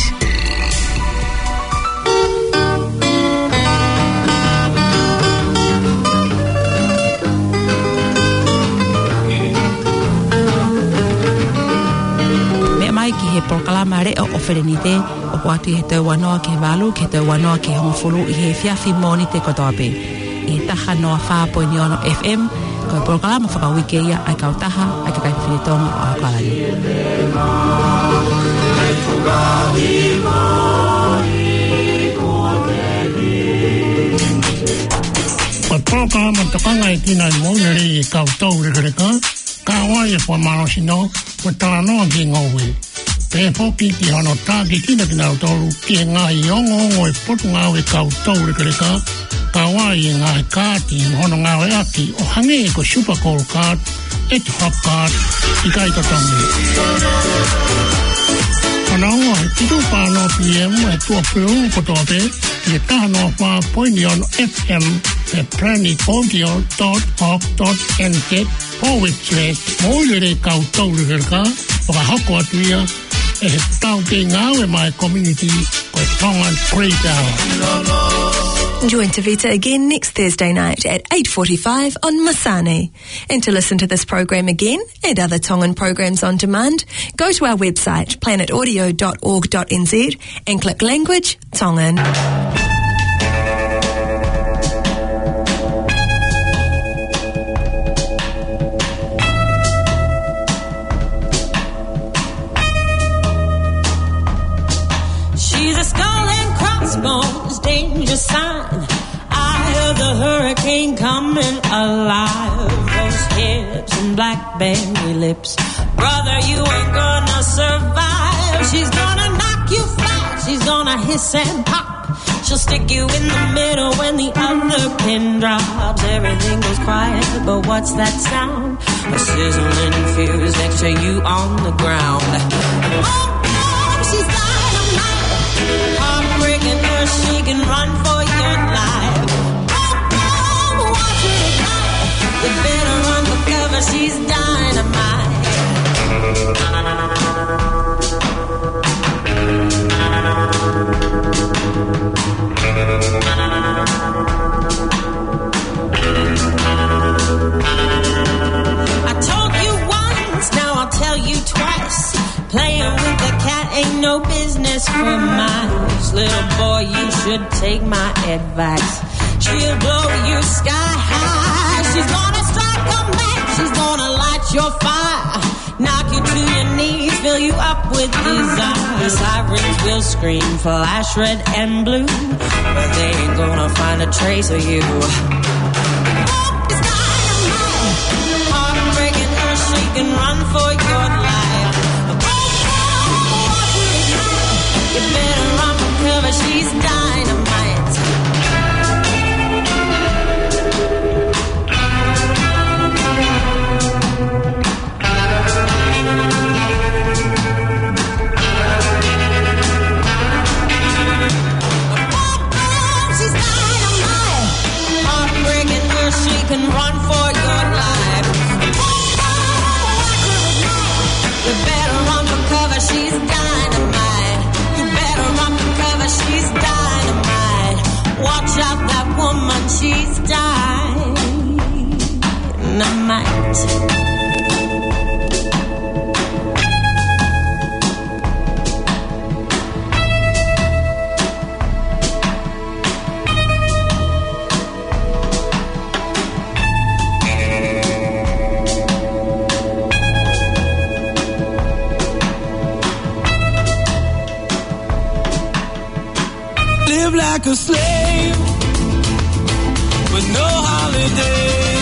Meʻa mai ki he polokalama leʻo ʻo Felenite, ʻoku ʻoatu ʻi he tau ua noa ki he valu, ki he tau ua noa ki he hongofulu ʻi he efiafi Mōnite kotoa pē. ʻI he taha noa fā poini ono F M, ko e polokalama fakauike ia ʻa e kautaha ʻa e kakai fefine Tonga ʻo ʻAokalani. Ko e polokalama tokanga ʻi he kau moʻui lelei ʻa e kau toulekeleka, kau ai e fakamālohisino, mo e talanoa ki he ngoue. Pehē foki ki hono tākiekina kinautolu ki he ngaahi ongoongo ʻo e Potungāue ʻa e kau toulekeleka, kau ai e ngaahi kaati mo hono ngāueʻaki ʻo hangē ko e Super Gold Card, Etihob Card, ʻikai totongi. Hono ongo he fitu pā noa P M ʻi he tuʻapulelulu kotoa pē, ʻi he taha noa fā poini ono F M, ʻi he planet audio dot org dot N Z forward slash moʻui lelei ʻa e kau toulekeleka, fakahoko atu ia ʻe he taukei ngāue maʻá e community ko e Tongan Great Hour. Join Tavita again next Thursday night at eight forty-five on Masani. And to listen to this program again and other Tongan programs on demand, go to our website, planet audio dot org dot N Z, and click Language Tongan. She's a skull and crossbones, danger sign. Eye of the hurricane coming alive. Rose hips and blackberry lips. Brother, you ain't gonna survive. She's gonna knock you flat. She's gonna hiss and pop. She'll stick you in the middle when the other pin drops. Everything goes quiet, but what's that sound? A sizzling fuse next to you on the ground. Oh, oh, she's dynamite. Heartbreaking her, she can run for your life. Oh, oh, watch her ignite. You better run for cover, she's dynamite. I told you once, now I'll tell you twice. Playing with the cat ain't no business for mice. Little boy, you should take my advice. She'll blow you sky high. She's gonna strike a match. She's gonna light your fire. Knock you to your knees, fill you up with desire. Sirens will scream, flash red and blue, but they ain't gonna find a trace of you. Hope is dynamite. Heartbreaking her, she can run for your life. Oh, oh, oh, oh, you better run for cover, she's dynamite. She's dynamite. Heartbreaking her, she can run for your life. You better run for cover, she's dynamite. You better run for cover, she's dynamite. Watch out, that woman, she's dynamite. Live like a slave with no holiday.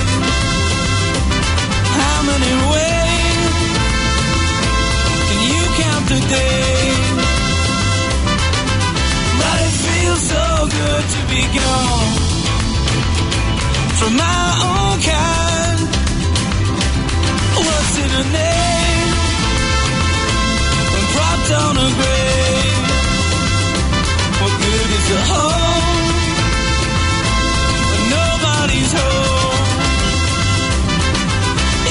How many ways can you count the days? But it feels so good to be gone from my own kind. What's in a name when propped on a grave? What good is a home when nobody's home?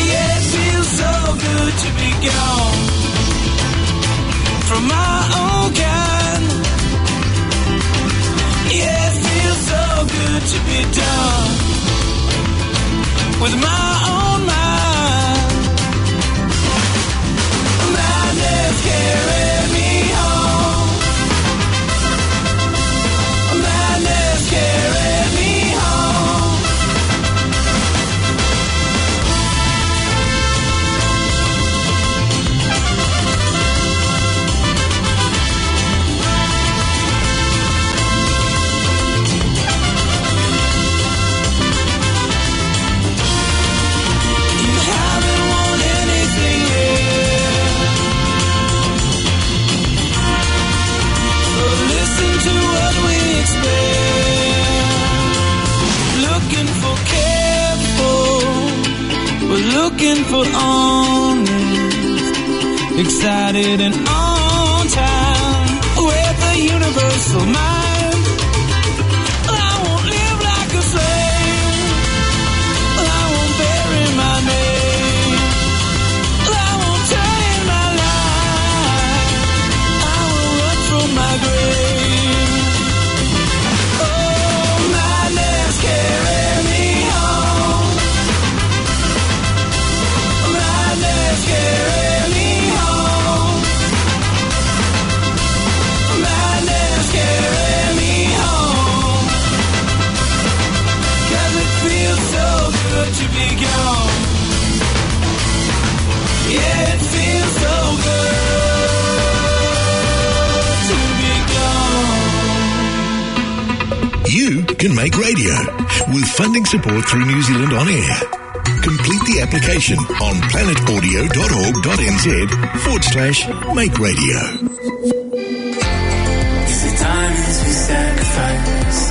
Yeah, it feels To be gone from my own kind. Yeah, it feels so good to be done with my own mind. Madness carry me home. Madness carry me home. You haven't won anything yet. So listen to what we expect. Looking for careful, we're looking for honest, excited and on time. With a universal mind, I won't live like a slave. I won't bury my name. I won't turn in my life. I will run from my grave. Oh, madness carry me home. Madness carry me home. Madness carry me home. 'Cause it feels so good to be gone. Yeah, it feels so good to be gone. You can make radio with funding support through New Zealand On Air. Complete the application on planetaudio.org.nz forward slash make radio. Is the time is we sacrifice.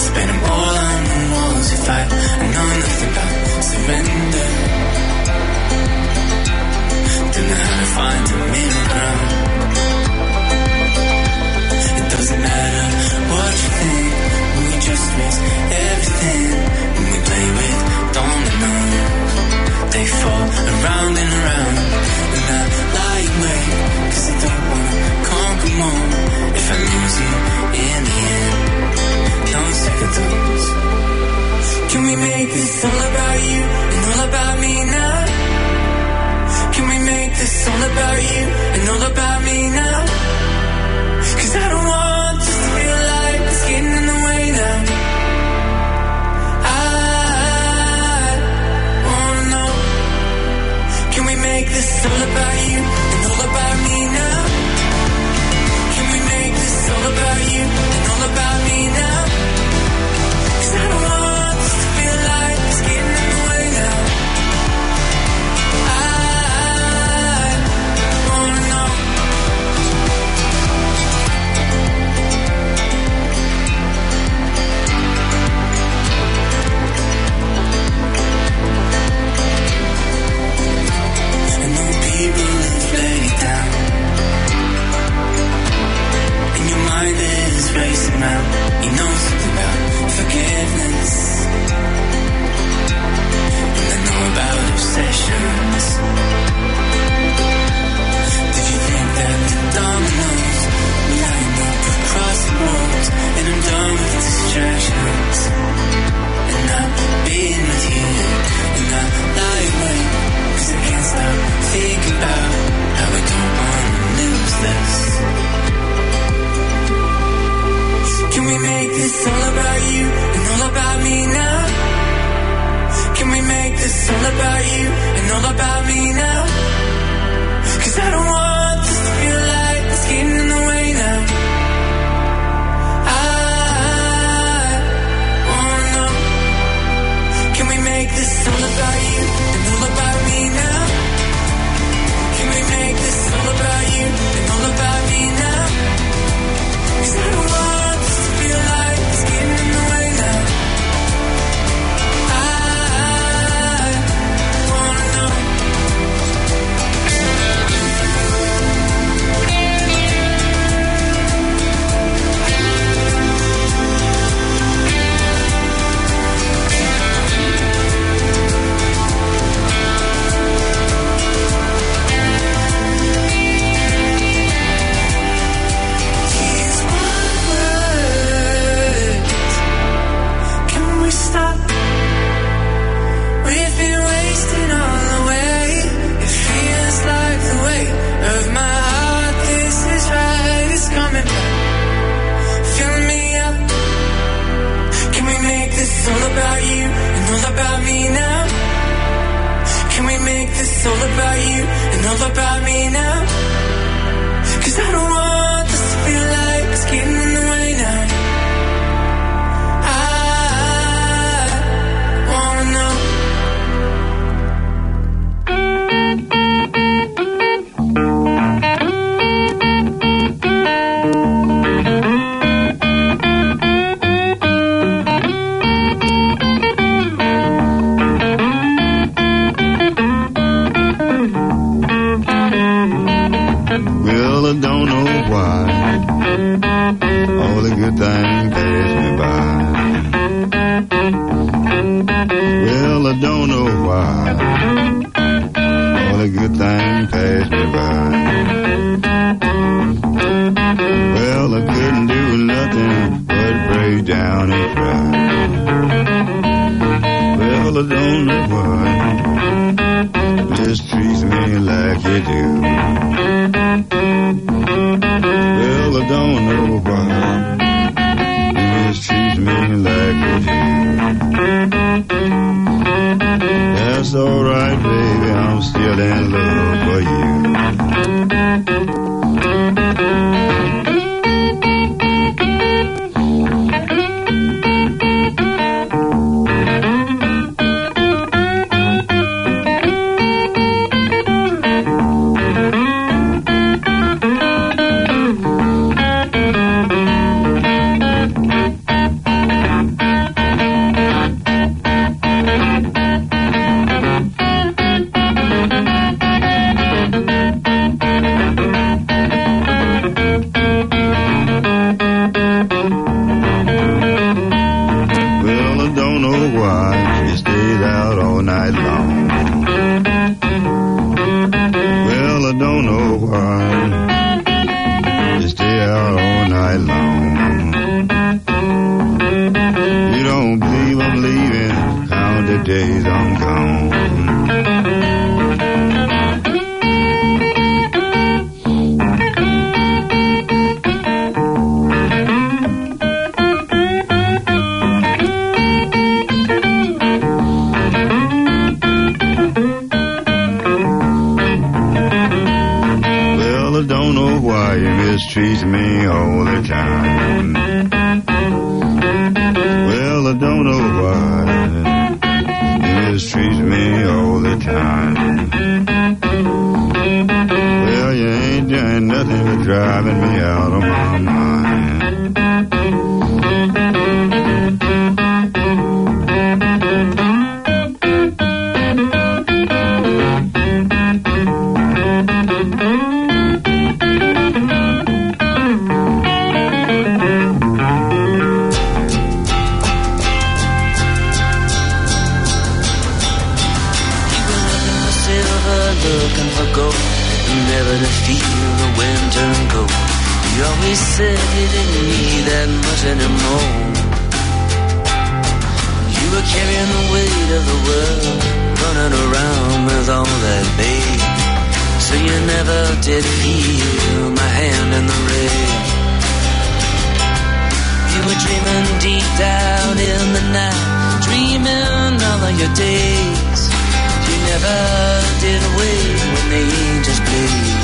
Spend 'em all on the wars we fight. I know nothing about surrender. Don't know how to find the middle ground. It doesn't matter what you think, we just risk everything when we play with dominoes. They fall around and around, and I lie in wait, 'cause I don't wanna conquer more. If I lose you in the end, no second thoughts. Can we make this all about you and all about me now? Can we make this all about you and all about me now? 'Cause I don't want this to feel like it's getting in the way now. I wanna know, can we make this all about you and all about me now? Can we make this all about you and all about me now? 'Cause I don't want this to feel like it's getting in the way now. I wanna know. I know people who play Make this all about you and all about me now. 'Cause I don't want this to feel like it's getting in the way now. I wanna know. Well, I don't know why all the good things pass me by. Well, I don't know why all the good things pass me by. Well, I couldn't do nothing but break down and cry. Well, I don't know why you mistreat me like you do. Well, I don't know why you mistreat me like you do. That's all right, baby, I'm still in love for you. Well, I don't know why she stays out all night long. Well, I don't know why she stays out all night long. You don't believe I'm leaving, count the days I'm gone. Well, I don't know why you mistreat me all the time. Well, I don't know why you mistreat me all the time. Well, you ain't doing nothing but driving me out of my mind. You were looking for silver, looking for gold, never to feel the wind turn cold. You always said you didn't need that much anymore. You were carrying the weight of the world, running around with all that babe. So you never did feel my hand in the rain. You were dreaming deep down in the night, dreaming all of your days. You never did wake when the angels played.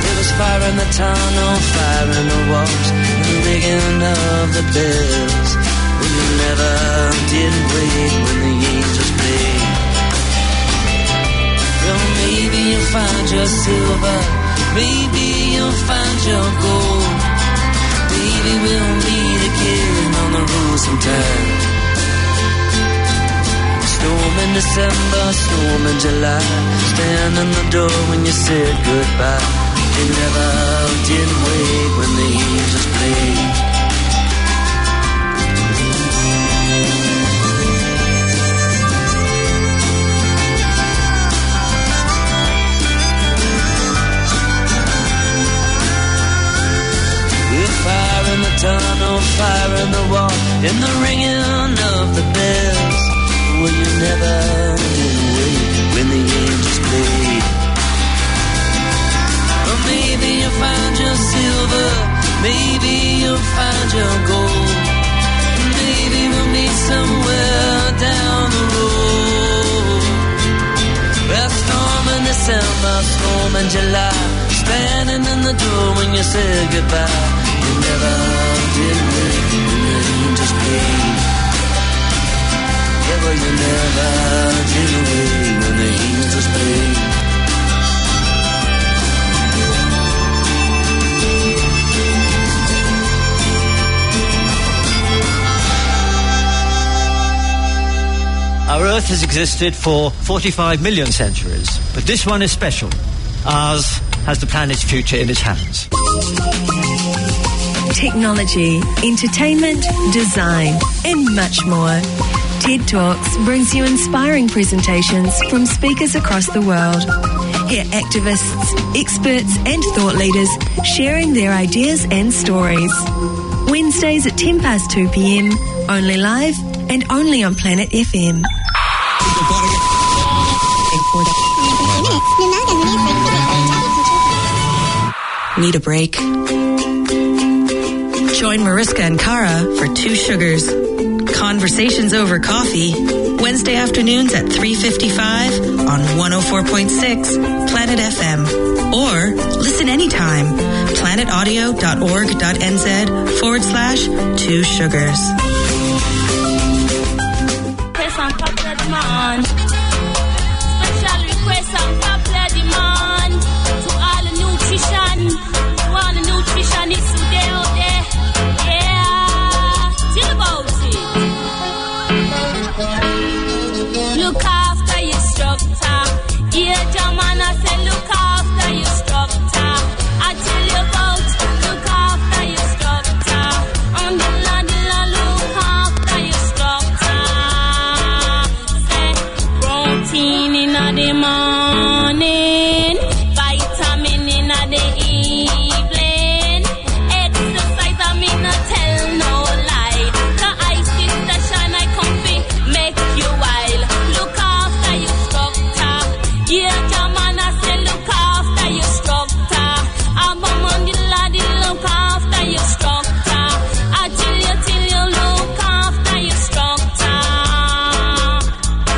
There was fire in the tunnel, fire in the walls, and the ringing of the bells. Well, you never did wake when the angels played. Well, maybe you'll find your silver, maybe you'll find your gold. Maybe we'll meet again on the road sometime. Storm in December, storm in July. Stand in the door when you said goodbye. You never did wake when the angels played. With fire in the tunnel, fire in the wall, and the ringing of the bells. Well, you never did wake when the angels played. Or maybe you'll find your silver, maybe you'll find your gold. Maybe we'll meet somewhere down the road. Standing in the door when you said goodbye. You never did ring when the angels came. Yeah, well, you never did ring when the angels came. Our Earth has existed for forty-five million centuries, but this one is special. Ours has the planet's future in its hands. Technology, entertainment, design, and much more. TED Talks brings you inspiring presentations from speakers across the world. Hear activists, experts, and thought leaders sharing their ideas and stories. Wednesdays at ten past two p.m., only live and only on Planet F M. Need a break? Join Mariska and Kara for Two Sugars. Conversations over coffee, Wednesday afternoons at three fifty-five on one oh four point six Planet F M. Or listen anytime, planet audio dot org dot N Z forward slash two sugars. Request and popular demand. Special request and popular demand to all the nutrition, to all the nutritionists who there out there. Yeah, think about it. Look after your structure. Yeah, German, I say look after your structure. I tell you about look after your structure. And the la, the la, look after your structure. Say protein in the morning, vitamin in the evening. Exercise, I mean, I tell no lie. The I sister Shana come fi make you wild. Look after your structure. Yeah, German, I say look after your structure. I'm a man, the lady, look after your structure. I tell you, till you look after your structure.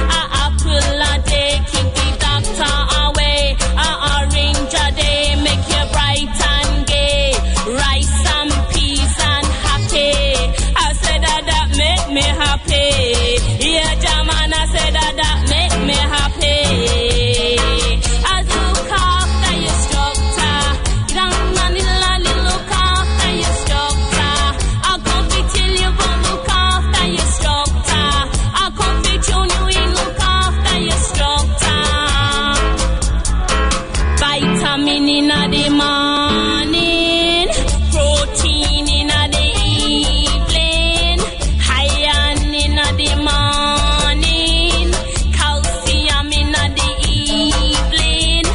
A apple a day keep the doctor away. A orange a day make you bright and gay. Rice and peas and ackee. I said that, that make me happy. Yeah, German, I said that, that make me happy. I look after your structure. Young man, the lady, look after your structure. I come fi tell you, but look after your structure. I come fi tune you in, look after your structure. Vitamin in the morning, protein in the evening, iron in the morning, calcium in the evening.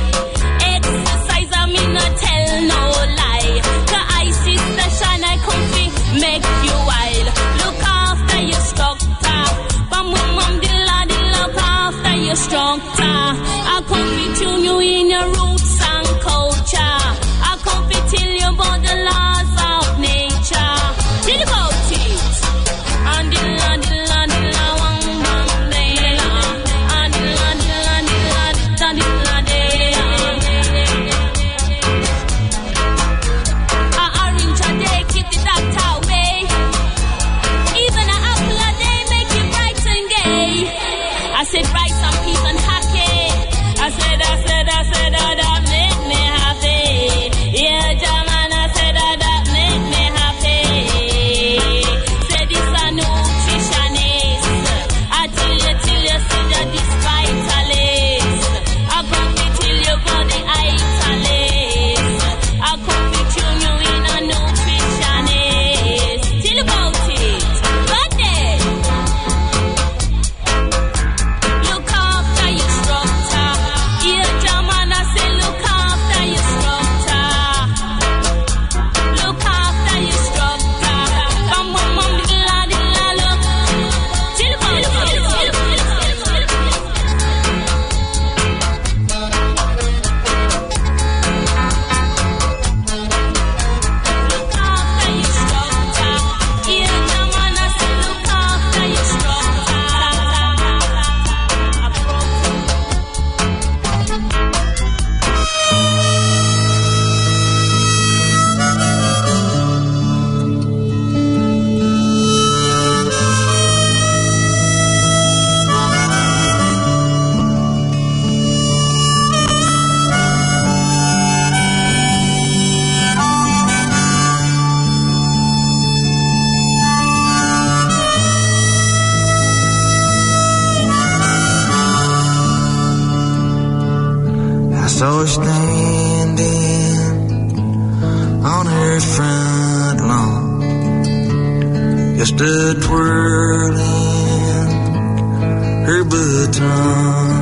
Exercise, I mean, I tell no lie. The I sister Shana come fi make you wild. Look after your structure. Bam, bam, bam, dilla, dilla, look after your structure. I come fi tune you in your roots and culture. I come fi tell you about the laws of nature. Tell about it. And dilla, dilla, dilla, wang, wang, dilla. And dilla, dilla, dilla, dilla, dilla, dilla. A orange a day keep the doctor away. Even a apple a day make you bright and gay. I said rice and peas and ackee. I said, I said, I said, that, that make me happy. Yeah, German, I said that, that make me happy. Say this a nutritionist. I tell you, till you see that this vitalist. I come fi tell you about the vitalist. I come fi tune you in a nutritionist. Tell about it. But then, look after your structure. Yeah, German, I say You're standing on her front lawn, just a twirling her baton.